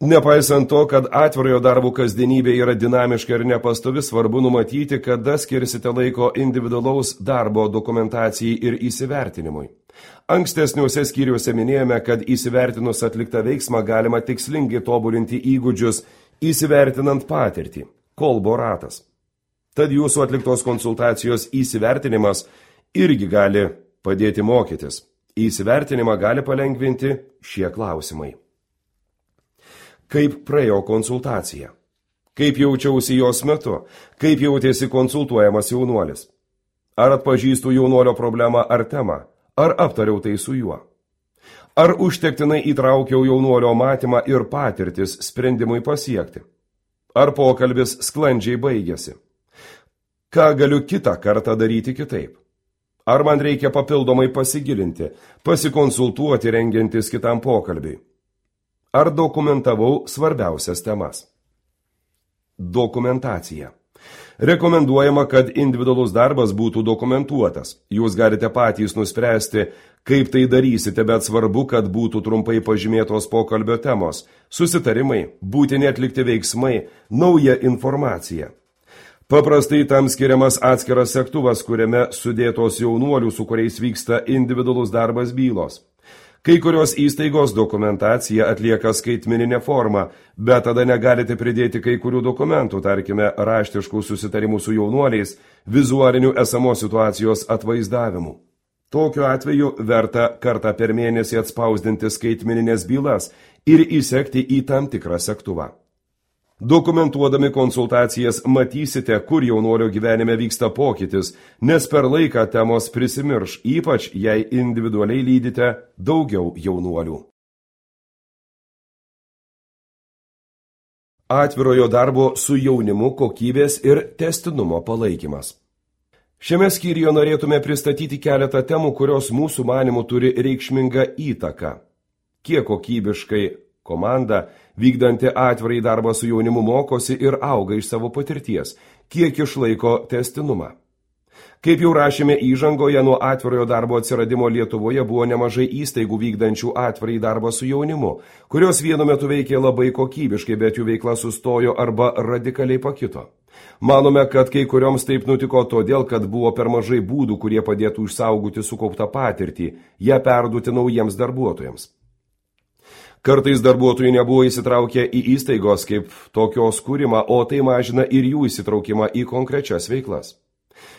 Nepaisant to, kad atvirojo darbo kasdienybė yra dinamiška ir nepastovi, svarbu numatyti, kada skirsite laiko individualaus darbo dokumentacijai ir įsivertinimui. Ankstesniuose skyriuose minėjome, kad įsivertinus atliktą veiksmą galima tikslingai tobulinti įgūdžius, įsivertinant patirtį – kolbo ratas. Tad jūsų atliktos konsultacijos įsivertinimas irgi gali padėti mokytis. Įsivertinimą gali palengvinti šie klausimai. Kaip praėjo konsultacija? Kaip jaučiausi jos metu? Kaip jautėsi konsultuojamas jaunuolis? Ar atpažįstu jaunuolio problemą ar temą? Ar aptariau tai su juo? Ar užtektinai įtraukiau jaunuolio matymą ir patirtis sprendimui pasiekti? Ar pokalbis sklandžiai baigėsi? Ką galiu kitą kartą daryti kitaip? Ar man reikia papildomai pasigilinti, pasikonsultuoti rengiantis kitam pokalbiui? Ar dokumentavau svarbiausias temas? Dokumentacija. Rekomenduojama, kad individualus darbas būtų dokumentuotas. Jūs galite patys nuspręsti, kaip tai darysite, bet svarbu, kad būtų trumpai pažymėtos pokalbio temos, susitarimai, būtini atlikti veiksmai, nauja informacija. Paprastai tam skiriamas atskiras segtuvas, kuriame sudėtos jaunuolių, su kuriais vyksta individualus darbas bylos. Kai kurios įstaigos dokumentaciją atlieka skaitmeninė forma, bet tada negalite pridėti kai kurių dokumentų, tarkime, raštiškų susitarimų su jaunuoliais, vizualinių esamos situacijos atvaizdavimų. Tokiu atveju verta kartą per mėnesį atspausdinti skaitmeninės bylas ir įsekti į tam tikrą segtuvą. Dokumentuodami konsultacijas matysite, kur jaunuolio gyvenime vyksta pokytis, nes per laiką temos prisimirš, ypač jei individualiai lydite daugiau jaunuolių. Atvirojo darbo su jaunimu kokybės ir tęstinumo palaikymas. Šiame skyriuje norėtume pristatyti keletą temų, kurios mūsų manimų turi reikšmingą įtaką. Kiek kokybiškai komanda, vykdanti atvirai darbą su jaunimu, mokosi ir auga iš savo patirties, kiek išlaiko tęstinumą. Kaip jau rašėme įžangoje, nuo atvirojo darbo atsiradimo Lietuvoje buvo nemažai įstaigų vykdančių atvirai darbą su jaunimu, kurios vienu metu veikė labai kokybiškai, bet jų veikla sustojo arba radikaliai pakito. Manome, kad kai kurioms taip nutiko todėl, kad buvo per mažai būdų, kurie padėtų išsaugoti sukauptą patirtį, ją perduoti naujiems darbuotojams. Kartais darbuotojai nebuvo įsitraukę į įstaigos kaip tokios kūrimą, o tai mažina ir jų įsitraukimą į konkrečias veiklas.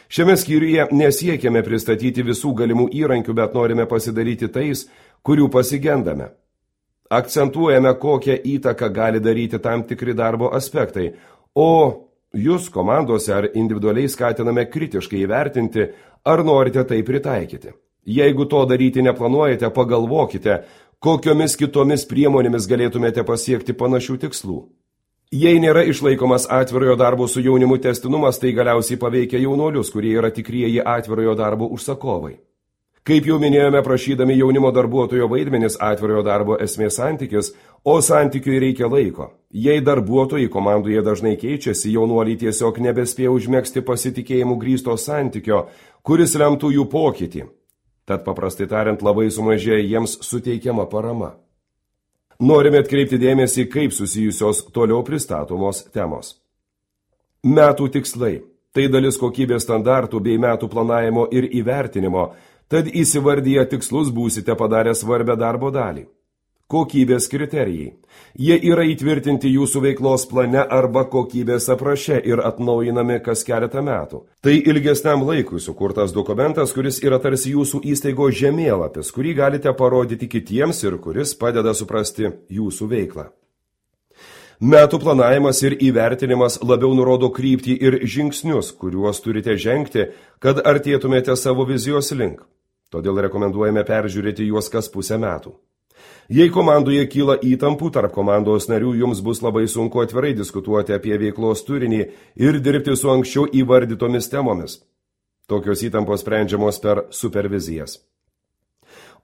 Šiame skyriuje nesiekėme pristatyti visų galimų įrankių, bet norime pasidaryti tais, kurių pasigendame. Akcentuojame, kokią įtaką gali daryti tam tikri darbo aspektai, o jūs komandose ar individualiai skatiname kritiškai įvertinti, ar norite tai pritaikyti. Jeigu to daryti neplanuojate, pagalvokite, kokiomis kitomis priemonėmis galėtumėte pasiekti panašių tikslų. Jei nėra išlaikomas atvirojo darbo su jaunimu tęstinumas, tai galiausiai paveikia jaunuolius, kurie yra tikrieji atvirojo darbo užsakovai. Kaip jau minėjome, prašydami jaunimo darbuotojo vaidmenis, atvirojo darbo esmės santykis, o santykiui reikia laiko. Jei darbuotojai komandoje dažnai keičiasi, jaunuoliai tiesiog nebespėja užmegzti pasitikėjimų grįsto santykio, kuris lemtų jų pokytį. Tad paprastai tariant, labai sumažėja jiems suteikiama parama. Norime atkreipti dėmesį, kaip susijusios toliau pristatomos temos. Metų tikslai – tai dalis kokybės standartų bei metų planavimo ir įvertinimo, tad įsivardyję tikslus būsite padarę svarbią darbo dalį. Kokybės kriterijai – jie yra įtvirtinti jūsų veiklos plane arba kokybės apraše ir atnaujinami kas keletą metų. Tai ilgesniam laikui sukurtas dokumentas, kuris yra tarsi jūsų įstaigos žemėlapis, kurį galite parodyti kitiems ir kuris padeda suprasti jūsų veiklą. Metų planavimas ir įvertinimas labiau nurodo kryptį ir žingsnius, kuriuos turite žengti, kad artėtumėte savo vizijos link. Todėl rekomenduojame peržiūrėti juos kas pusę metų. Jei komandoje kyla įtampų tarp komandos narių, jums bus labai sunku atvirai diskutuoti apie veiklos turinį ir dirbti su anksčiau įvardytomis temomis. Tokios įtampos sprendžiamos per supervizijas.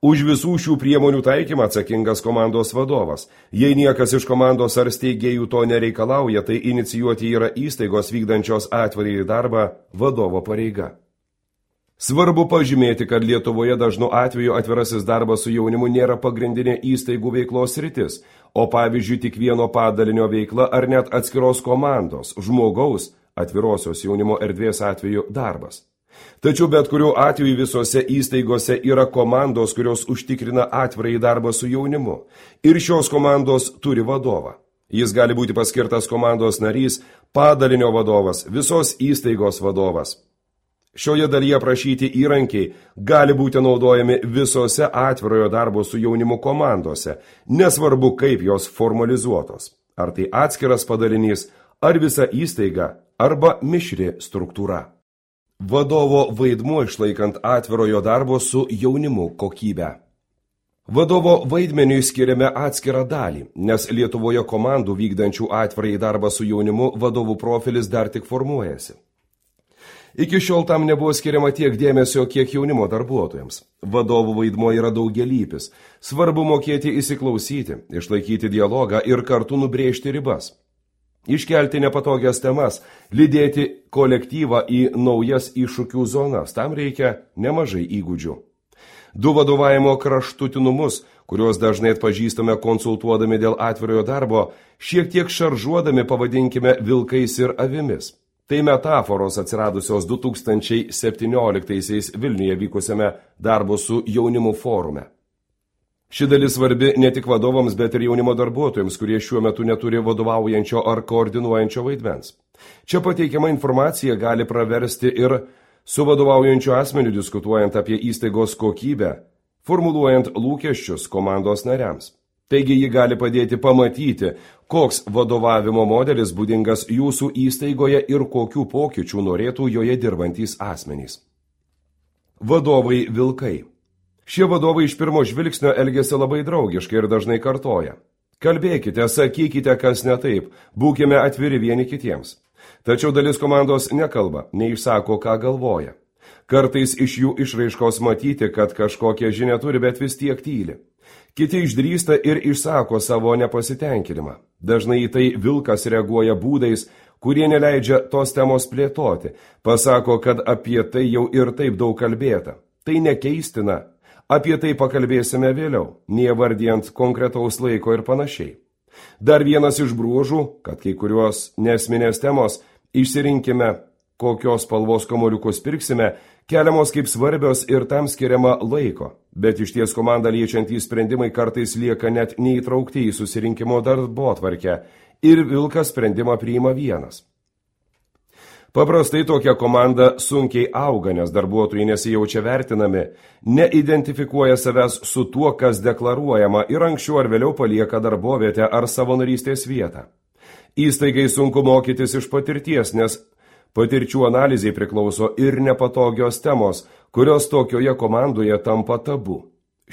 Už visų šių priemonių taikymą atsakingas komandos vadovas. Jei niekas iš komandos ar steigėjų to nereikalauja, tai inicijuoti yra įstaigos vykdančios atvirąjį darbą vadovo pareiga. Svarbu pažymėti, kad Lietuvoje dažnu atveju atvirasis darbas su jaunimu nėra pagrindinė įstaigų veiklos sritis, o pavyzdžiui tik vieno padalinio veikla ar net atskiros komandos, žmogaus, atvirosios jaunimo erdvės atveju darbas. Tačiau bet kuriuo atveju visose įstaigose yra komandos, kurios užtikrina atvirąjį darbą su jaunimu. Ir šios komandos turi vadovą. Jis gali būti paskirtas komandos narys, padalinio vadovas, visos įstaigos vadovas. Šioje dalyje prašyti įrankiai gali būti naudojami visose atvirojo darbo su jaunimu komandose, nesvarbu kaip jos formalizuotos. Ar tai atskiras padalinys, ar visa įstaiga, arba mišri struktūra. Vadovo vaidmuo išlaikant atvirojo darbo su jaunimu kokybę. Vadovo vaidmeniui skiriame atskirą dalį, nes Lietuvoje komandų vykdančių atvirąjį darbą su jaunimu vadovų profilis dar tik formuojasi. Iki šiol tam nebuvo skiriama tiek dėmesio, kiek jaunimo darbuotojams. Vadovų vaidmuo yra daugelypis. Svarbu mokėti įsiklausyti, išlaikyti dialogą ir kartu nubrėžti ribas. Iškelti nepatogias temas, lydėti kolektyvą į naujas iššūkių zonas. Tam reikia nemažai įgūdžių. Du vadovavimo kraštutinumus, kuriuos dažnai atpažįstame konsultuodami dėl atvirojo darbo, šiek tiek šaržuodami pavadinkime vilkais ir avimis. Tai metaforos atsiradusios du tūkstančiai septynioliktaisiais Vilniuje vykusiame darbo su jaunimu forume. Ši dalis svarbi ne tik vadovams, bet ir jaunimo darbuotojams, kurie šiuo metu neturi vadovaujančio ar koordinuojančio vaidmens. Čia pateikiama informacija gali praversti ir su vadovaujančiu asmeniu diskutuojant apie įstaigos kokybę, formuluojant lūkesčius komandos nariams. Taigi ji gali padėti pamatyti, koks vadovavimo modelis būdingas jūsų įstaigoje ir kokių pokyčių norėtų joje dirbantys asmenys. Vadovai vilkai. Šie vadovai iš pirmo žvilgsnio elgiasi labai draugiškai ir dažnai kartoja: kalbėkite, sakykite, kas ne taip, būkime atviri vieni kitiems. Tačiau dalis komandos nekalba, neišsako, ką galvoja. Kartais iš jų išraiškos matyti, kad kažkokią žinią turi, bet vis tiek tyli. Kiti išdrįsta ir išsako savo nepasitenkinimą. Dažnai į tai vilkas reaguoja būdais, kurie neleidžia tos temos plėtoti. Pasako, kad apie tai jau ir taip daug kalbėta. Tai nekeistina. Apie tai pakalbėsime vėliau, neįvardijant konkretaus laiko ir panašiai. Dar vienas iš bruožų, kad kai kurios nesminės temos išsirinkime, kokios spalvos kamuoliukus pirksime, keliamos kaip svarbios ir tam skiriama laiko, bet iš ties komandą liečiantys sprendimai kartais lieka net neįtraukti į susirinkimo darbotvarkę ir vilkas sprendimą priima vienas. Paprastai tokia komanda sunkiai auga, nes darbuotojai nesijaučia vertinami, neidentifikuoja savęs su tuo, kas deklaruojama ir anksčiau ar vėliau palieka darbovietę ar savanorystės vietą. Įstaigai sunku mokytis iš patirties, nes patirčių analizai priklauso ir nepatogios temos, kurios tokioje komandoje tampa tabu.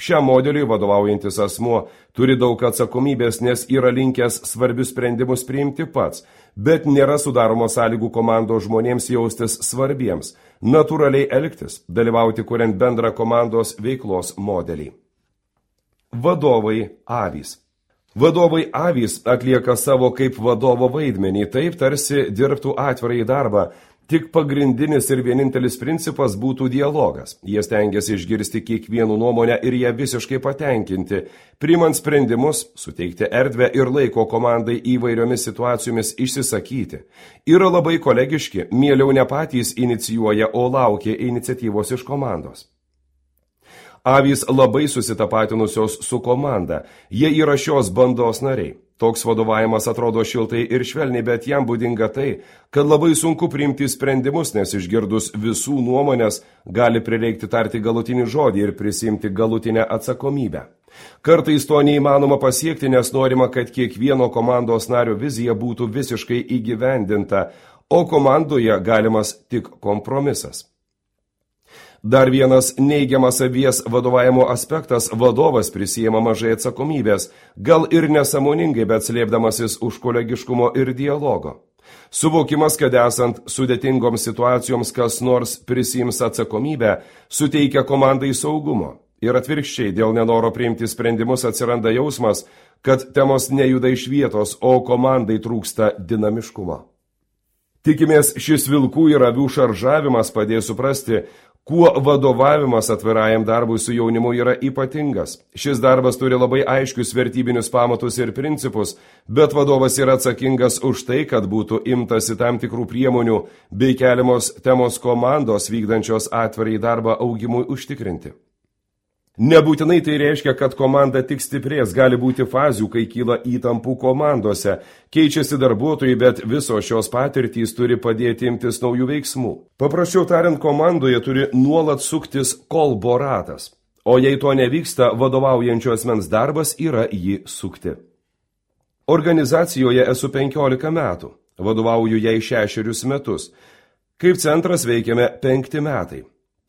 Šiam modeliui vadovaujantis asmuo turi daug atsakomybės, nes yra linkęs svarbius sprendimus priimti pats, bet nėra sudaroma sąlygų komandos žmonėms jaustis svarbiems, natūraliai elgtis, dalyvauti kuriant bendrą komandos veiklos modelį. Vadovai avys. Vadovai avys atlieka savo kaip vadovo vaidmenį, taip tarsi dirbtų atvirai darbą, tik pagrindinis ir vienintelis principas būtų dialogas. Jie stengiasi išgirsti kiekvienų nuomonę ir ją visiškai patenkinti, priimant sprendimus, suteikti erdvę ir laiko komandai įvairiomis situacijomis išsisakyti. Yra labai kolegiški, mieliau ne patys inicijuoja, o laukia iniciatyvos iš komandos. Avys labai susitapatinusios su komanda, jie yra šios bandos nariai. Toks vadovavimas atrodo šiltai ir švelniai, bet jam būdinga tai, kad labai sunku priimti sprendimus, nes išgirdus visų nuomonės gali prireikti tarti galutinį žodį ir prisimti galutinę atsakomybę. Kartais to neįmanoma pasiekti, nes norima, kad kiekvieno komandos nario vizija būtų visiškai įgyvendinta, o komandoje galimas tik kompromisas. Dar vienas neigiamas avies vadovavimo aspektas – vadovas prisijema mažai atsakomybės, gal ir nesąmoningai, bet slėpdamasis už kolegiškumo ir dialogo. Suvokimas, kad esant sudėtingoms situacijoms kas nors prisiims atsakomybę, suteikia komandai saugumo. Ir atvirkščiai, dėl nenoro priimti sprendimus atsiranda jausmas, kad temos nejuda iš vietos, o komandai trūksta dinamiškumo. Tikimės, šis vilkų ir avių šaržavimas padės suprasti, kuo vadovavimas atvirajam darbui su jaunimu yra ypatingas. Šis darbas turi labai aiškius vertybinius pamatus ir principus, bet vadovas yra atsakingas už tai, kad būtų imtasi tam tikrų priemonių bei keliamos temos komandos vykdančios atvirai darbą augimui užtikrinti. Nebūtinai tai reiškia, kad komanda tik stiprės, gali būti fazių, kai kyla įtampų komandose, keičiasi darbuotojai, bet visos šios patirtys turi padėti imtis naujų veiksmų. Paprasčiau tariant, komandoje turi nuolat suktis kolbo ratas, o jei to nevyksta, vadovaujančio asmens darbas yra jį sukti. Organizacijoje esu penkiolika metų, vadovauju jai šešerius metus. Kaip centras veikiame penkti metai.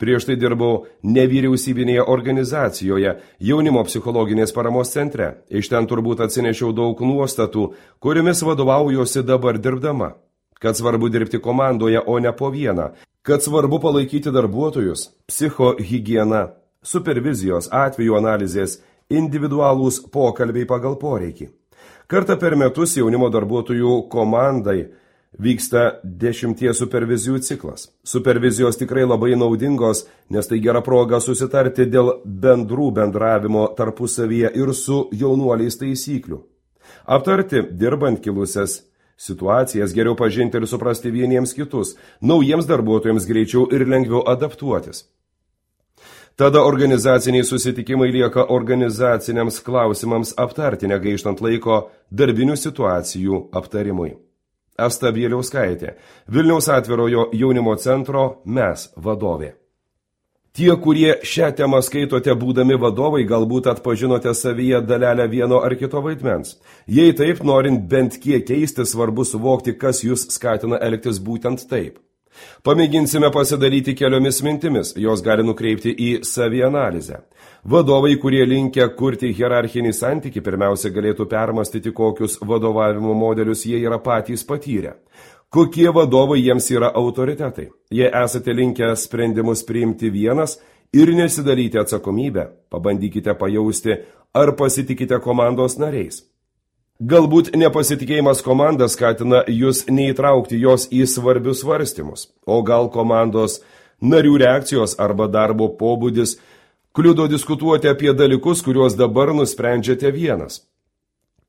Prieš tai dirbau nevyriausybinėje organizacijoje, jaunimo psichologinės paramos centre. Iš ten turbūt atsinešiau daug nuostatų, kuriomis vadovaujuosi dabar dirbdama. Kad svarbu dirbti komandoje, o ne po vieną. Kad svarbu palaikyti darbuotojus, psichohigiena, supervizijos, atvejų analizės, individualūs pokalbiai pagal poreikį. Kartą per metus jaunimo darbuotojų komandai vyksta dešimties supervizijų ciklas. Supervizijos tikrai labai naudingos, nes tai gera proga susitarti dėl bendrų bendravimo tarpusavyje ir su jaunuoliais taisyklių. Aptarti, dirbant kilusias situacijas, geriau pažinti ir suprasti vieniems kitus, naujiems darbuotojams greičiau ir lengviau adaptuotis. Tada organizaciniai susitikimai lieka organizaciniams klausimams aptarti, negaištant laiko darbinių situacijų aptarimui. Asta Bieliauskaitė, Vilniaus atvirojo jaunimo centro Mes vadovė. Tie, kurie šią temą skaitote būdami vadovai, galbūt atpažinote savyje dalelę vieno ar kito vaidmens. Jei taip, norint bent kiek keisti, svarbu suvokti, kas jūs skatina elgtis būtent taip. Pamėginsime pasidalyti keliomis mintimis, jos gali nukreipti į savianalizę. Vadovai, kurie linkę kurti hierarchinį santykį, pirmiausia galėtų permastyti, kokius vadovavimo modelius jie yra patys patyrę. Kokie vadovai jiems yra autoritetai? Jei esate linkę sprendimus priimti vienas ir nesidalyti atsakomybę, pabandykite pajausti, ar pasitikite komandos nariais. Galbūt nepasitikėjimas komanda skatina jūs neįtraukti jos į svarbius svarstymus, o gal komandos narių reakcijos arba darbo pobūdis kliudo diskutuoti apie dalykus, kuriuos dabar nusprendžiate vienas.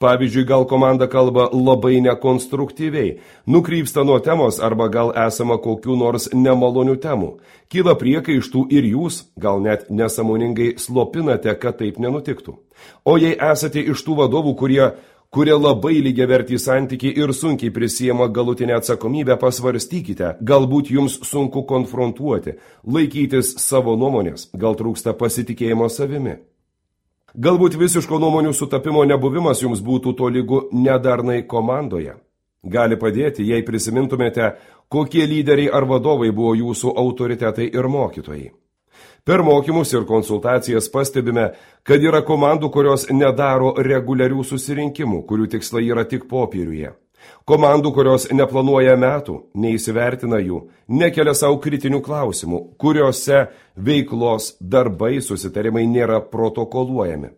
Pavyzdžiui, gal komanda kalba labai nekonstruktyviai, nukrypsta nuo temos arba gal esama kokių nors nemalonių temų. Kyla priekaištų ir jūs, gal net nesąmoningai slopinate, kad taip nenutiktų. O jei esate iš tų vadovų, kurie, kurie labai lygiavertį santykį ir sunkiai prisiema galutinę atsakomybę, pasvarstykite, galbūt jums sunku konfrontuoti, laikytis savo nuomonės, gal trūksta pasitikėjimo savimi. Galbūt visiško nuomonių sutapimo nebuvimas jums būtų tolygu nedarnai komandoje. Gali padėti, jei prisimintumėte, kokie lyderiai ar vadovai buvo jūsų autoritetai ir mokytojai. Per mokymus ir konsultacijas pastebime, kad yra komandų, kurios nedaro reguliarių susirinkimų, kurių tikslai yra tik popieriuje. Komandų, kurios neplanuoja metų, neįsivertina jų, nekelia savo kritinių klausimų, kuriuose veiklos darbai susitarimai nėra protokoluojami.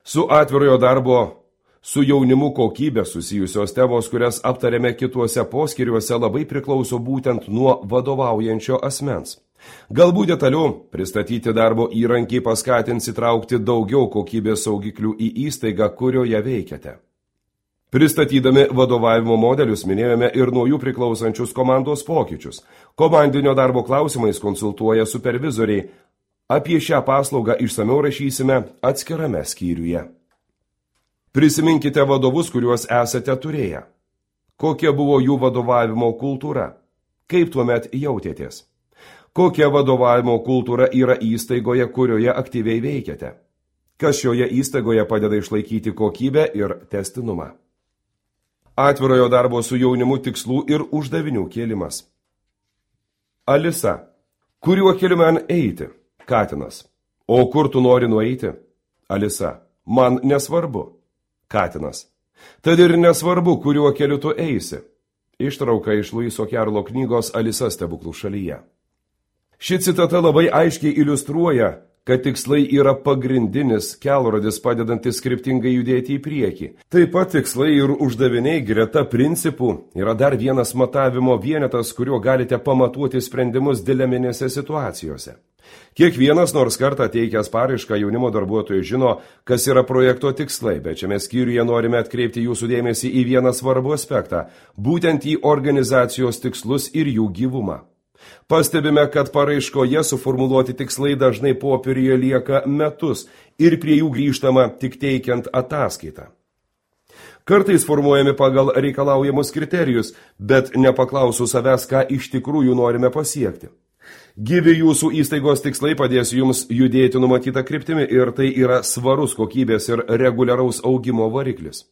Su atvirojo darbo, su jaunimu kokybė susijusios temos, kurias aptarėme kituose poskyriuose, labai priklauso būtent nuo vadovaujančio asmens. Galbūt detaliu pristatyti darbo įrankiai paskatins įtraukti daugiau kokybės saugiklių į įstaigą, kurioje veikiate. Pristatydami vadovavimo modelius minėjome ir naujų priklausančius komandos pokyčius. Komandinio darbo klausimais konsultuoja supervizoriai. Apie šią paslaugą išsamiau rašysime atskirame skyriuje. Prisiminkite vadovus, kuriuos esate turėję. Kokia buvo jų vadovavimo kultūra? Kaip tuomet jautėtės? Kokia vadovavimo kultūra yra įstaigoje, kurioje aktyviai veikiate? Kas šioje įstaigoje padeda išlaikyti kokybę ir testinumą? Atvirojo darbo su jaunimu tikslų ir uždavinių kėlimas. Alisa. Kuriuo keliu man eiti? Katinas. O kur tu nori nueiti? Alisa. Man nesvarbu. Katinas. Tad ir nesvarbu, kuriuo keliu tu eisi. Ištrauka iš Luiso Kerlo knygos Alisa stebuklų šalyje. Ši citata labai aiškiai iliustruoja, kad tikslai yra pagrindinis kelrodis padedantis kryptingai judėti į priekį. Taip pat tikslai ir uždaviniai greta principų yra dar vienas matavimo vienetas, kuriuo galite pamatuoti sprendimus dileminėse situacijose. Kiekvienas nors kartą teikęs paraišką jaunimo darbuotojai žino, kas yra projekto tikslai, bet šiame skyriuje norime atkreipti jūsų dėmesį į vieną svarbų aspektą, būtent į organizacijos tikslus ir jų gyvumą. Pastebime, kad paraiškoje suformuluoti tikslai dažnai popieriuje lieka metus ir prie jų grįžtama tik teikiant ataskaitą. Kartais formuojami pagal reikalaujamus kriterijus, bet nepaklausų savęs, ką iš tikrųjų norime pasiekti. Gyvi jūsų įstaigos tikslai padės jums judėti numatytą kryptimi ir tai yra svarus kokybės ir reguliaraus augimo variklis.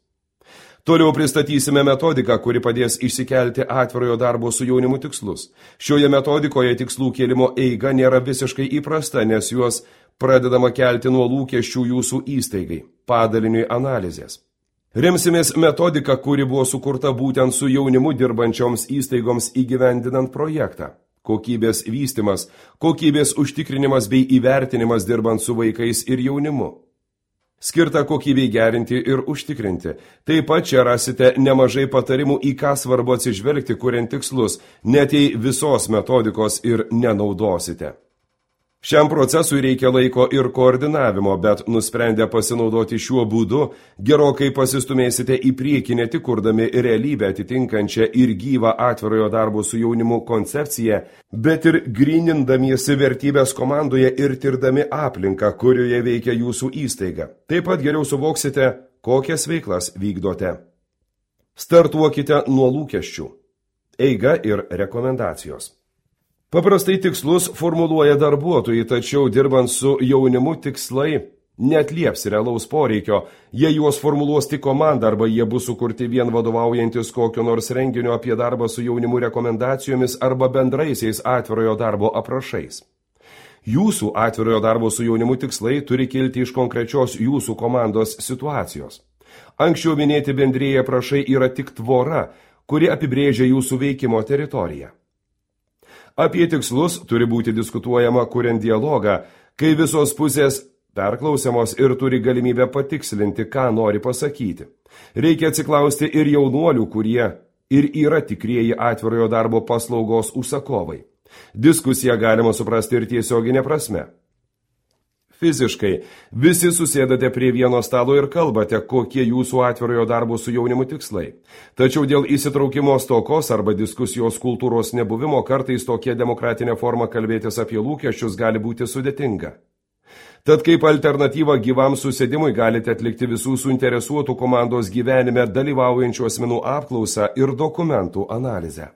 Toliau pristatysime metodiką, kuri padės išsikelti atvirojo darbo su jaunimu tikslus. Šioje metodikoje tikslų kėlimo eiga nėra visiškai įprasta, nes juos pradedama kelti nuo lūkesčių jūsų įstaigai, padaliniui analizės. Remsimės metodiką, kuri buvo sukurta būtent su jaunimu dirbančioms įstaigoms įgyvendinant projektą. Kokybės vystimas, kokybės užtikrinimas bei įvertinimas dirbant su vaikais ir jaunimu. Skirta kokybei gerinti ir užtikrinti. Taip pat čia rasite nemažai patarimų, į ką svarbu atsižvelgti, kuriant tikslus, net jei visos metodikos ir nenaudosite. Šiam procesui reikia laiko ir koordinavimo, bet nusprendę pasinaudoti šiuo būdu, gerokai pasistumėsite į priekį ne tik kurdami realybę atitinkančią ir gyvą atvirojo darbo su jaunimu koncepciją, bet ir grynindamiesi vertybės komandoje ir tirdami aplinką, kurioje veikia jūsų įstaiga. Taip pat geriau suvoksite, kokias veiklas vykdote. Startuokite nuo lūkesčių. Eiga ir rekomendacijos. Paprastai tikslus formuluoja darbuotojai, tačiau dirbant su jaunimu tikslai neatlieps realaus poreikio, jei juos formuluos tik komanda arba jie bus sukurti vien vadovaujantis kokio nors renginio apie darbą su jaunimu rekomendacijomis arba bendraisiais atvirojo darbo aprašais. Jūsų atvirojo darbo su jaunimu tikslai turi kilti iš konkrečios jūsų komandos situacijos. Anksčiau minėti bendrieji aprašai yra tik tvora, kuri apibrėžia jūsų veikimo teritoriją. Apie tikslus turi būti diskutuojama kuriant dialogą, kai visos pusės perklausiamos ir turi galimybę patikslinti, ką nori pasakyti. Reikia atsiklausti ir jaunuolių, kurie ir yra tikrieji atvirojo darbo paslaugos užsakovai. Diskusiją galima suprasti ir tiesioginė prasme. Fiziškai visi susėdate prie vieno stalo ir kalbate, kokie jūsų atvirojo darbo su jaunimu tikslai. Tačiau dėl įsitraukimo stokos arba diskusijos kultūros nebuvimo kartais tokia demokratinė forma kalbėtis apie lūkesčius gali būti sudėtinga. Tad kaip alternatyva gyvam susėdimui galite atlikti visų suinteresuotų komandos gyvenime dalyvaujančių asmenų apklausą ir dokumentų analizę.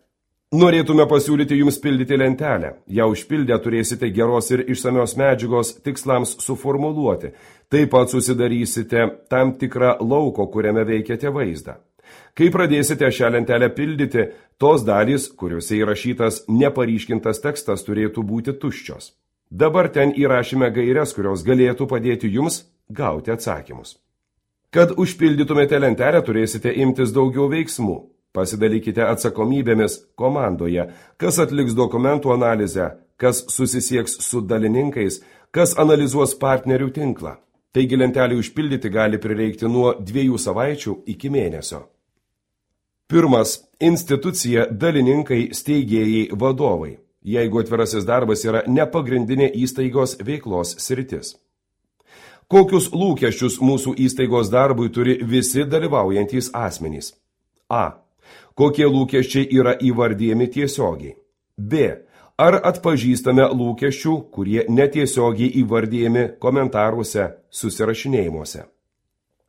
Norėtume pasiūlyti jums pildyti lentelę. Ją užpildę turėsite geros ir išsamios medžiagos tikslams suformuluoti. Taip pat susidarysite tam tikrą lauko, kuriame veikiate vaizdą. Kai pradėsite šią lentelę pildyti, tos dalys, kuriuose įrašytas neparyškintas tekstas, turėtų būti tuščios. Dabar ten įrašime gairias, kurios galėtų padėti jums gauti atsakymus. Kad užpildytumėte lentelę, turėsite imtis daugiau veiksmų. Pasidalykite atsakomybėmis komandoje, kas atliks dokumentų analizę, kas susisieks su dalininkais, kas analizuos partnerių tinklą. Taigi lentelį užpildyti gali prireikti nuo dviejų savaičių iki mėnesio. Pirmas. Institucija, dalininkai, steigėjai, vadovai. Jeigu atvirasis darbas yra nepagrindinė įstaigos veiklos sritis. Kokius lūkesčius mūsų įstaigos darbui turi visi dalyvaujantys asmenys? A. Kokie lūkesčiai yra įvardyjami tiesiogiai? B. Ar atpažįstame lūkesčių, kurie netiesiogiai įvardyjami komentaruose, susirašinėjimuose?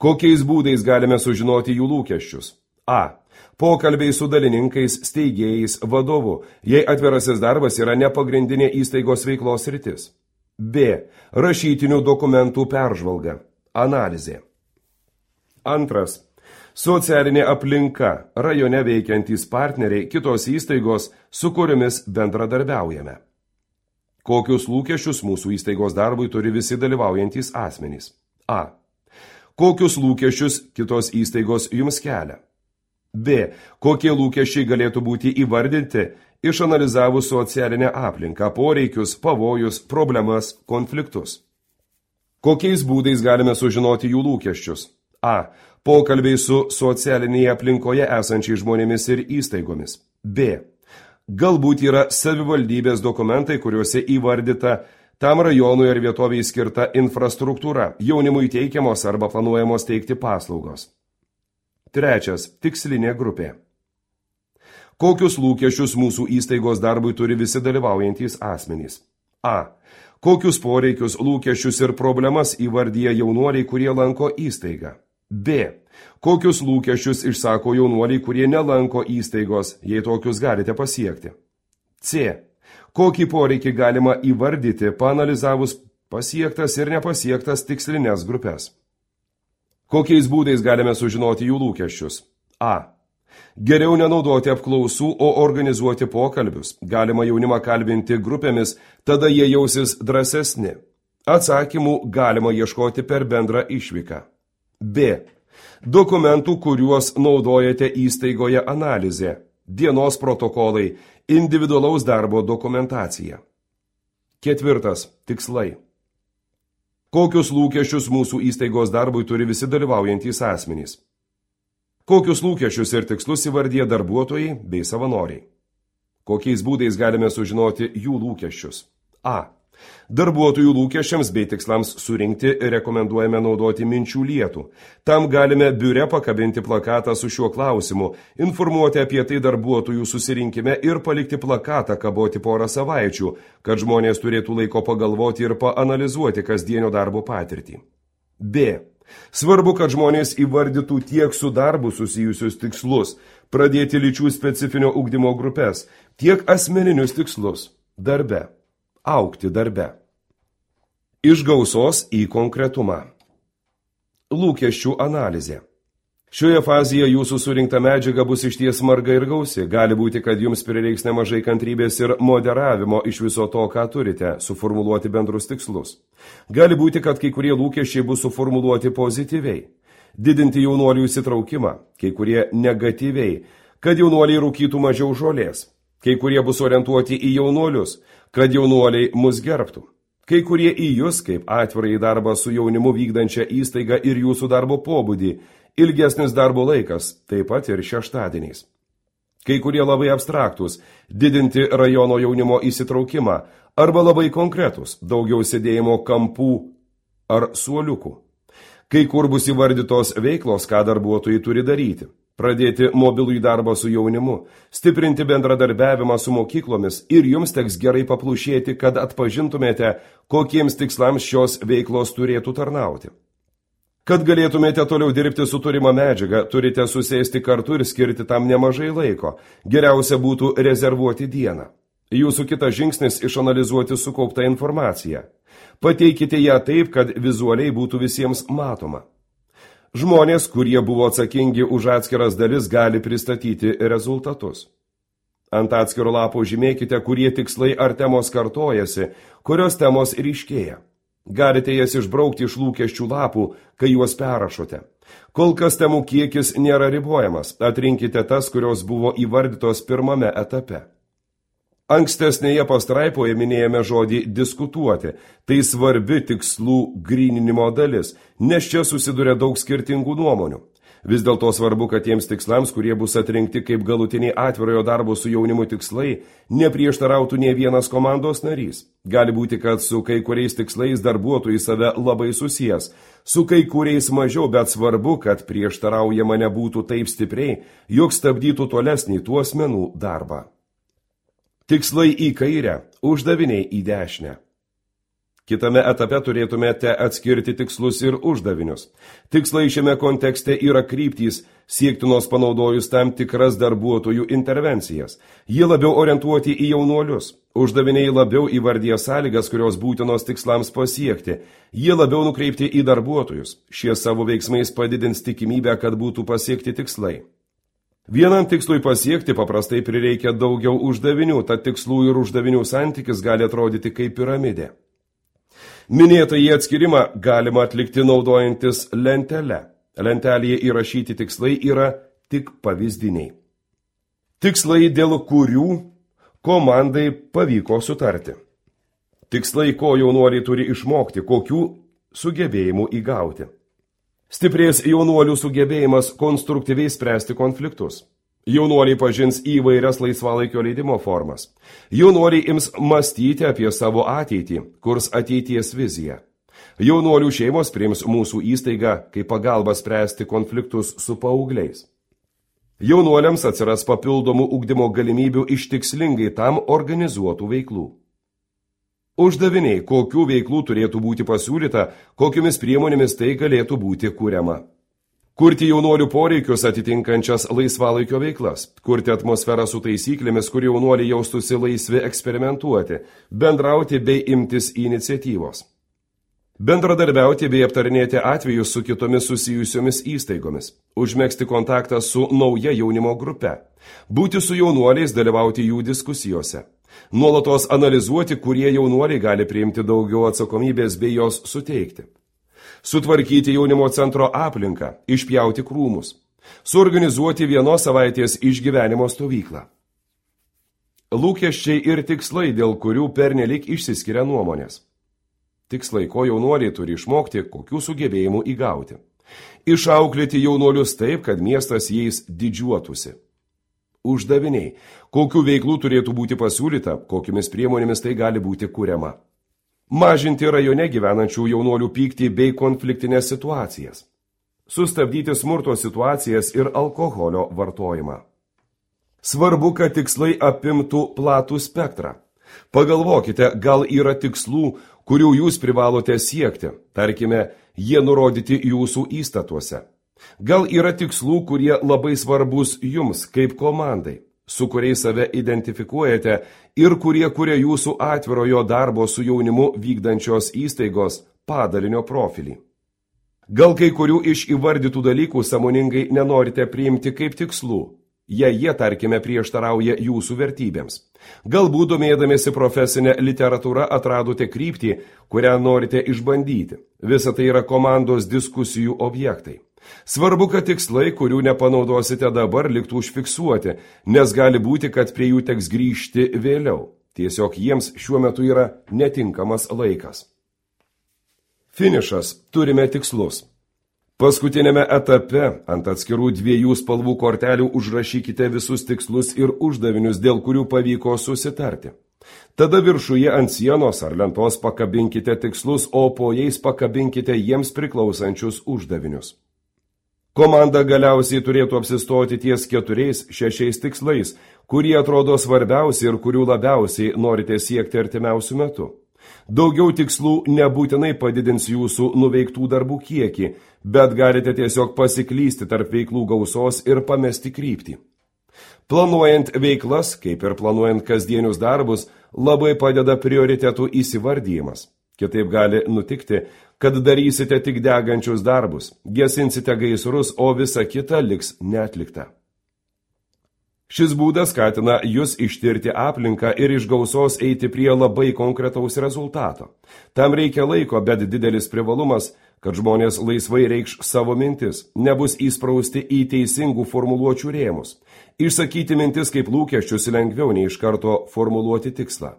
Kokiais būdais galime sužinoti jų lūkesčius? A. Pokalbiai su dalininkais, steigėjais, vadovu, jei atvirasis darbas yra nepagrindinė įstaigos veiklos sritis. B. Rašytinių dokumentų peržvalga, analizė. Antras. Socialinė aplinka, rajone veikiantys partneriai, kitos įstaigos, su kuriomis bendradarbiaujame. Kokius lūkesčius mūsų įstaigos darbui turi visi dalyvaujantys asmenys? A. Kokius lūkesčius kitos įstaigos jums kelia? B. Kokie lūkesčiai galėtų būti įvardinti, išanalizavus socialinę aplinką, poreikius, pavojus, problemas, konfliktus? Kokiais būdais galime sužinoti jų lūkesčius? A. Pokalbiai su socialinėje aplinkoje esančiai žmonėmis ir įstaigomis. B. Galbūt yra savivaldybės dokumentai, kuriuose įvardyta tam rajonui ar vietoviai skirta infrastruktūra, jaunimui teikiamos arba planuojamos teikti paslaugos. Trečias. Tikslinė grupė. Kokius lūkesčius mūsų įstaigos darbui turi visi dalyvaujantys asmenys? A. Kokius poreikius, lūkesčius ir problemas įvardyja jaunuoliai, kurie lanko įstaigą? B. Kokius lūkesčius išsako jaunuoliai, kurie nelanko įstaigos, jei tokius galite pasiekti? C. Kokį poreikį galima įvardyti, paanalizavus pasiektas ir nepasiektas tikslinės grupės? Kokiais būdais galime sužinoti jų lūkesčius? A. Geriau nenaudoti apklausų, o organizuoti pokalbius. Galima jaunimą kalbinti grupėmis, tada jie jausis drąsesni. Atsakymų galima ieškoti per bendrą išvyką. B. Dokumentų, kuriuos naudojate įstaigoje analizė, dienos protokolai, individualaus darbo dokumentacija. Ketvirtas. Tikslai. Kokius lūkesčius mūsų įstaigos darbui turi visi dalyvaujantys asmenys? Kokius lūkesčius ir tikslus įvardyja darbuotojai bei savanoriai? Kokiais būdais galime sužinoti jų lūkesčius? A. Darbuotojų lūkesčiams bei tikslams surinkti rekomenduojame naudoti minčių lietų. Tam galime biure pakabinti plakatą su šiuo klausimu, informuoti apie tai darbuotojų susirinkime ir palikti plakatą kaboti porą savaičių, kad žmonės turėtų laiko pagalvoti ir paanalizuoti kasdienio darbo patirtį. B. Svarbu, kad žmonės įvardytų tiek su darbu susijusius tikslus, pradėti lyčių specifinio ugdymo grupės, tiek asmeninius tikslus. darbe, augti darbe. Iš gausos į konkretumą. Lūkesčių analizė. Šioje fazėje jūsų surinkta medžiaga bus išties marga ir gausi. Gali būti, kad jums prireiks nemažai kantrybės ir moderavimo iš viso to, ką turite, suformuluoti bendrus tikslus. Gali būti, kad kai kurie lūkesčiai bus suformuluoti pozityviai. Didinti jaunuolių įsitraukimą, kai kurie negatyviai, kad jaunuoliai rūkytų mažiau žolės. Kai kurie bus orientuoti į jaunuolius, kad jaunuoliai mus gerbtų. Kai kurie į jūs, kaip atvirai darbą su jaunimu vykdančią įstaigą ir jūsų darbo pobūdį, ilgesnis darbo laikas, taip pat ir šeštadieniais. Kai kurie labai abstraktus, didinti rajono jaunimo įsitraukimą, arba labai konkretus, daugiau sėdėjimo kampų ar suoliukų. Kai kur bus įvardytos veiklos, ką darbuotojai turi daryti. Pradėti mobilų į darbą su jaunimu, stiprinti bendradarbiavimą su mokyklomis ir jums teks gerai paplušėti, kad atpažintumėte, kokiems tikslams šios veiklos turėtų tarnauti. Kad galėtumėte toliau dirbti su turima medžiaga, turite susėsti kartu ir skirti tam nemažai laiko. Geriausia būtų rezervuoti dieną. Jūsų kitas žingsnis išanalizuoti sukauptą informaciją. Pateikite ją taip, kad vizualiai būtų visiems matoma. Žmonės, kurie buvo atsakingi už atskiras dalis, gali pristatyti rezultatus. Ant atskiro lapo žymėkite, kurie tikslai ar temos kartojasi, kurios temos ryškėja. Galite jas išbraukti iš lūkesčių lapų, kai juos perrašote. Kol kas temų kiekis nėra ribojamas, atrinkite tas, kurios buvo įvardytos pirmame etape. Ankstesnėje pastraipoje minėjome žodį diskutuoti, tai svarbi tikslų gryninimo dalis, nes čia susiduria daug skirtingų nuomonių. Vis dėlto svarbu, kad tiems tikslams, kurie bus atrinkti kaip galutiniai atvirojo darbo su jaunimu tikslai, neprieštarautų nė vienas komandos narys. Gali būti, kad su kai kuriais tikslais darbuotojai save labai susijęs, su kai kuriais mažiau, bet svarbu, kad prieštaraujama nebūtų taip stipriai, jog stabdytų tolesnį tų asmenų darbą. Tikslai į kairę, uždaviniai į dešinę. Kitame etape turėtumėte atskirti tikslus ir uždavinius. Tikslai šiame kontekste yra kryptys, siektinos panaudojus tam tikras darbuotojų intervencijas. Jie labiau orientuoti į jaunuolius. Uždaviniai labiau įvardyja sąlygas, kurios būtinos tikslams pasiekti. Jie labiau nukreipti į darbuotojus. Šie savo veiksmais padidins tikimybę, kad būtų pasiekti tikslai. Vienam tikslui pasiekti paprastai prireikia daugiau uždavinių, tad tikslų ir uždavinių santykis gali atrodyti kaip piramidė. Minėtą į atskirimą galima atlikti naudojantis lentelę. Lentelėje įrašyti tikslai yra tik pavyzdiniai. Tikslai, dėl kurių komandai pavyko sutarti. Tikslai, ko jaunuoliai turi išmokti, kokių sugebėjimų įgauti. Stiprės jaunuolių sugebėjimas konstruktyviai spręsti konfliktus. Jaunuoliai pažins įvairias laisvalaikio leidimo formas. Jaunuoliai ims mąstyti apie savo ateitį, kurs ateities viziją. Jaunuolių šeimos priims mūsų įstaigą kaip pagalbą spręsti konfliktus su paaugliais. Jaunuoliams atsiras papildomų ugdymo galimybių iš tikslingai tam organizuotų veiklų. Uždaviniai, kokių veiklų turėtų būti pasiūlyta, kokiomis priemonėmis tai galėtų būti kuriama. Kurti jaunuolių poreikius atitinkančias laisvalaikio veiklas, kurti atmosferą su taisyklėmis, kur jaunuoliai jaustųsi laisvi eksperimentuoti, bendrauti bei imtis iniciatyvos. Bendradarbiauti bei aptarinėti atvejus su kitomis susijusiomis įstaigomis, užmegzti kontaktą su nauja jaunimo grupe, būti su jaunuoliais, dalyvauti jų diskusijose, nuolatos analizuoti, kurie jaunuoliai gali priimti daugiau atsakomybės bei jos suteikti. Sutvarkyti jaunimo centro aplinką, išpjauti krūmus, suorganizuoti vienos savaitės išgyvenimo stovyklą. Lūkesčiai ir tikslai, dėl kurių pernelik išsiskiria nuomonės. Tikslai, ko jaunuoliai turi išmokti, kokių sugebėjimų įgauti. Išauklėti jaunuolius taip, kad miestas jais didžiuotųsi. Uždaviniai, kokių veiklų turėtų būti pasiūlyta, kokiamis priemonėmis tai gali būti kuriama. Mažinti rajone gyvenančių jaunuolių pyktį bei konfliktinės situacijas. Sustabdyti smurto situacijas ir alkoholio vartojimą. Svarbu, kad tikslai apimtų platų spektrą. Pagalvokite, gal yra tikslų, kurių jūs privalote siekti, tarkime, jie nurodyti jūsų įstatuose. Gal yra tikslų, kurie labai svarbus jums kaip komandai. su kuriais save identifikuojate ir kurie kuria jūsų atvirojo darbo su jaunimu vykdančios įstaigos padalinio profilį. Gal kai kurių iš įvardytų dalykų sąmoningai nenorite priimti kaip tikslų, jei jie, tarkime, prieštarauja jūsų vertybėms. Galbūt domėdamėsi profesinę literatūrą atradote kryptį, kurią norite išbandyti. Visa tai yra komandos diskusijų objektai. Svarbu, kad tikslai, kurių nepanaudosite dabar, liktų užfiksuoti, nes gali būti, kad prie jų teks grįžti vėliau. Tiesiog jiems šiuo metu yra netinkamas laikas. Finišas. Turime tikslus. Paskutinėme etape ant atskirų dviejų spalvų kortelių užrašykite visus tikslus ir uždavinius, dėl kurių pavyko susitarti. Tada viršuje ant sienos ar lentos pakabinkite tikslus, o po jais pakabinkite jiems priklausančius uždavinius. Komanda galiausiai turėtų apsistoti ties keturiais, šešiais tikslais, kurie atrodo svarbiausi ir kurių labiausiai norite siekti artimiausių metų. Daugiau tikslų nebūtinai padidins jūsų nuveiktų darbų kiekį, bet galite tiesiog pasiklysti tarp veiklų gausos ir pamesti kryptį. Planuojant veiklas, kaip ir planuojant kasdienius darbus, labai padeda prioritetų įsivardyjimas. Kitaip gali nutikti, kad darysite tik degančius darbus, gesinsite gaisrus, o visa kita liks neatlikta. Šis būdas skatina jūs ištirti aplinką ir iš gausos eiti prie labai konkretaus rezultato. Tam reikia laiko, bet didelis privalumas, kad žmonės laisvai reikš savo mintis, nebus įsprausti į teisingų formuluočių rėmus. Išsakyti mintis kaip lūkesčius lengviau nei iš karto formuluoti tikslą.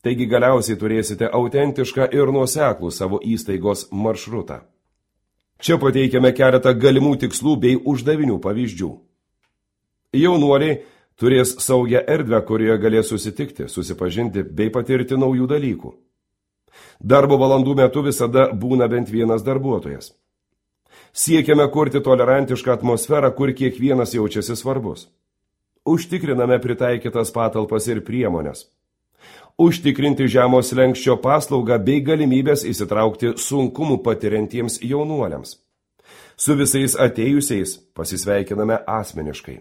Taigi galiausiai turėsite autentišką ir nuoseklų savo įstaigos maršrutą. Čia pateikiame keletą galimų tikslų bei uždavinių pavyzdžių. Jaunuoliai turės saugią erdvę, kurioje galės susitikti, susipažinti bei patirti naujų dalykų. Darbo valandų metu visada būna bent vienas darbuotojas. Siekiame kurti tolerantišką atmosferą, kur kiekvienas jaučiasi svarbus. Užtikriname pritaikytas patalpas ir priemonės. Užtikrinti žemo slenksčio paslaugą bei galimybės įsitraukti sunkumų patiriantiems jaunuoliams. Su visais atėjusiais pasisveikiname asmeniškai.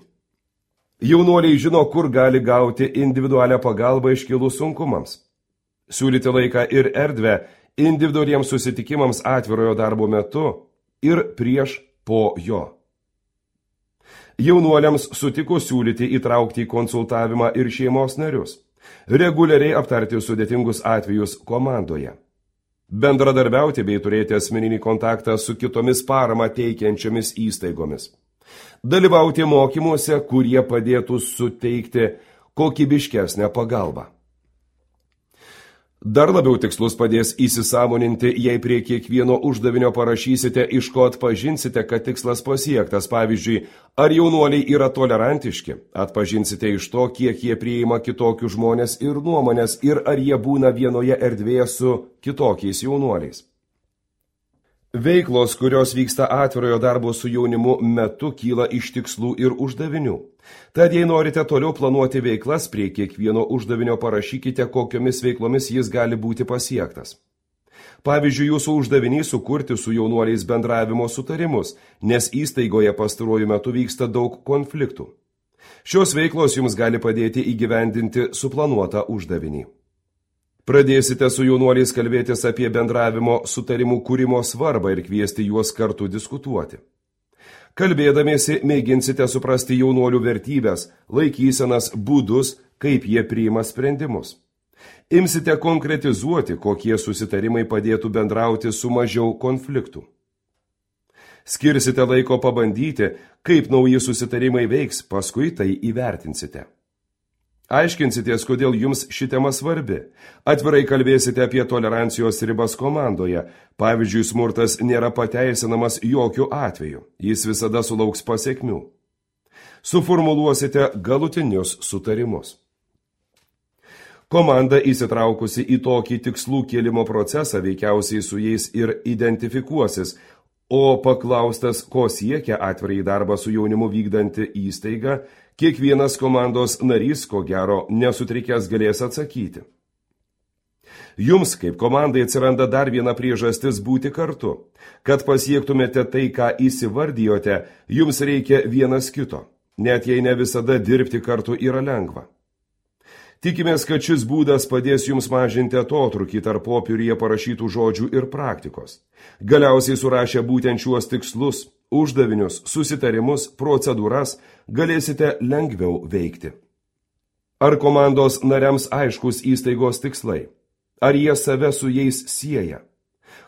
Jaunuoliai žino, kur gali gauti individualią pagalbą iškilus sunkumams. Siūlyti laiką ir erdvę individualiems susitikimams atvirojo darbo metu ir prieš po jo. Jaunuoliams sutiko siūlyti įtraukti į konsultavimą ir šeimos narius. Reguliariai aptarti sudėtingus atvejus komandoje. Bendradarbiauti bei turėti asmeninį kontaktą su kitomis paramą teikiančiomis įstaigomis. Dalyvauti mokymuose, kurie padėtų suteikti kokybiškesnę pagalbą. Dar labiau tikslus padės įsisąmoninti, jei prie kiekvieno uždavinio parašysite, iš ko atpažinsite, kad tikslas pasiektas. Pavyzdžiui, ar jaunuoliai yra tolerantiški, atpažinsite iš to, kiek jie priima kitokius žmonės ir nuomonės, ir ar jie būna vienoje erdvėje su kitokiais jaunuoliais. Veiklos, kurios vyksta atvirojo darbo su jaunimu metu, kyla iš tikslų ir uždavinių. Tad jei norite toliau planuoti veiklas, prie kiekvieno uždavinio parašykite, kokiomis veiklomis jis gali būti pasiektas. Pavyzdžiui, jūsų uždavinys sukurti su jaunuoliais bendravimo sutarimus, nes įstaigoje pastaruoju metu vyksta daug konfliktų. Šios veiklos jums gali padėti įgyvendinti suplanuotą uždavinį. Pradėsite su jaunuoliais kalbėtis apie bendravimo sutarimų kūrimo svarbą ir kviesti juos kartu diskutuoti. Kalbėdamiesi mėginsite suprasti jaunuolių vertybės, laikysenas, būdus, kaip jie priima sprendimus. Imsite konkretizuoti, kokie susitarimai padėtų bendrauti su mažiau konfliktų. Skirsite laiko pabandyti, kaip nauji susitarimai veiks, paskui tai įvertinsite. Aiškinsitės, kodėl jums ši tema svarbi. Atvirai kalbėsite apie tolerancijos ribas komandoje. Pavyzdžiui, smurtas nėra pateisinamas jokiu atveju. Jis visada sulauks pasekmių. Suformuluosite galutinius sutarimus. Komanda įsitraukusi į tokį tikslų kėlimo procesą veikiausiai su jais ir identifikuosis, o paklaustas, ko siekia atvirai darbą su jaunimu vykdanti įstaiga, kiekvienas komandos narys, ko gero, nesutrikęs galės atsakyti. Jums, kaip komandai, atsiranda dar viena priežastis būti kartu. Kad pasiektumėte tai, ką įsivardijote, jums reikia vienas kito. net jei ne visada dirbti kartu yra lengva. Tikimės, kad šis būdas padės jums mažinti atotrūkį tarp popieriuje parašytų žodžių ir praktikos. Galiausiai surašę būtent šiuos tikslus, uždavinius, susitarimus, procedūras, galėsite lengviau veikti. Ar komandos nariams aiškus įstaigos tikslai? Ar jie save su jais sieja?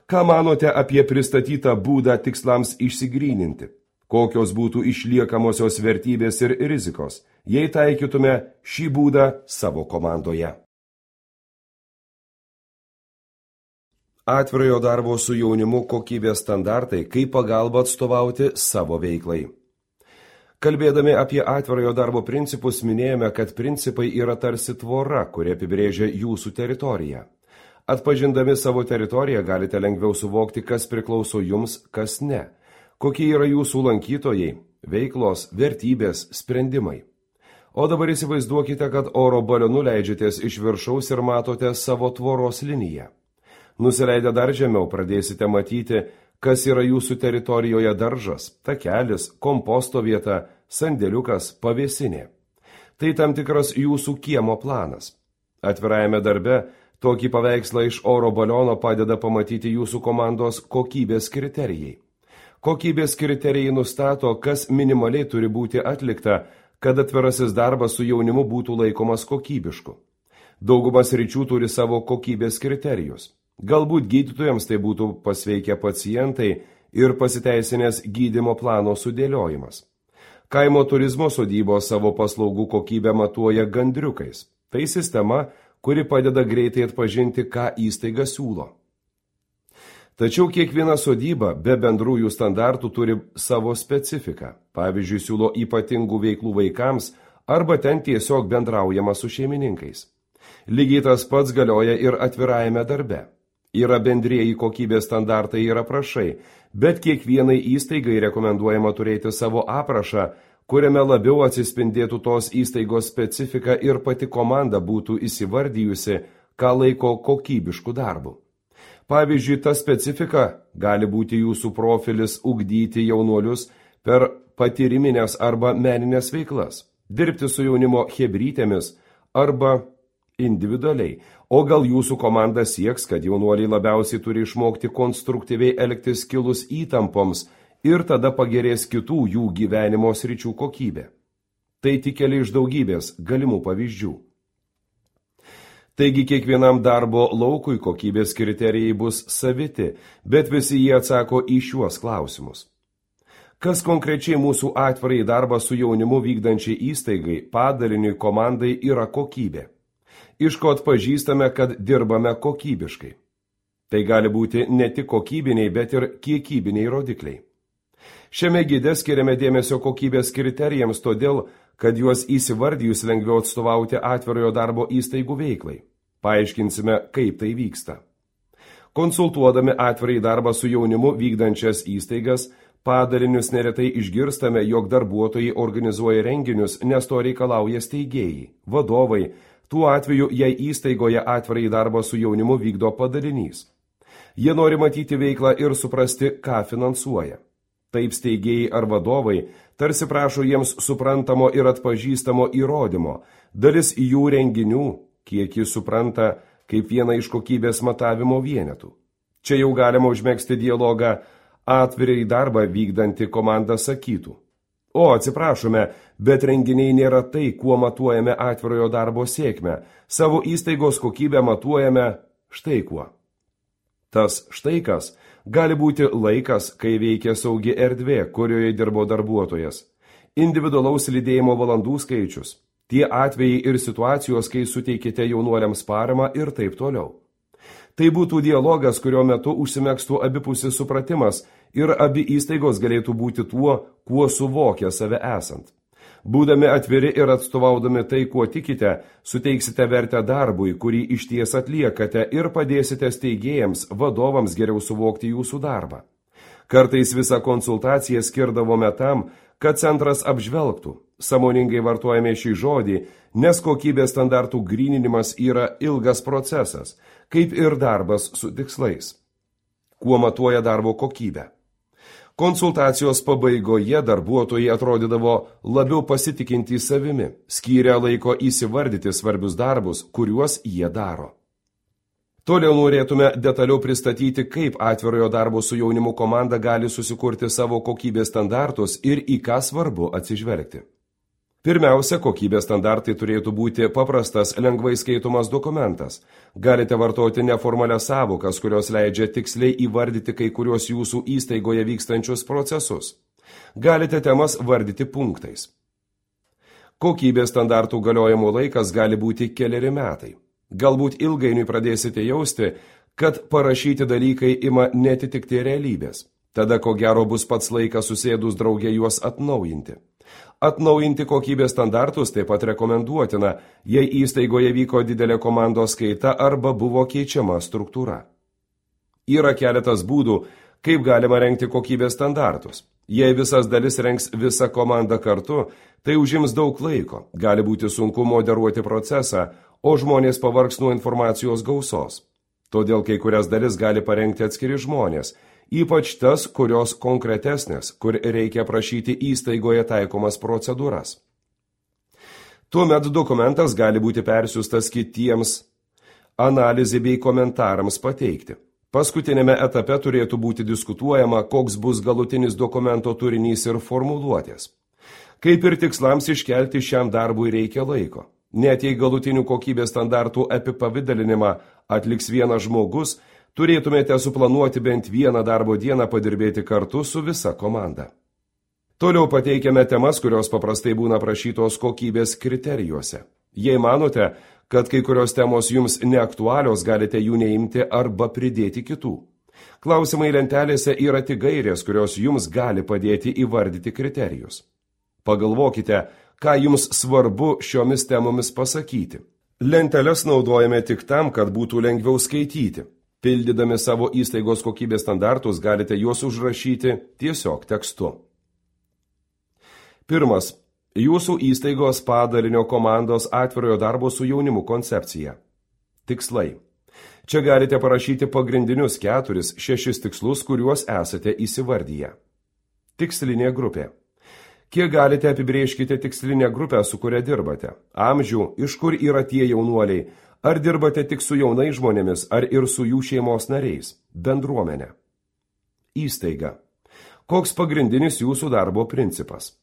Ką manote apie pristatytą būdą tikslams išsigryninti? Kokios būtų išliekamosios vertybės ir rizikos, jei taikytume šį būdą savo komandoje? Atvirojo darbo su jaunimu kokybės standartai, kaip pagalba atstovauti savo veiklai. Kalbėdami apie atvirojo darbo principus, minėjome, kad principai yra tarsi tvora, kuri apibrėžia jūsų teritoriją. Atpažindami savo teritoriją galite lengviau suvokti, kas priklauso jums, kas ne. Kokie yra jūsų lankytojai, veiklos, vertybės, sprendimai. O dabar įsivaizduokite, kad oro balionu leidžiatės iš viršaus ir matote savo tvoros liniją. Nusileidę dar žemiau pradėsite matyti, kas yra jūsų teritorijoje daržas, takelis, komposto vieta, sandėliukas, pavėsinė. Tai tam tikras jūsų kiemo planas. Atvirajame darbe tokį paveikslą iš oro baliono padeda pamatyti jūsų komandos kokybės kriterijai. Kokybės kriterijai nustato, kas minimaliai turi būti atlikta, kad atvirasis darbas su jaunimu būtų laikomas kokybišku. Daugumas ryčių turi savo kokybės kriterijus. Galbūt gydytojams tai būtų pasveikę pacientai ir pasiteisinęs gydymo plano sudėliojimas. Kaimo turizmo sodybos savo paslaugų kokybę matuoja gandriukais. Tai sistema, kuri padeda greitai atpažinti, ką įstaiga siūlo. Tačiau kiekviena sodyba be bendrųjų standartų turi savo specifiką. Pavyzdžiui, siūlo ypatingų veiklų vaikams arba ten tiesiog bendraujama su šeimininkais. Lygiai tas pats galioja ir atvirajame darbe. Yra bendrieji kokybės standartai ir aprašai, bet kiekvienai įstaigai rekomenduojama turėti savo aprašą, kuriame labiau atsispindėtų tos įstaigos specifika ir pati komanda būtų įsivardijusi, ką laiko kokybišku darbu. Pavyzdžiui, ta specifika gali būti jūsų profilis ugdyti jaunuolius per patyriminės arba meninės veiklas, dirbti su jaunimo chebrytėmis arba individualiai, o gal jūsų komanda sieks, kad jaunuoliai labiausiai turi išmokti konstruktyviai elgtis kilus įtampoms ir tada pagerės kitų jų gyvenimo sričių kokybė. Tai tik keli iš daugybės galimų pavyzdžių. Taigi kiekvienam darbo laukui kokybės kriterijai bus saviti, bet visi jie atsako į šiuos klausimus. Kas konkrečiai mūsų atvirai darbą su jaunimu vykdančiai įstaigai, padaliniui, komandai yra kokybė? Iš ko atpažįstame, kad dirbame kokybiškai? Tai gali būti ne tik kokybiniai, bet ir kiekybiniai rodikliai. Šiame gide skiriame dėmesio kokybės kriterijams todėl, kad juos įsivardijus lengviau atstovauti atvirojo darbo įstaigų veiklai. Paaiškinsime, kaip tai vyksta. Konsultuodami atvirai darbą su jaunimu vykdančias įstaigas, padalinius neretai išgirstame, jog darbuotojai organizuoja renginius, nes to reikalauja steigėjai, vadovai, tuo atveju, jei įstaigoje atvirai darbą su jaunimu vykdo padalinys. Jie nori matyti veiklą ir suprasti, ką finansuoja. Taip steigėjai ar vadovai tarsi prašo jiems suprantamo ir atpažįstamo įrodymo, dalis jų renginių, kiek jis supranta, kaip vieną iš kokybės matavimo vienetų. Čia jau galima užmegzti dialogą, atvirai darbą vykdanti komanda sakytų. O, atsiprašome, bet renginiai nėra tai, kuo matuojame atvirojo darbo sėkmę. Savo įstaigos kokybę matuojame štai kuo. Tas štai kas gali būti laikas, kai veikia saugi erdvė, kurioje dirbo darbuotojas, individualaus lydėjimo valandų skaičius, tie atvejai ir situacijos, kai suteikite jaunuoliams paramą ir taip toliau. Tai būtų dialogas, kurio metu užsimegstų abipusis supratimas ir abi įstaigos galėtų būti tuo, kuo suvokia save esant. Būdami atviri ir atstovaudami tai, kuo tikite, suteiksite vertę darbui, kurį išties atliekate ir padėsite steigėjams, vadovams geriau suvokti jūsų darbą. Kartais visą konsultaciją skirdavome tam, kad centras apžvelgtų. Sąmoningai vartojame šį žodį, nes kokybės standartų gryninimas yra ilgas procesas, kaip ir darbas su tikslais. Kuo matuoja darbo kokybę? Konsultacijos pabaigoje darbuotojai atrodydavo labiau pasitikintys savimi, skyrę laiko įsivardyti svarbius darbus, kuriuos jie daro. Toliau norėtume detaliau pristatyti, kaip atvirojo darbo su jaunimu komanda gali susikurti savo kokybės standartus ir į ką svarbu atsižvelgti. Pirmiausia, kokybės standartai turėtų būti paprastas, lengvai skaitomas dokumentas. Galite vartoti neformalias sąvokas, kurios leidžia tiksliai įvardyti kai kuriuos jūsų įstaigoje vykstančius procesus. Galite temas vardyti punktais. Kokybės standartų galiojimo laikas gali būti keleri metai. Galbūt ilgainiui pradėsite jausti, kad parašyti dalykai ima netitikti realybės. Tada ko gero bus pats laikas susėdus drauge juos atnaujinti. Atnaujinti kokybės standartus taip pat rekomenduotina, jei įstaigoje vyko didelė komandos kaita arba buvo keičiama struktūra. Yra keletas būdų, kaip galima rengti kokybės standartus. Jei visas dalis rengs visą komandą kartu, tai užims daug laiko, gali būti sunku moderuoti procesą, o žmonės pavargs nuo informacijos gausos. Todėl kai kurias dalis gali parengti atskiri žmonės, ypač tas, kurios konkretesnės, kur reikia prašyti įstaigoje taikomas procedūras. Tuomet dokumentas gali būti persiųstas kitiems analizai bei komentarams pateikti. Paskutinėme etape turėtų būti diskutuojama, koks bus galutinis dokumento turinys ir formuluotės. Kaip ir tikslams iškelti šiam darbui reikia laiko. Net jei galutinių kokybės standartų apipavidalinimą atliks vienas žmogus, turėtumėte suplanuoti bent vieną darbo dieną padirbėti kartu su visa komanda. Toliau pateikiame temas, kurios paprastai būna prašytos kokybės kriterijuose. Jei manote, kad kai kurios temos jums neaktualios, galite jų neimti arba pridėti kitų. Klausimai lentelėse yra tik gairės, kurios jums gali padėti įvardyti kriterijus. Pagalvokite, ką jums svarbu šiomis temomis pasakyti. Lenteles naudojame tik tam, kad būtų lengviau skaityti. Pildydami savo įstaigos kokybės standartus galite juos užrašyti tiesiog tekstu. Pirmas. Jūsų įstaigos padalinio komandos atvirojo darbo su jaunimu koncepcija. Tikslai. Čia galite parašyti pagrindinius keturis, šešis tikslus, kuriuos esate įsivardyję. Tikslinė grupė. Kiek galite apibrėžkite tikslinę grupę, su kuria dirbate? Amžių, iš kur yra tie jaunuoliai? Ar dirbate tik su jaunais žmonėmis, ar ir su jų šeimos nariais? Bendruomenė. Įstaiga. Koks pagrindinis jūsų darbo principas?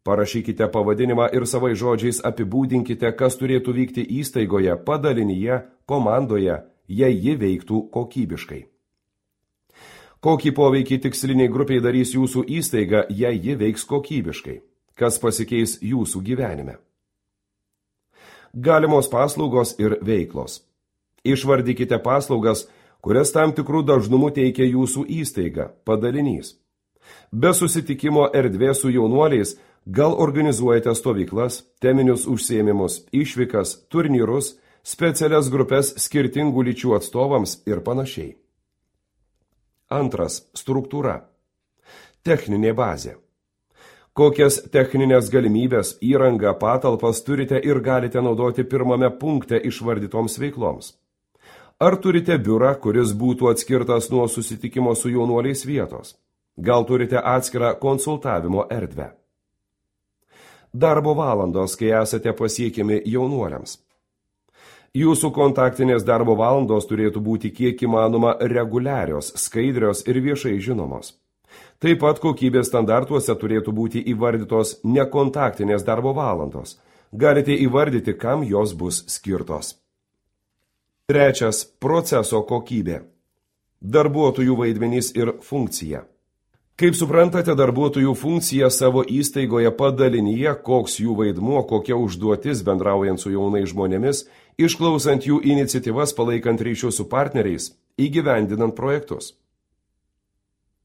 Parašykite pavadinimą ir savais žodžiais apibūdinkite, kas turėtų vykti įstaigoje, padalinyje, komandoje, jei ji veiktų kokybiškai. Kokį poveikį tiksliniai grupiai darys jūsų įstaiga, jei ji veiks kokybiškai? Kas pasikeis jūsų gyvenime? Galimos paslaugos ir veiklos. Išvardykite paslaugas, kurias tam tikrų dažnumų teikia jūsų įstaiga, padalinys. Be susitikimo erdvės su jaunuoliais gal organizuojate stovyklas, teminius užsiėmimus, išvykas, turnyrus, specialias grupės skirtingų lyčių atstovams ir panašiai. Antras. Struktūra. Techninė bazė. Kokias techninės galimybės, įrangą, patalpas turite ir galite naudoti pirmame punkte išvardytoms veikloms? Ar turite biurą, kuris būtų atskirtas nuo susitikimo su jaunuoliais vietos? Gal turite atskirą konsultavimo erdvę? Darbo valandos, kai esate pasiekiami jaunuoliams. Jūsų kontaktinės darbo valandos turėtų būti kiek įmanoma reguliarios, skaidrios ir viešai žinomos. Taip pat kokybės standartuose turėtų būti įvardytos nekontaktinės darbo valandos. Galite įvardyti, kam jos bus skirtos. Trečias. Proceso kokybė. Darbuotojų vaidmenys ir funkcija. Kaip suprantate, darbuotojų funkcija savo įstaigoje padalinyje, koks jų vaidmuo, kokia užduotis bendraujant su jaunais žmonėmis, išklausant jų iniciatyvas, palaikant ryšius su partneriais, įgyvendinant projektus.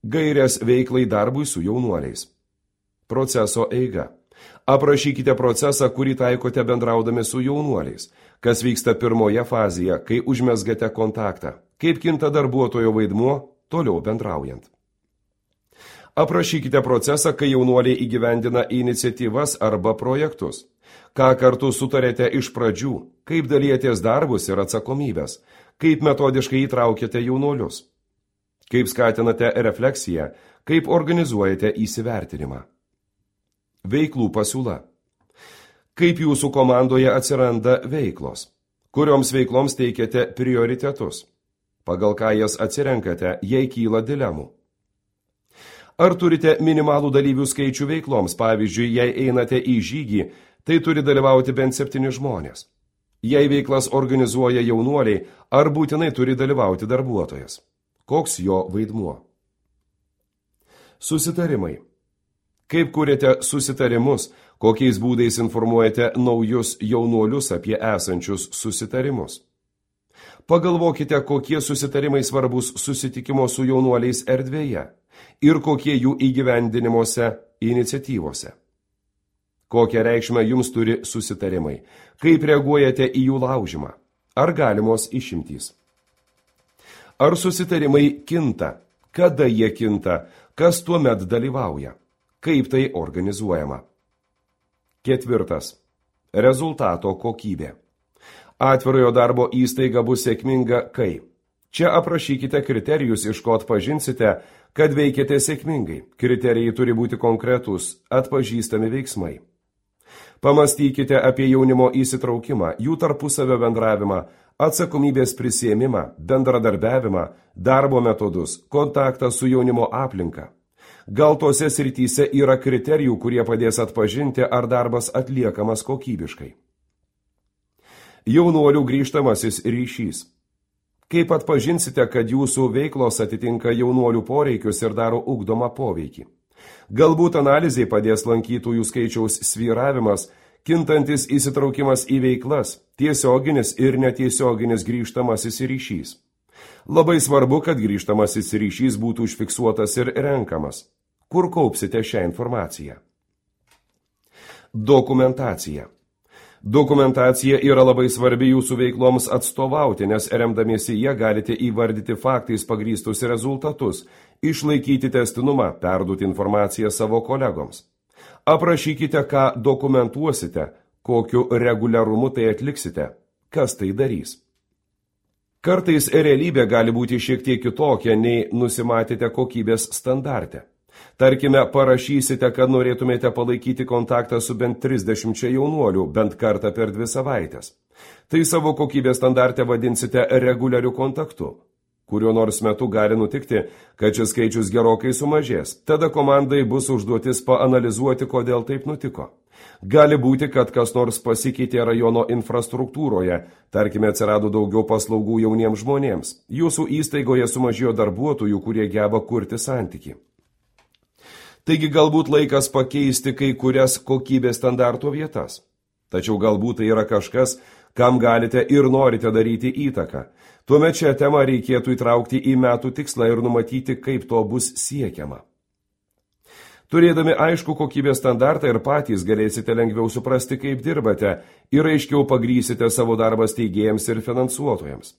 Gairės veiklai darbui su jaunuoliais. Proceso eiga. Aprašykite procesą, kurį taikote bendraudami su jaunuoliais. Kas vyksta pirmoje fazėje, kai užmezgate kontaktą. Kaip kinta darbuotojo vaidmuo, toliau bendraujant. Aprašykite procesą, kai jaunuoliai įgyvendina iniciatyvas arba projektus. Ką kartu sutarėte iš pradžių, kaip dalijatės darbus ir atsakomybės, kaip metodiškai įtraukėte jaunuolius. Kaip skatinate refleksiją, kaip organizuojate įsivertinimą. Veiklų pasiūla. Kaip jūsų komandoje atsiranda veiklos? Kurioms veikloms teikiate prioritetus? Pagal ką jas atsirenkate, jei kyla dilemų? Ar turite minimalų dalyvių skaičių veikloms? Pavyzdžiui, jei einate į žygį, tai turi dalyvauti bent septyni žmonės. Jei veiklas organizuoja jaunuoliai, ar būtinai turi dalyvauti darbuotojas? Koks jo vaidmuo? Susitarimai. Kaip kuriate susitarimus, kokiais būdais informuojate naujus jaunuolius apie esančius susitarimus? Pagalvokite, kokie susitarimai svarbus susitikimo su jaunuoliais erdvėje ir kokie jų įgyvendinimuose iniciatyvose. Kokią reikšmę jums turi susitarimai? Kaip reaguojate į jų laužimą? Ar galimos išimtys? Ar susitarimai kinta? Kada jie kinta? Kas tuomet dalyvauja? Kaip tai organizuojama? Ketvirtas. Rezultato kokybė. Atvirojo darbo įstaiga bus sėkminga, kai čia aprašykite kriterijus, iš ko atpažinsite, kad veikiate sėkmingai. Kriterijai turi būti konkretūs, atpažįstami veiksmai. Pamastykite apie jaunimo įsitraukimą, jų tarpusavio bendravimą, atsakomybės prisiėmimą, bendradarbiavimą, darbo metodus, kontaktą su jaunimo aplinka. Gal tose srityse yra kriterijų, kurie padės atpažinti, ar darbas atliekamas kokybiškai. Jaunuolių grįžtamasis ryšys. Kaip atpažinsite, kad jūsų veiklos atitinka jaunuolių poreikius ir daro ugdomą poveikį? Galbūt analizai padės lankytojų skaičiaus svyravimas, kintantis įsitraukimas į veiklas, tiesioginis ir netiesioginis grįžtamasis ryšys. Labai svarbu, kad grįžtamasis ryšys būtų užfiksuotas ir renkamas. Kur kaupsite šią informaciją? Dokumentacija. Dokumentacija yra labai svarbi jūsų veikloms atstovauti, nes remdamiesi jie galite įvardyti faktais pagrįstus rezultatus, išlaikyti testinumą, perduoti informaciją savo kolegoms. Aprašykite, ką dokumentuosite, kokiu reguliarumu tai atliksite, kas tai darys. Kartais realybė gali būti šiek tiek kitokia, nei nusimatėte kokybės standarte. Tarkime, parašysite, kad norėtumėte palaikyti kontaktą su bent trisdešimčia jaunuolių bent kartą per dvi savaitės. Tai savo kokybės standarte vadinsite reguliariu kontaktu. Kuriuo nors metu gali nutikti, kad šis skaičius gerokai sumažės. Tada komandai bus užduotis paanalizuoti, kodėl taip nutiko. Gali būti, kad kas nors pasikeitė rajono infrastruktūroje, tarkime, atsirado daugiau paslaugų jauniems žmonėms. Jūsų įstaigoje sumažėjo darbuotojų, kurie geba kurti santykį. Taigi galbūt laikas pakeisti kai kurias kokybės standarto vietas. Tačiau galbūt tai yra kažkas, kam galite ir norite daryti įtaką. Tuomet šią temą reikėtų įtraukti į metų tikslą ir numatyti, kaip to bus siekiama. Turėdami aišku kokybės standartą ir patys galėsite lengviau suprasti, kaip dirbate ir aiškiau pagrysite savo darbą steigėjams ir finansuotojams.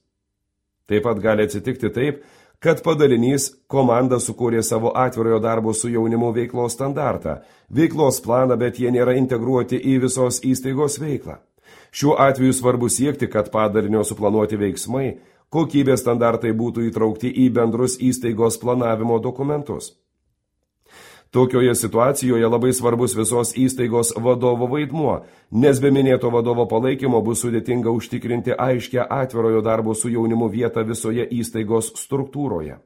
Taip pat gali atsitikti taip, kad padalinys komanda sukūrė savo atvirojo darbo su jaunimu veiklos standartą, veiklos planą, bet jie nėra integruoti į visos įstaigos veiklą. Šiuo atveju svarbu siekti, kad padalinio suplanuoti veiksmai, kokybės standartai būtų įtraukti į bendrus įstaigos planavimo dokumentus. Tokioje situacijoje labai svarbus visos įstaigos vadovo vaidmuo, nes be minėto vadovo palaikymo bus sudėtinga užtikrinti aiškę atvirojo darbo su jaunimu vietą visoje įstaigos struktūroje.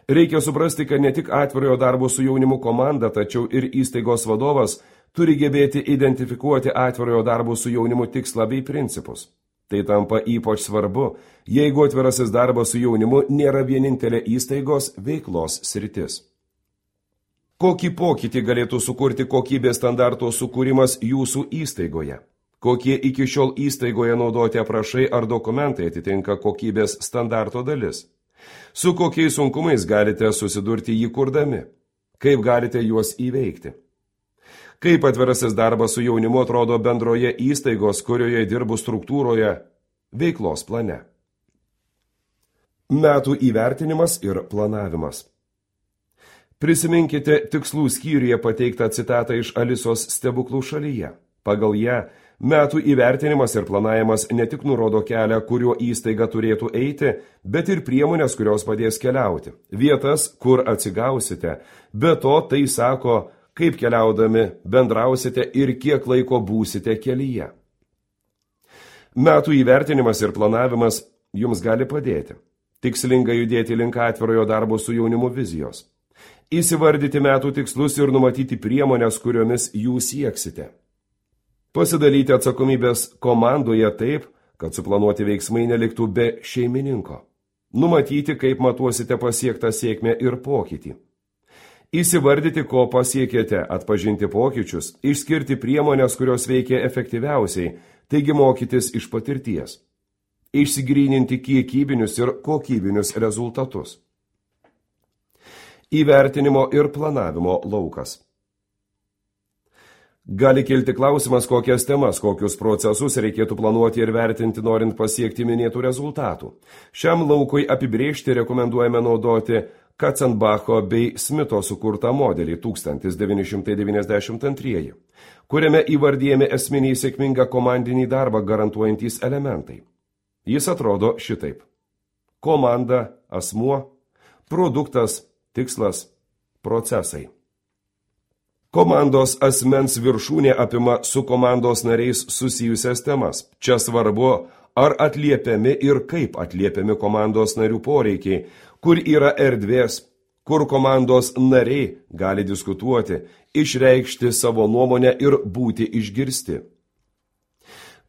Reikia suprasti, kad ne tik atvirojo darbo su jaunimu komanda, tačiau ir įstaigos vadovas turi gebėti identifikuoti atvirojo darbo su jaunimu tikslą bei principus. Tai tampa ypač svarbu, jeigu atvirasis darbas su jaunimu nėra vienintelė įstaigos veiklos sritis. Kokį pokytį galėtų sukurti kokybės standarto sukūrimas jūsų įstaigoje? Kokie iki šiol įstaigoje naudoti aprašai ar dokumentai atitinka kokybės standarto dalis? Su kokiais sunkumais galite susidurti jį kurdami? Kaip galite juos įveikti? Kaip atvirasis darbas su jaunimu atrodo bendroje įstaigos, kurioje dirbu struktūroje, veiklos plane? Metų įvertinimas ir planavimas. Prisiminkite tikslų skyriuje pateiktą citatą iš Alisos stebuklų šalyje. Pagal ją, metų įvertinimas ir planavimas ne tik nurodo kelią, kuriuo įstaiga turėtų eiti, bet ir priemonės, kurios padės keliauti, vietas, kur atsigausite. Be to, tai sako, kaip keliaudami bendrausite ir kiek laiko būsite kelyje. Metų įvertinimas ir planavimas jums gali padėti. Tikslingai judėti link atvirojo darbo su jaunimu vizijos. Įsivardyti metų tikslus ir numatyti priemonės, kuriomis jūs sieksite. Pasidalyti atsakomybės komandoje taip, kad suplanuoti veiksmai neliktų be šeimininko. Numatyti, kaip matuosite pasiektą sėkmę ir pokytį. Įsivardyti, ko pasiekėte, atpažinti pokyčius, išskirti priemonės, kurios veikia efektyviausiai, taigi mokytis iš patirties. Išsigryninti kiekybinius ir kokybinius rezultatus. Įvertinimo ir planavimo laukas. Gali kilti klausimas, kokias temas, kokius procesus reikėtų planuoti ir vertinti, norint pasiekti minėtų rezultatų. Šiam laukui apibrėžti rekomenduojame naudoti Katzenbacho bei Smito sukurtą modelį tūkstantis devyni šimtai devyniasdešimt antrieji, kuriame įvardyjami esminiai sėkmingą komandinį darbą garantuojantys elementai. Jis atrodo šitaip. Komanda, asmuo, produktas, tikslas, procesai. Komandos asmens viršūnė apima su komandos nariais susijusias temas. Čia svarbu, ar atliepiami ir kaip atliepiami komandos narių poreikiai, kur yra erdvės, kur komandos nariai gali diskutuoti, išreikšti savo nuomonę ir būti išgirsti.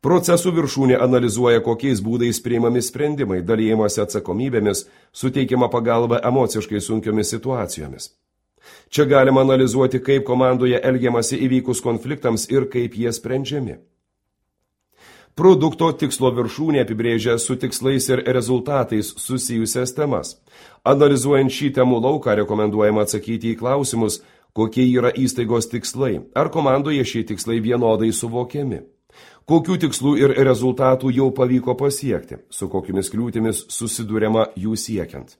Procesų viršūnė analizuoja, kokiais būdais priimami sprendimai, dalijimasi atsakomybėmis, suteikiama pagalba emociškai sunkiomis situacijomis. Čia galima analizuoti, kaip komandoje elgiamasi įvykus konfliktams ir kaip jie sprendžiami. Produkto tikslo viršūnė apibrėžia su tikslais ir rezultatais susijusias temas. Analizuojant šį temų lauką rekomenduojama atsakyti į klausimus, kokie yra įstaigos tikslai, ar komandoje šie tikslai vienodai suvokiami. Kokių tikslų ir rezultatų jau pavyko pasiekti, su kokiamis kliūtimis susidūrėma jų siekiant.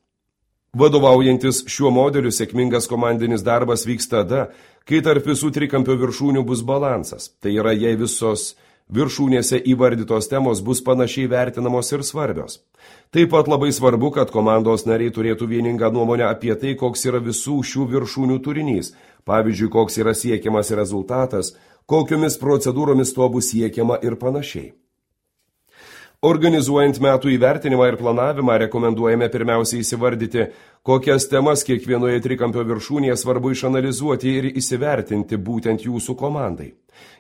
Vadovaujantis šiuo modeliu sėkmingas komandinis darbas vyks tada, kai tarp visų trikampio viršūnių bus balansas, tai yra, jei visos viršūnėse įvardytos temos bus panašiai vertinamos ir svarbios. Taip pat labai svarbu, kad komandos nariai turėtų vieningą nuomonę apie tai, koks yra visų šių viršūnių turinys, pavyzdžiui, koks yra siekiamas rezultatas, kokiomis procedūromis to bus siekiama ir panašiai. Organizuojant metų įvertinimą ir planavimą rekomenduojame pirmiausiai įsivardyti, kokias temas kiekvienoje trikampio viršūnėje svarbu išanalizuoti ir įsivertinti būtent jūsų komandai.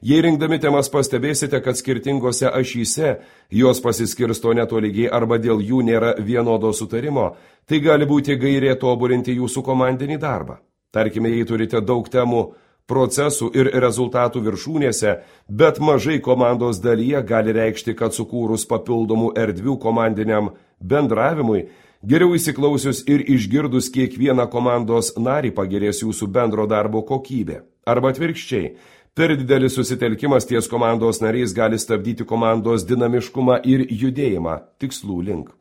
Jei rinkdami temas pastebėsite, kad skirtingose ašyse jos pasiskirsto netolygiai arba dėl jų nėra vienodo sutarimo, tai gali būti gairė tobulinti jūsų komandinį darbą. Tarkime, jei turite daug temų, procesų ir rezultatų viršūnėse, bet mažai komandos dalyje gali reikšti, kad sukūrus papildomų erdvių komandiniam bendravimui, geriau įsiklausius ir išgirdus kiekvieną komandos narį pagerės jūsų bendro darbo kokybė. Arba atvirkščiai, per didelis susitelkimas ties komandos nariais gali stabdyti komandos dinamiškumą ir judėjimą tikslų link.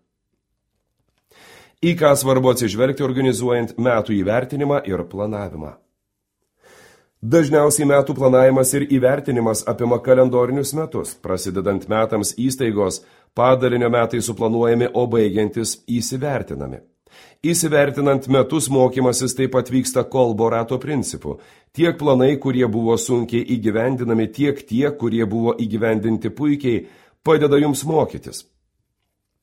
Į ką svarbu atsižvelgti organizuojant metų įvertinimą ir planavimą. Dažniausiai metų planavimas ir įvertinimas apima kalendorinius metus, prasidedant metams įstaigos, padalinio metai suplanuojami, o baigiantis įsivertinami. Įsivertinant metus mokymasis taip pat vyksta kolbo rato principu. Tiek planai, kurie buvo sunkiai įgyvendinami, tiek tie, kurie buvo įgyvendinti puikiai, padeda jums mokytis.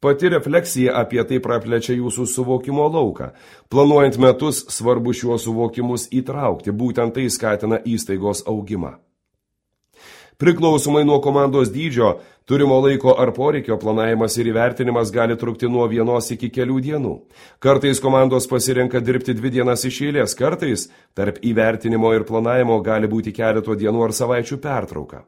Pati refleksija apie tai praplečia jūsų suvokimo lauką. Planuojant metus, svarbu šiuos suvokimus įtraukti, būtent tai skatina įstaigos augimą. Priklausomai nuo komandos dydžio, turimo laiko ar poreikio planavimas ir įvertinimas gali trukti nuo vienos iki kelių dienų. Kartais komandos pasirenka dirbti dvi dienas iš eilės, kartais tarp įvertinimo ir planavimo gali būti keleto dienų ar savaičių pertrauka.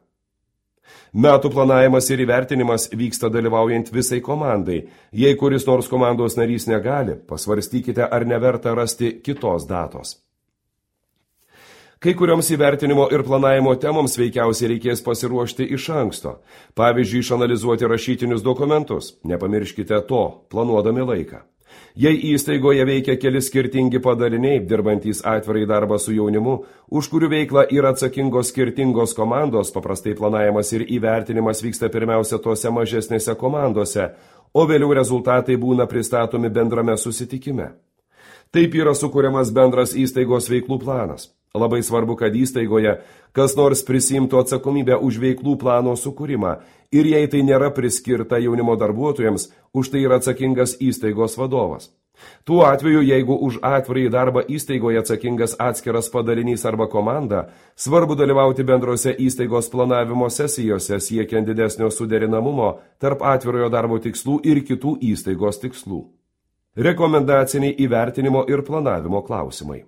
Metų planavimas ir įvertinimas vyksta dalyvaujant visai komandai. Jei kuris nors komandos narys negali, pasvarstykite, ar neverta rasti kitos datos. Kai kurioms įvertinimo ir planavimo temoms veikiausiai reikės pasiruošti iš anksto. Pavyzdžiui, išanalizuoti rašytinius dokumentus. Nepamirškite to, planuodami laiką. Jei įstaigoje veikia keli skirtingi padaliniai, dirbantys atvirai darbą su jaunimu, už kurių veiklą yra atsakingos skirtingos komandos, paprastai planavimas ir įvertinimas vyksta pirmiausia tose mažesnėse komandose, o vėliau rezultatai būna pristatomi bendrame susitikime. Taip yra sukuriamas bendras įstaigos veiklų planas. Labai svarbu, kad įstaigoje kas nors prisimtų atsakomybę už veiklų plano sukūrimą ir jei tai nėra priskirta jaunimo darbuotojams, už tai yra atsakingas įstaigos vadovas. Tuo atveju, jeigu už atvirąjį darbą įstaigoje atsakingas atskiras padalinys arba komanda, svarbu dalyvauti bendrose įstaigos planavimo sesijose siekiant didesnio suderinamumo tarp atvirojo darbo tikslų ir kitų įstaigos tikslų. Rekomendaciniai įvertinimo ir planavimo klausimai.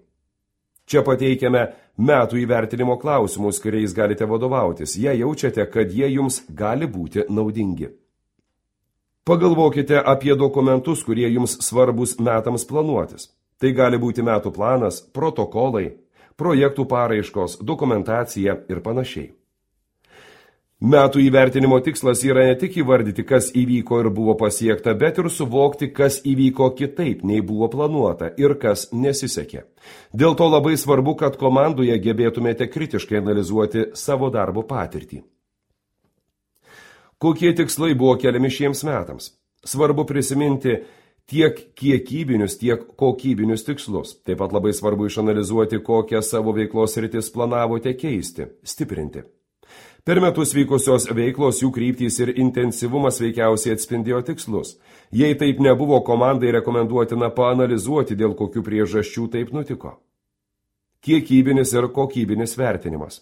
Čia pateikiame metų įvertinimo klausimus, kuriais galite vadovautis, jei jaučiate, kad jie jums gali būti naudingi. Pagalvokite apie dokumentus, kurie jums svarbus metams planuotis. Tai gali būti metų planas, protokolai, projektų paraiškos, dokumentacija ir panašiai. Metų įvertinimo tikslas yra ne tik įvardyti, kas įvyko ir buvo pasiekta, bet ir suvokti, kas įvyko kitaip, nei buvo planuota ir kas nesisekė. Dėl to labai svarbu, kad komandoje gebėtumėte kritiškai analizuoti savo darbo patirtį. Kokie tikslai buvo keliami šiems metams? Svarbu prisiminti tiek kiekybinius, tiek kokybinius tikslus. Taip pat labai svarbu išanalizuoti, kokią savo veiklos sritis planavote keisti, stiprinti. Per metus vykusios veiklos, jų kryptys ir intensyvumas veikiausiai atspindėjo tikslus. Jei taip nebuvo, komandai rekomenduotina paanalizuoti, dėl kokių priežasčių taip nutiko. Kiekybinis ir kokybinis vertinimas.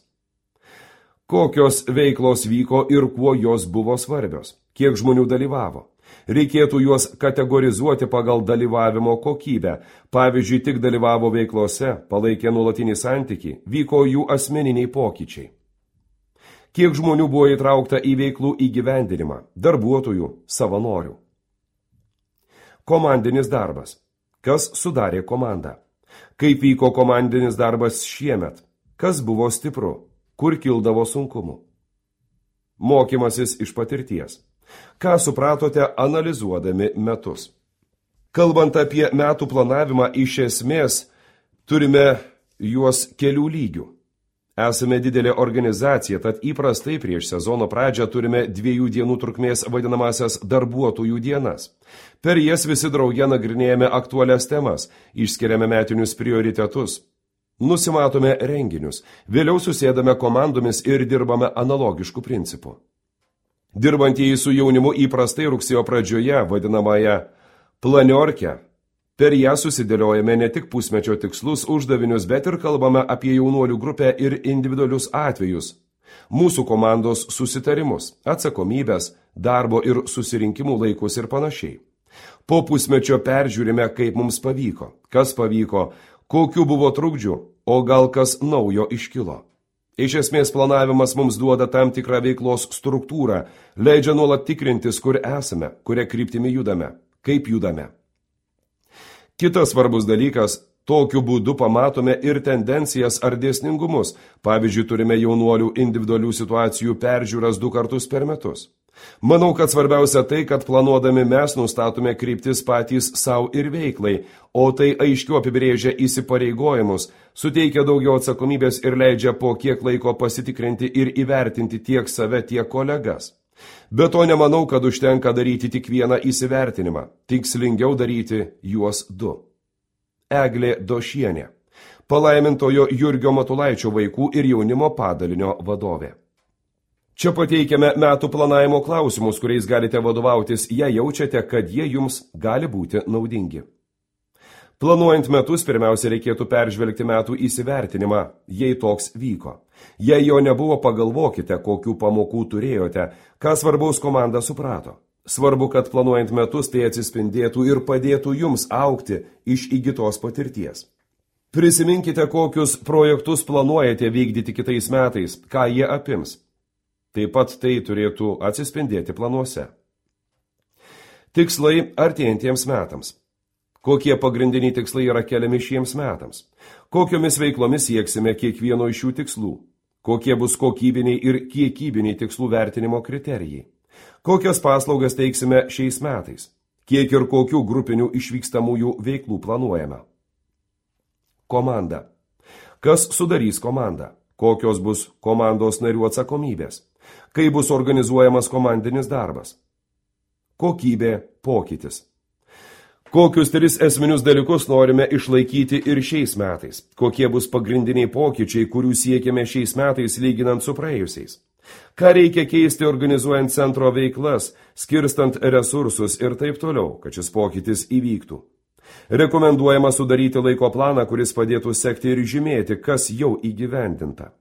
Kokios veiklos vyko ir kuo jos buvo svarbios? Kiek žmonių dalyvavo? Reikėtų juos kategorizuoti pagal dalyvavimo kokybę. Pavyzdžiui, tik dalyvavo veiklose, palaikė nuolatinį santykį, vyko jų asmeniniai pokyčiai. Kiek žmonių buvo įtraukta į veiklų įgyvendinimą, darbuotojų, savanorių. Komandinis darbas. Kas sudarė komandą? Kaip vyko komandinis darbas šiemet? Kas buvo stipru? Kur kildavo sunkumų? Mokymasis iš patirties. Ką supratote analizuodami metus? Kalbant apie metų planavimą, iš esmės turime juos kelių lygių. Esame didelė organizacija, tad įprastai prieš sezono pradžią turime dviejų dienų trukmės vadinamasias darbuotojų dienas. Per jas visi drauge nagrinėjame aktualias temas, išskiriame metinius prioritetus, nusimatome renginius, vėliau susėdame komandomis ir dirbame analogiškų principų. Dirbantieji su jaunimu įprastai rugsėjo pradžioje, vadinamąją planiorkę, per ją susidėliojame ne tik pusmečio tikslus, uždavinius, bet ir kalbame apie jaunuolių grupę ir individualius atvejus, mūsų komandos susitarimus, atsakomybės, darbo ir susirinkimų laikus ir panašiai. Po pusmečio peržiūrime, kaip mums pavyko, kas pavyko, kokių buvo trukdžių, o gal kas naujo iškilo. Iš esmės planavimas mums duoda tam tikrą veiklos struktūrą, leidžia nuolat tikrintis, kur esame, kuria kryptimi judame, kaip judame. Kitas svarbus dalykas, tokiu būdu pamatome ir tendencijas ar dėsningumus. Pavyzdžiui, turime jaunuolių individualių situacijų peržiūras du kartus per metus. Manau, kad svarbiausia tai, kad planuodami mes nustatome kryptis patys savo ir veiklai, o tai aiškiau apibrėžia įsipareigojimus, suteikia daugiau atsakomybės ir leidžia po kiek laiko pasitikrinti ir įvertinti tiek save, tiek kolegas. Be to nemanau, kad užtenka daryti tik vieną įsivertinimą, tikslingiau daryti juos du. Eglė Došienė, palaimintojo Jurgio Matulaičio vaikų ir jaunimo padalinio vadovė. Čia pateikiame metų planavimo klausimus, kuriais galite vadovautis, jei jaučiate, kad jie jums gali būti naudingi. Planuojant metus, pirmiausia reikėtų peržvelgti metų įsivertinimą, jei toks vyko. Jei jo nebuvo, pagalvokite, kokių pamokų turėjote, ką svarbaus komanda suprato. Svarbu, kad planuojant metus tai atsispindėtų ir padėtų jums augti iš įgytos patirties. Prisiminkite, kokius projektus planuojate vykdyti kitais metais, ką jie apims. Taip pat tai turėtų atsispindėti planuose. Tikslai artėjantiems metams. Kokie pagrindiniai tikslai yra keliami šiems metams? Kokiomis veiklomis sieksime kiekvieno iš šių tikslų? Kokie bus kokybiniai ir kiekybiniai tikslų vertinimo kriterijai? Kokias paslaugas teiksime šiais metais? kiek ir kokių grupinių išvykstamųjų veiklų planuojame. Komanda. Kas sudarys komandą? Kokios bus komandos narių atsakomybės? Kaip bus organizuojamas komandinis darbas? Kokybė, pokytis. Kokius tris esminius dalykus norime išlaikyti ir šiais metais? Kokie bus pagrindiniai pokyčiai, kurių siekiame šiais metais lyginant su praėjusiais? Ką reikia keisti organizuojant centro veiklas, skirstant resursus ir taip toliau, kad šis pokytis įvyktų? Rekomenduojama sudaryti laiko planą, kuris padėtų sekti ir žymėti, kas jau įgyvendinta.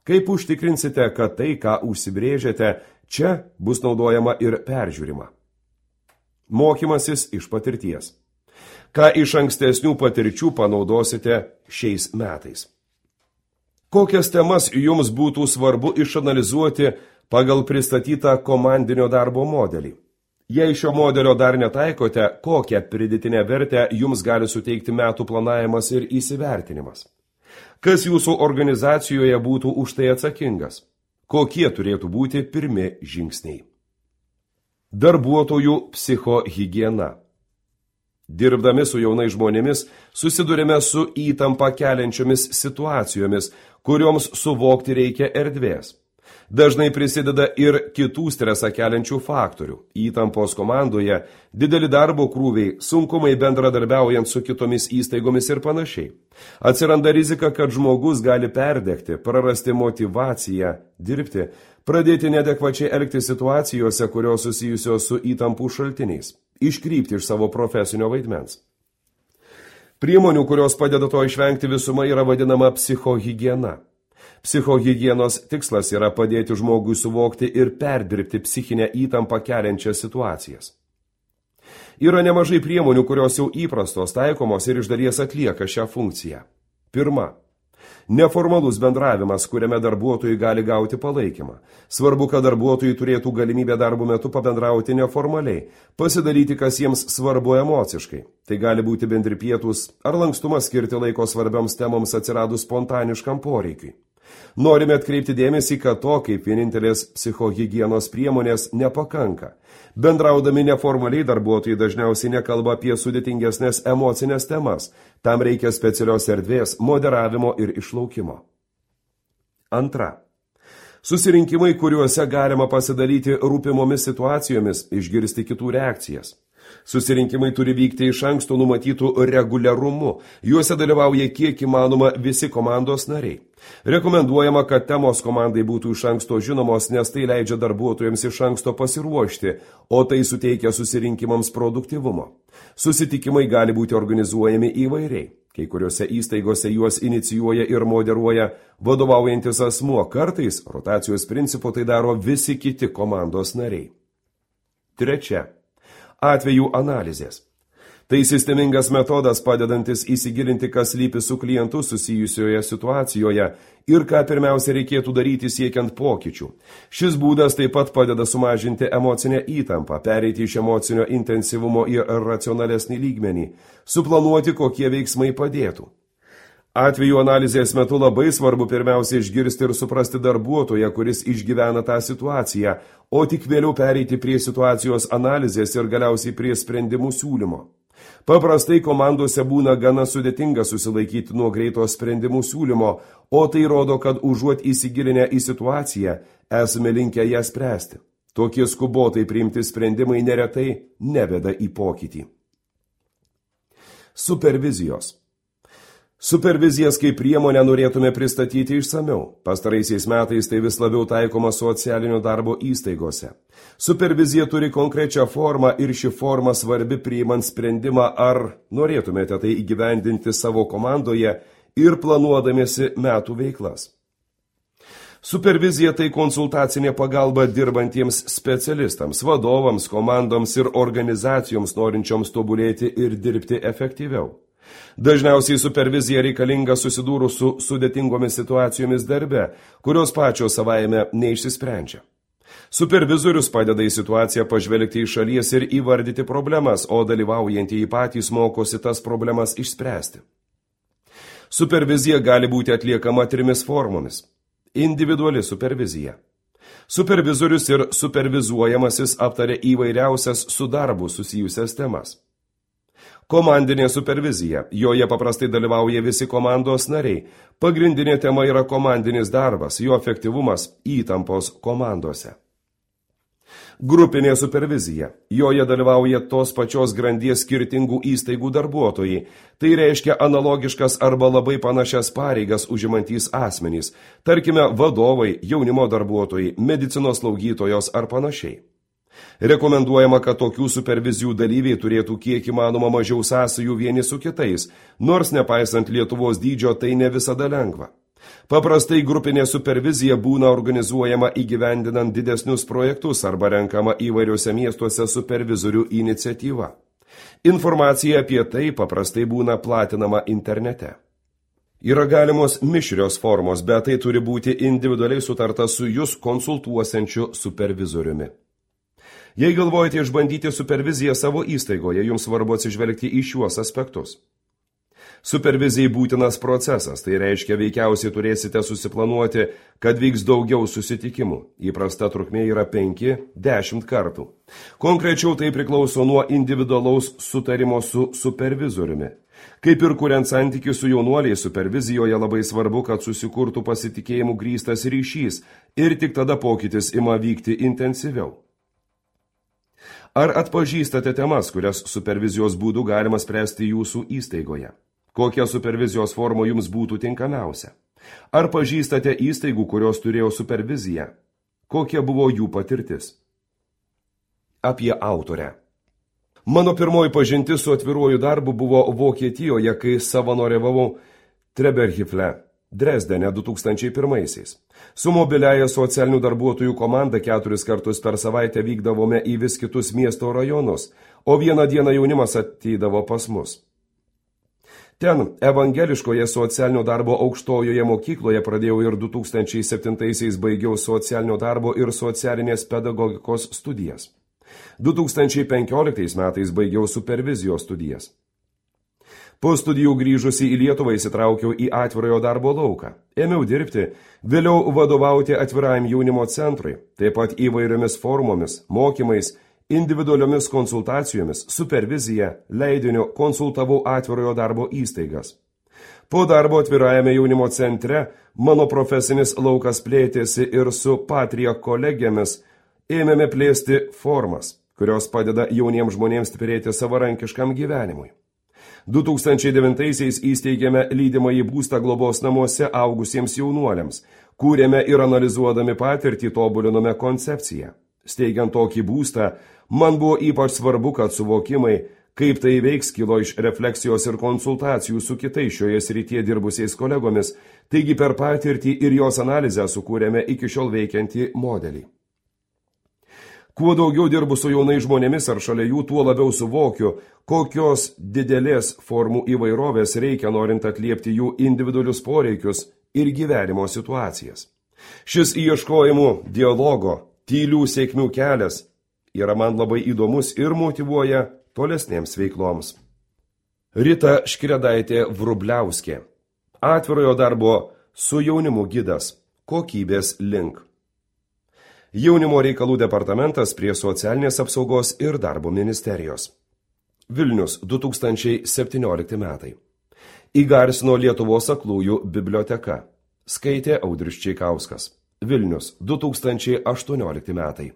Kaip užtikrinsite, kad tai, ką užsibrėžėte, čia bus naudojama ir peržiūrima? Mokymasis iš patirties. Ką iš ankstesnių patirčių panaudosite šiais metais? Kokias temas jums būtų svarbu išanalizuoti pagal pristatytą komandinio darbo modelį? Jei šio modelio dar netaikote, kokią pridėtinę vertę jums gali suteikti metų planavimas ir įsivertinimas? Kas jūsų organizacijoje būtų už tai atsakingas? Kokie turėtų būti pirmi žingsniai? Darbuotojų psichohigiena. Dirbdami su jaunais žmonėmis susidurime su įtampa keliančiomis situacijomis, kurioms suvokti reikia erdvės. Dažnai prisideda ir kitų stresą keliančių faktorių. Įtampos komandoje, dideli darbo krūviai, sunkumai bendradarbiaujant su kitomis įstaigomis ir panašiai. Atsiranda rizika, kad žmogus gali perdegti, prarasti motyvaciją dirbti, pradėti neadekvačiai elgtis situacijose, kurios susijusios su įtampų šaltiniais, iškrypti iš savo profesinio vaidmens. Priemonių, kurios padeda to išvengti visuma, yra vadinama psichohigiena. Psichohigienos tikslas yra padėti žmogui suvokti ir perdirbti psichinę įtampą keliančias situacijas. Yra nemažai priemonių, kurios jau įprastos, taikomos ir iš dalies atlieka šią funkciją. Pirma. Neformalus bendravimas, kuriame darbuotojai gali gauti palaikymą. Svarbu, kad darbuotojai turėtų galimybę darbo metu pabendrauti neformaliai, pasidaryti, kas jiems svarbu emociškai. Tai gali būti bendri pietūs ar lankstumas skirti laiko svarbioms temoms atsiradus spontaniškam poreikiui. Norime atkreipti dėmesį, kad to kaip vienintelės psichohigienos priemonės nepakanka. Bendraudami neformaliai darbuotojai dažniausiai nekalba apie sudėtingesnės emocinės temas. Tam reikia specialios erdvės, moderavimo ir išlaukimo. Antra. Susirinkimai, kuriuose galima pasidalyti rūpimomis situacijomis, išgirsti kitų reakcijas. Susirinkimai turi vykti iš anksto numatytų reguliarumu. Juose dalyvauja kiek įmanoma visi komandos nariai. Rekomenduojama, kad temos komandai būtų iš anksto žinomos, nes tai leidžia darbuotojams iš anksto pasiruošti, o tai suteikia susirinkimams produktyvumo. Susitikimai gali būti organizuojami įvairiai. Kai kuriuose įstaigose juos inicijuoja ir moderuoja vadovaujantis asmuo. Kartais rotacijos principu tai daro visi kiti komandos nariai. Trečia. Atvejų analizės. Tai sistemingas metodas padedantis įsigilinti, kas lypi su klientu susijusioje situacijoje ir ką pirmiausia reikėtų daryti siekiant pokyčių. Šis būdas taip pat padeda sumažinti emocinę įtampą, pereiti iš emocinio intensyvumo į racionalesnį lygmenį, suplanuoti, kokie veiksmai padėtų. Atvejų analizės metu labai svarbu pirmiausia išgirsti ir suprasti darbuotoją, kuris išgyvena tą situaciją, o tik vėliau pereiti prie situacijos analizės ir galiausiai prie sprendimų siūlymo. Paprastai komandose būna gana sudėtinga susilaikyti nuo greito sprendimų siūlymo, o tai rodo, kad užuot įsigilinę į situaciją, esame linkę ją spręsti. Tokie skubotai priimti sprendimai neretai neveda į pokytį. Supervizijos. Supervizijas kaip priemonę norėtume pristatyti išsamiau. Pastaraisiais metais tai vis labiau taikoma socialinio darbo įstaigose. Supervizija turi konkrečią formą ir ši forma svarbi priimant sprendimą, ar norėtumėte tai įgyvendinti savo komandoje ir planuodamiesi metų veiklas. Supervizija tai konsultacinė pagalba dirbantiems specialistams, vadovams, komandoms ir organizacijoms norinčioms tobulėti ir dirbti efektyviau. Dažniausiai supervizija reikalinga susidūrus su sudėtingomis situacijomis darbe, kurios pačios savaime neišsisprendžia. Supervizorius padeda į situaciją pažvelgti iš šalies ir įvardyti problemas, o dalyvaujantieji patys mokosi tas problemas išspręsti. Supervizija gali būti atliekama trimis formomis. Individuali supervizija. Supervizorius ir supervizuojamasis aptarė įvairiausias su darbu susijusias temas. Komandinė supervizija. Joje paprastai dalyvauja visi komandos nariai. Pagrindinė tema yra komandinis darbas, jo efektyvumas, įtampos komandose. Grupinė supervizija. Joje dalyvauja tos pačios grandies skirtingų įstaigų darbuotojai. Tai reiškia analogiškas arba labai panašias pareigas užimantys asmenys, tarkime vadovai, jaunimo darbuotojai, medicinos slaugytojos ar panašiai. Rekomenduojama, kad tokių supervizijų dalyviai turėtų kiek įmanoma mažiau sąsajų vieni su kitais, nors nepaisant Lietuvos dydžio tai ne visada lengva. Paprastai grupinė supervizija būna organizuojama įgyvendinant didesnius projektus arba renkama įvairiuose miestuose supervizorių iniciatyva. Informacija apie tai paprastai būna platinama internete. Yra galimos mišrios formos, bet tai turi būti individualiai sutarta su jus konsultuosiančiu supervizoriumi. Jei galvojate išbandyti superviziją savo įstaigoje, jums svarbu atsižvelgti į šiuos aspektus. Supervizijai būtinas procesas, tai reiškia veikiausiai turėsite susiplanuoti, kad vyks daugiau susitikimų. Įprasta trukmė yra penki dešimt kartų. Konkrečiau tai priklauso nuo individualaus sutarimo su supervizoriumi. Kaip ir kuriant santykių su jaunuoliais, supervizijoje labai svarbu, kad susikurtų pasitikėjimų grįstas ryšys ir tik tada pokytis ima vykti intensyviau. Ar atpažįstate temas, kurias supervizijos būdų galima spręsti jūsų įstaigoje? Kokia supervizijos forma jums būtų tinkamiausia? Ar pažįstate įstaigų, kurios turėjo superviziją? Kokia buvo jų patirtis? Apie autorę. Mano pirmoji pažintis su atviruoju darbu buvo Vokietijoje, kai savanoriavau Treberhifle, Dresdene du tūkstančiai pirmaisiais. Su mobiliaja socialinių darbuotojų komanda keturis kartus per savaitę vykdavome į vis kitus miesto rajonus, o vieną dieną jaunimas ateidavo pas mus. Ten, evangeliškoje socialinio darbo aukštojoje mokykloje pradėjau ir du tūkstančiai septintaisiais baigiau socialinio darbo ir socialinės pedagogikos studijas. du tūkstančiai penkioliktais metais baigiau supervizijos studijas. Po studijų grįžusi į Lietuvą įsitraukiau į atvirojo darbo lauką. Ėmiau dirbti, vėliau vadovauti atvirajam jaunimo centrui, taip pat įvairiomis formomis, mokymais, individualiomis konsultacijomis, supervizija, leidiniu konsultavau atvirojo darbo įstaigas. Po darbo atvirajame jaunimo centre mano profesinis laukas plėtėsi ir su Patria kolegėmis ėmėme plėsti formas, kurios padeda jauniems žmonėms stiprėti savarankiškam gyvenimui. du tūkstančiai devintaisiais įsteigėme lydimąjį būstą globos namuose augusiems jaunuoliams, kūrėme ir analizuodami patirtį tobulinome koncepciją. Steigiant tokį būstą, man buvo ypač svarbu, kad suvokimai, kaip tai veiks, kilo iš refleksijos ir konsultacijų su kitais šioje srityje dirbusiais kolegomis, taigi per patirtį ir jos analizę sukūrėme iki šiol veikiantį modelį. Kuo daugiau dirbu su jaunai žmonėmis ar šalia jų, tuo labiau suvokiu, kokios didelės formų įvairovės reikia norint atliepti jų individualius poreikius ir gyvenimo situacijas. Šis ieškojimų, dialogo, tylių sėkmių kelias yra man labai įdomus ir motyvuoja tolesnėms veikloms. Rita Škredaitė Vrubliauskė. Atvirojo darbo su jaunimu gidas. Kokybės link. Jaunimo reikalų departamentas prie socialinės apsaugos ir darbo ministerijos. Vilnius, du tūkstančiai septyniolikti metai. Įgarsino Lietuvos aklųjų biblioteka. Skaitė Audrius Čeikauskas. Vilnius, du tūkstančiai aštuoniolikti metai.